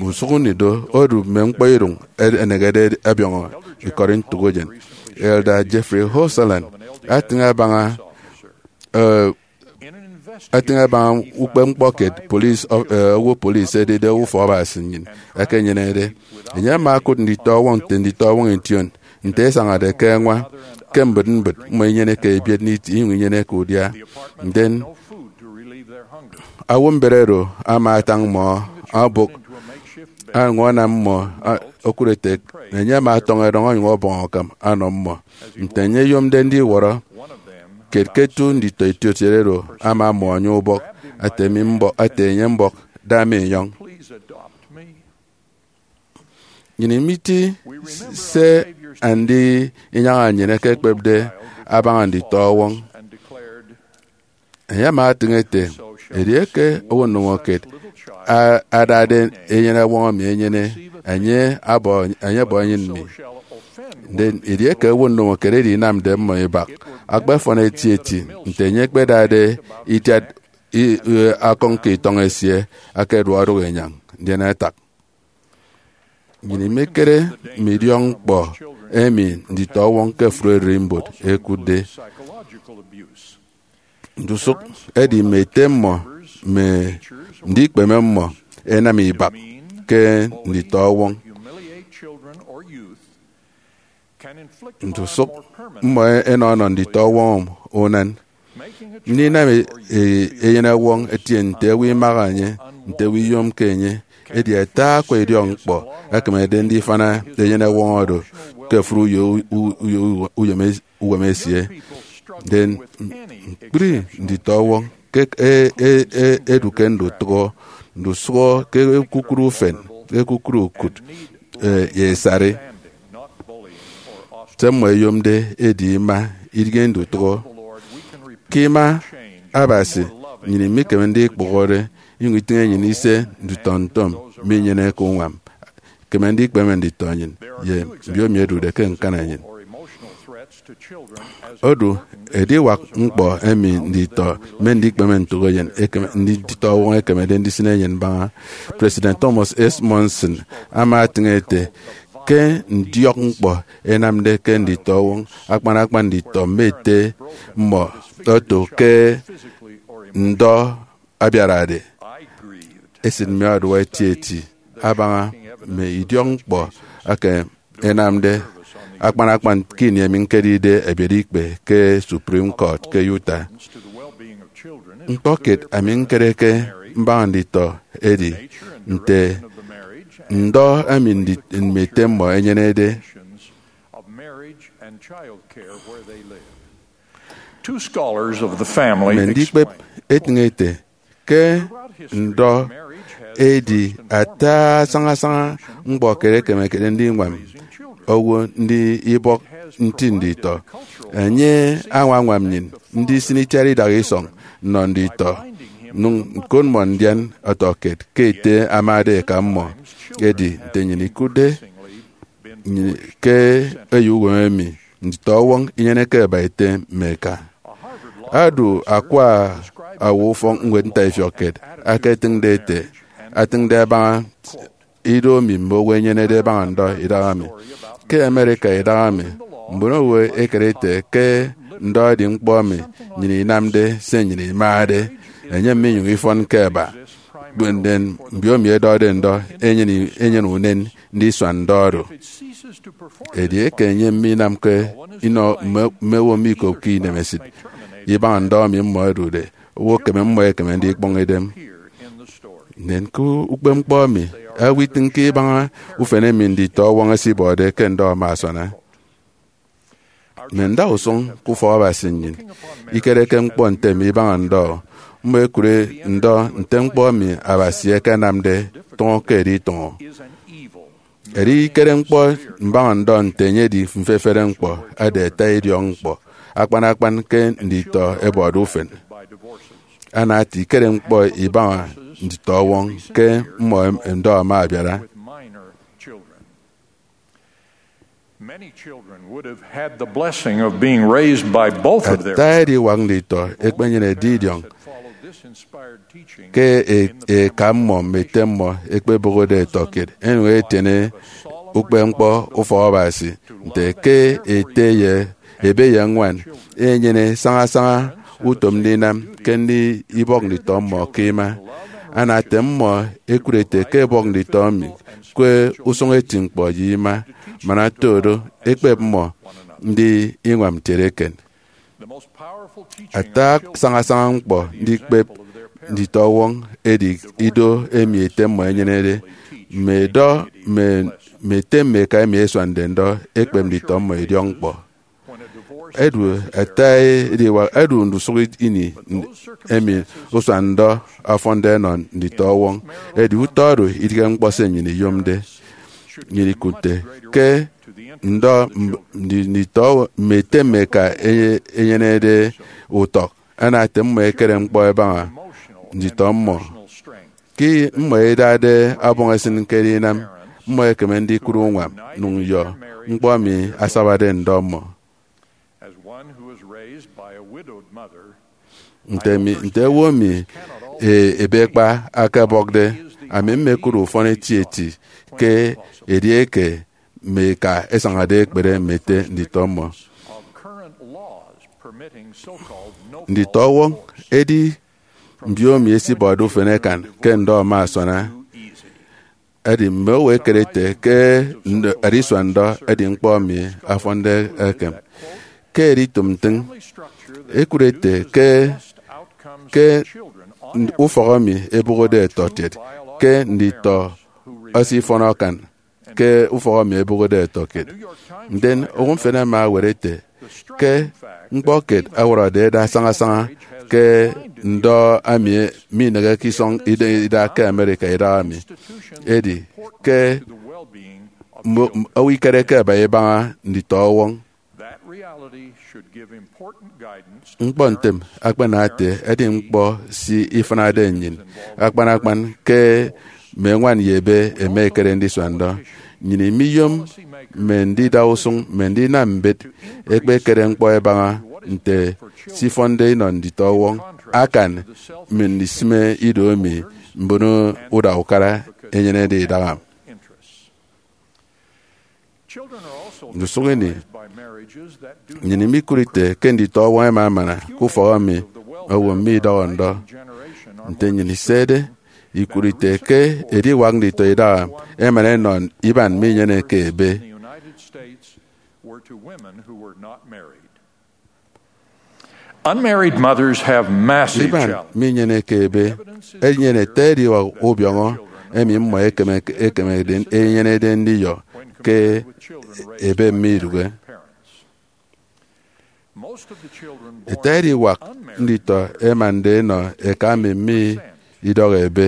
usụk ini do odu mme ñkpọ idụñ ẹnegede ẹbiọñọ ikọri ntụk eyen. Elder Jeffrey Holzland atịñ abaña, eh, atịñ abaña ukpepñkpọ kiet police of, eh, owo police edide owo ufọk Abasi nnyịn ekenyenede. Enye ama okụt nditọ ọwọñ nte nditọ ọwọñ ition, nte ẹsañade ke ẹñwa, ke mbịt mbịt mmọ inyeneke ebiet nditi, inyụñ inyeneke udia. Ndien owo mbet oro ama atañ mmọ, abụk añwam mmọ, a, okụre ete, enye ama ọtọñọ erọñ onyụñ ọbọñ akam ọnọ mmọ. Nte enye eyomde ndiwọrọ, kiet ke otu nditọ etiot oro ama ọmọ enye ubọk, ate mi mbọk, ate enye mbọk, da mi inyọñ. Nnyịn imeti se andi inyaña nnyịn ẹkekpepde abaña nditọ ọwọñ. Enye ama etịñ ete, edieke owo ndomokiet a- adade eyeneọwọñ emi enyene, enye abọ, enye abọ enyịn mi. Ndien edieke owo ndomokiet edi inamde mmọ ibak, akpafọn etieti nte enye ekpedade itiat i- i- akọñ ke itọñ esie, akeduọk odụk inyañ, ndien atak. Nnyịn imekere mme idiọkñkpọ emi nditọ ọwọñ ke ofụri ererimbot ẹkụtde. Ndusụk edi mme ete mmọ mme ndikpeme mmọ ẹnam ibak ke nditọ ọwọñ. Ndusụk mmọ ẹnọ ọnọ nditọ ọwọñ unan. Ndinam e- e- eyenọwọñ etie nte owo imaha enye, nte owo iyomke enye. Edi ata akwa idiọkñkpọ ẹkemede ndifana eyenọwọñ oro ke ofụri uyo, u- uyo, uyo, uyom es- uwem esie. Ndien ñkpri nditọ ọwọñ ke e- e- e- edu ke ndutụhọ, ndusụhọ ke ekukụre ufen, ekukụre ukụt, e, ye esari. Se mmọ ẹyomde edi ima, idighe ndutụhọ. Ke ima Abasi, nnyịn imikeme ndikpụhọre inyụñ itịñ enyịn ise nditọ ntom minyeneke uñwam. Ikeme ndikpeme nditọ nnyịn ye mbiomi ẹdude ke ñkana nnyịn. Odu ediwak ñkpọ emi nditọ mme ndikpeme ntụk eyen ekeme, nditọ ọwọñ ẹkemede ndisịn eyen mbaña. President Thomas S. Monson ama etịñ ete, ke ndiọk ñkpọ ẹnamde ke nditọ ọwọñ, akpan akpan nditọ mme ete mmọ oto ke ndọ abiarade. Esịt mi ọduọ etieti abaña mme idiọk ñkpọ eke ẹnamde akpan akpan ke ini emi ñkedide ebiet ikpe ke Supreme Court ke Utah. Ñkpọ kiet ami ñkere ke mbaña nditọ edi nte ndọ emi ndi- mme ete mmọ ẹnyenede. Two scholars of the family mme ndikpep explain etịñ ete ke ndọ edi ata sañasaña ñkpọ kiet ekemekede ndiñwam owo ndi ibọk nti nditọ. Enye añwañwam nnyịn ndisịn itiat idak isọñ nnọ nditọ, nnyụñ ñkot mmọ ndian ọtọkiet ke ete amade eka mmọ. Edi nte nnyịn ikụtde nnyịn ke eyo uwem emi, nditọ ọwọñ inyeneke ẹba ete mme eka. Adu akwa owo ufọkñwed ntaifiọk kiet aketịñde ete, atịñde abaña ido emi mme owo ẹnyenede ẹbaña ndọ idahaemi. Ke America idahaemi, mbon owo ẹkere ete ke ndọ edi ñkpọ emi nnyịn inamde se nnyịn imade, enyem minyụñ ifọn ke ẹba. Ndien mbiomi ẹdọde ndọ enyene, enyene unen ndisua ndọ oro. Edieke enyem minamke inọ mme, mme owo mikopke inemesịt ibaña ndọ emi mmọ ẹdude, owo ekeme, mmọ ẹkeme ndikpọñ idem. Ndien ke ukpepñkpọ emi, owo itịñke ibaña ufen emi nditọ ọwọñ ẹsibọde ke ndọ ama asuana. Mme ndausụñ ke ufọk Abasi nnyịn ikereke ñkpọ nte emi ibaña ndọ. Mmọ ẹkụre ndọ nte ñkpọ emi Abasi ekenamde tụñọ ke editụñọ. Edi ikere ñkpọ mbaña ndọ nte enye edi mfefere ñkpọ, ada ata idiọk ñkpọ, akpan akpan ke nditọ ẹbọde ufen. Ana ata ikere ñkpọ ibaña nditọ ọwọñ ke mmọ em- ndọ ama abiara. Many children would have had the blessing of being raised by both of their Ata ediwak nditọ ekpenyene edidiọñ followed this inspired teaching ke e- eka mmọ mme ete mmọ ekpebụhọde ẹtọkiet, enyụñ etiene ukpepñkpọ ufọk Abasi nte ke ete ye ebe ye ñwan enyene sañasaña utom ndinam ke ndi ibọk nditọ mmọ ke ima. Ana ete mmọ ekụre ete ke ebọk nditọ emi ke usụñ eti ñkpọ ye ima, man ata oro, ekpep mmọ ndi iñwam ntieneken. Ata sañasaña ñkpọ ndikpep nditọ ọwọñ edi ido emi ete mmọ enyenede. Mme edọ mme mme ete mme eka emi ẹsuande ndọ ekpep nditọ mmọ idiọk ñkpọ. Edu ata ediwak edu ndusụk ini emi usua ndọ ọfọnde ẹnọ nditọ ọwọñ. Edi utọ oro idịghe ñkpọ se nnyịn iyomde. Nnyịn ikụtte ke ndọ mb- ndi- nditọ mme ete mme eka enye- enyenede utọk ana ete mmọ ekere ñkpọ ẹbaña nditọ mmọ. Ke mmọ idade ọbọñ esịn ke edinam, mmọ ẹkeme ndikụt uñwam nnyụñ nyọ ñkpọ emi asabade ndọ mmọ. As one who was raised by a widowed mother, nte mi nte owo emi e- ebekpa akabọkde, ami mmekụt ufọn etieti ke edieke mme eka ẹsañade ẹkpere mme ete nditọ mmọ. Of current laws permitting so-called no-fault nditọ ọwọñ. Edi mbiomi esibọde ufen ekan ke ndọ ama asana. Edi mme owo ẹkere ete ke nd- adisua ndọ edi ñkpọ emi afọnde ekem. Ke editụm ntịñ, ẹkụt ete ke ke ufọk emi ebụhọde ẹtọkiet ke nditọ ẹsifọn akan ke ufọk emi ebụhọde ẹtọkiet. Ndien owo mfịn ama awet ete ke ñkpọ kiet ọwọrọde eda sañasaña ke ndọ emi mineheke isọñ ida ida ke America idahaemi. Edi ke mmo- owo ikereke ẹba ibaña nditọ ọwọñ. That reality should give important guidance to ñkpọ ntem akpana ete edi ñkpọ si ifịnade nnyịn, akpan akpan ke mme ñwan ye ebe ẹma ẹkere ndisua ndọ. Nnyịn imiyom mme ndida usụñ mme ndinam mbet ẹkpekere ñkpọ ẹbaña nte se ifọnde inọ nditọ ọwọñ akan mme ndisịme ido emi mbon uda ukara ẹnyenede idaha. Ndusụk ini, nnyịn imikụt ite ke nditọ ọwọñ ẹma ẹmana ke ufọk emi owo midọhọ ndọ. Nte nnyịn isede, ikụt ite ke ediwak nditọ idaha ẹmana ẹnọ iban minyeneke ebe. Unmarried mothers have massive Iban challenges. Minyeneke ebe enyene ete ediwak ubiọñọ emi mmọ ekeme ekemede enyenede ndiyọ ke ebe mme idụhe. Ete ediwak nditọ ẹmande ẹnọ eka emi mme idọhọ ebe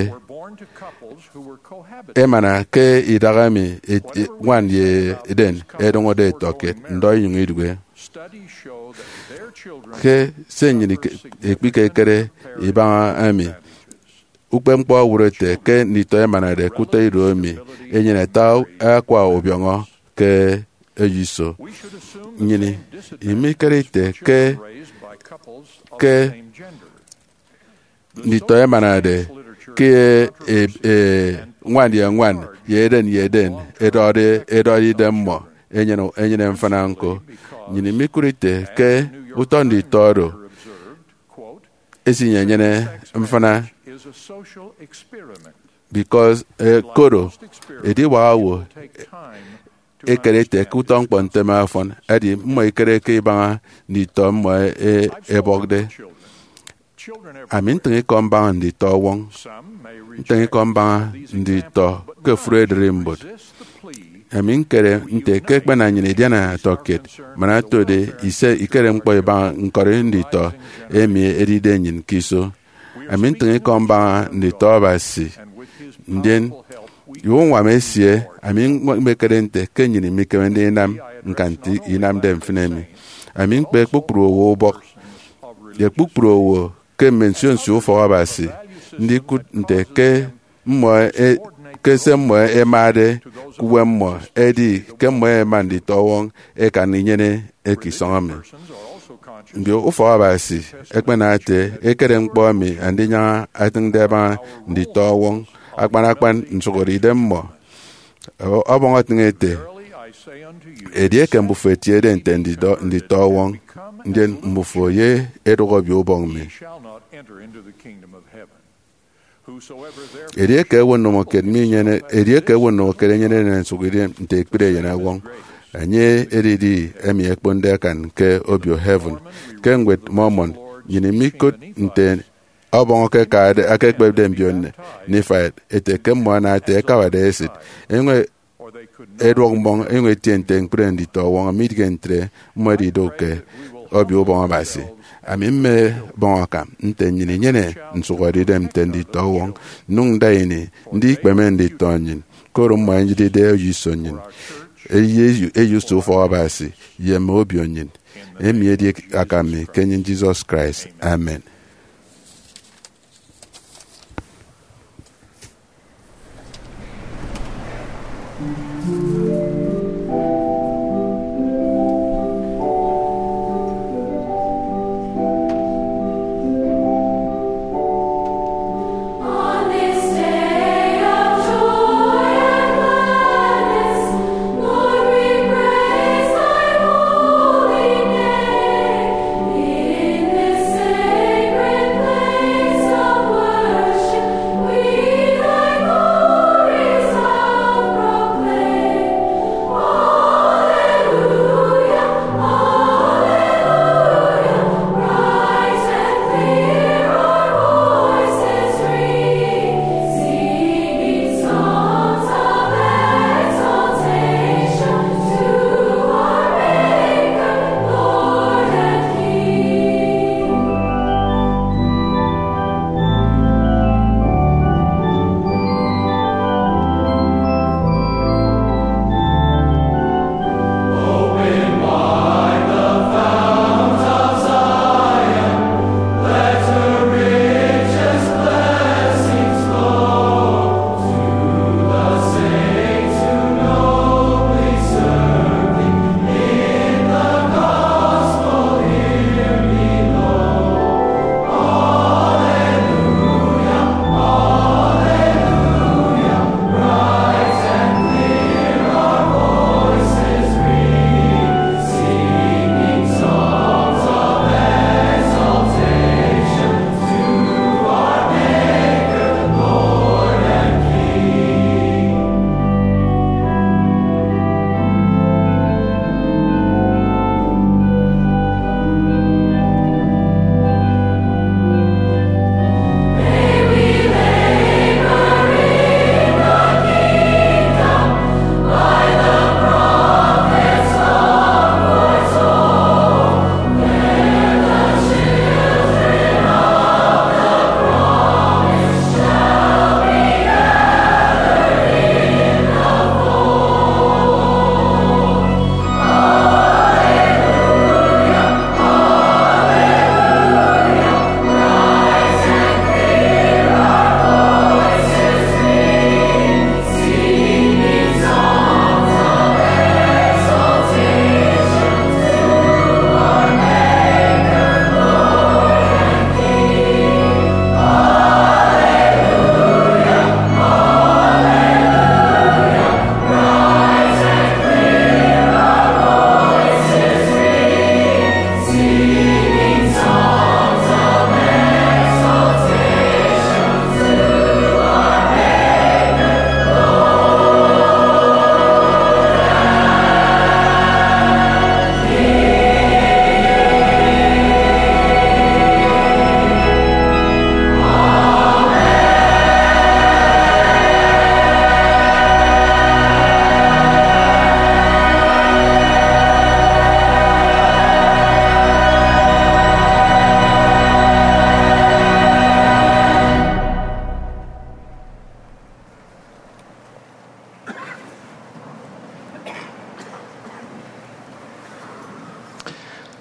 emana ke idaha emi ñwan ye eden ẹdụñọde ẹtọkiet ndọ inyụñ idụhe. Ke se nnyịn ekpikekere ibaña emi, ukpepñkpọ owụt ete ke nditọ ẹmanade ke utọ ido emi enyene ata akwa ubiọñọ ke eyo iso. Nnyịn imikere ite ke ke nditọ ẹmanade ke e- e- ñwan ye ñwan ye eden ye eden ẹdọde ẹdọde idem mmọ enyene enyene mfịna ñko. Nnyịn imikụt ite ke utọ nditọ oro esinyenyene mfịna because koro ediwak owo ekere ete ke utọ ñkpọ ntem afọn, edi mmọ ikere ke ibaña nditọ mmọ e- ebọkde. Ami ntịñ ikọ mbaña nditọ ọwọñ, ntịñ ikọ mbaña nditọ ke ofụri ererimbot. Ami ñkere nte ke ẹkpena nnyịn idiana ẹtọkiet man otode ise ikere ñkpọ ibaña ñkọri nditọ emi edide nnyịn ke iso. Ami ntịñ ikọ mbaña nditọ Abasi, ndien ye uñwam esie, ami mmekere nte ke nnyịn imikeme ndinam ñkan nte inamde mfịn emi. Ami ñkpe kpukpru owo ubọk ye kpukpru owo ke mme nsio nsio ufọk Abasi ndikụt nte ke mmọ e- ke se mmọ ẹmade ke uwem mmọ edi ke mmọ ẹma nditọ ọwọñ ẹkan inyene eke isọñ emi. Mbio ufọk Abasi ẹkpena ete ekere ñkpọ emi Andinyaña etịñde abaña nditọ ọwọñ, akpan akpan nsụhọde idem mmọ. Ọbọñ etịñ ete, edieke mbufo etiede nte nditọ nditọ ọwọñ, ndien mbufo ye edụk obio ubọñ mi. Edieke ewe ndomokiet minyene edieke ewe ndomokiet enyenede nsụk idem nte ekpri eyen ọwọñ, enye edidi emi ekponde akan ke obio heaven. Ke ñwed Mormon, nnyịn imikot nte Ọbọñ eke akade, aka ekpepde mbio Nifaite, ete ke mmọ ana ete ẹkawade esịt, enyụñ eduọk mmọñ, enyụñ etie nte ñkpri nditọ ọwọñ, midịghe ntre mmọ ẹdidụk ke Obio Ubọñ Abasi. Ami mmebọñ akam nte nnyịn inyene nsụhọdeidem nte nditọ ọwọñ, nnyụñ nda ini ndi ikpeme nditọ nnyịn, koro mmọ ẹnyịdide eyo iso nnyịn, eyo, eyo iso ufọk Abasi ye mme obio nnyịn. Emi edi akam mi ke enyịn Jesus Christ. Amen.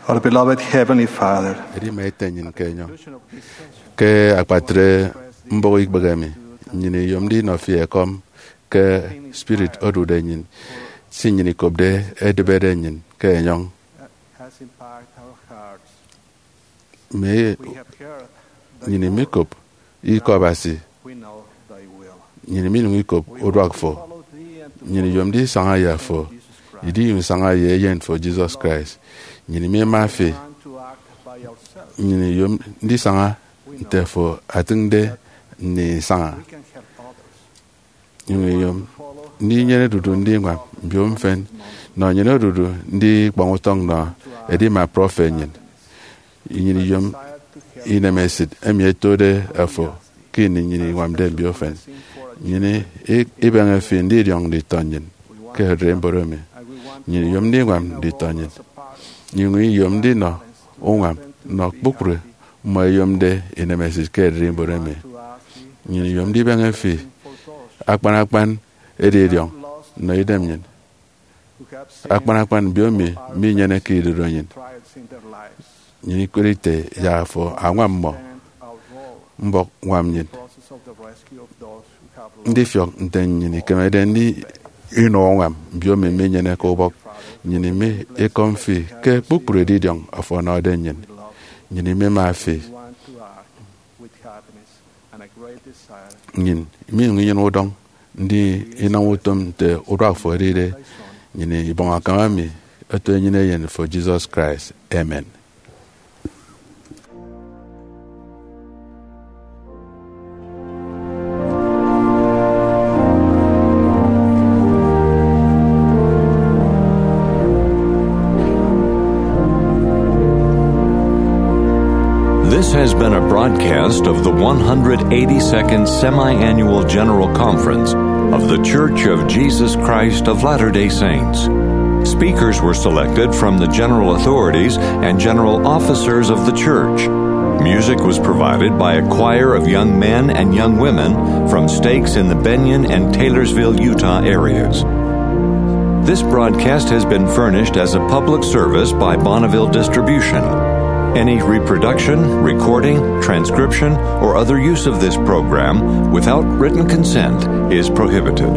Our beloved Heavenly Father, edi ima ete nnyịn ke enyọñ. Ke akpatre mbụk ikpehe emi, nnyịn iyomde inọ fi ekọm ke spirit odude nnyịn, si nnyịn ikopde edịbede nnyịn ke enyọñ. Has impacted our hearts. Mme We have heard that nnyịn imikop ikọ Abasi, we know thy will. Nnyịn iminyụñ ikop uduak fo. Follow thee and to nnyịn iyomde isaña ye afo, Jesus Christ. Idinyụñ isaña ye eyen fo, Jesus Christ. Nnyịn imima fi. Learn to act by ourselves. Nnyịn iyom ndisaña nte fo atịñde nnyịn isaña. We can help others. Nnyịn iyom ndinyene odudu ndiñwam mbio mfịn, nọ nnyịn odudu ndi ikpọñ utọñ nọ edima prọfet nnyịn. Nnyịn iyom inemesịt emi ẹtode afo ke ini nnyịn iñwamde mbiofen. Nnyịn i-, ibeñe fi ndidiọñ nditọ nnyịn ke ererimbot emi. Nnyịn iyom ndiñwam nditọ nnyịn. Nnyịn iyom ndinọ uñwam nnọ kpukpru mmọ ẹyomde inemesịt ke ererimbot emi. Nnyịn iyom ndibeñe fi akpan akpan edidiọñ nnọ idem nnyịn. Akpan akpan mbiomi minyeneke idodo nnyịn. Nnyịn ikot ite yak afo añwam mmọ. Mbọk ñwam nnyịn ndifiọk nte nnyịn ikemede ndinọ uñwam mbiomi minyeneke ubọk. Nnyịn imi ikọm fi ke kpukpru edidiọñ afo ọnọde nnyịn. Nnyịn imema fi. Nnyịn iminyụñ inyene udọñ ndi inam utom nte uduak fo edide. Nnyịn ibọñ akam emi eto enyịn eyen fo, Jesus Christ. Amen. This has been a broadcast of the one hundred eighty-second Semi-Annual General Conference of The Church of Jesus Christ of Latter-day Saints. Speakers were selected from the general authorities and general officers of the church. Music was provided by a choir of young men and young women from stakes in the Bennion and Taylorsville, Utah areas. This broadcast has been furnished as a public service by Bonneville Distribution. Any reproduction, recording, transcription, or other use of this program without written consent is prohibited.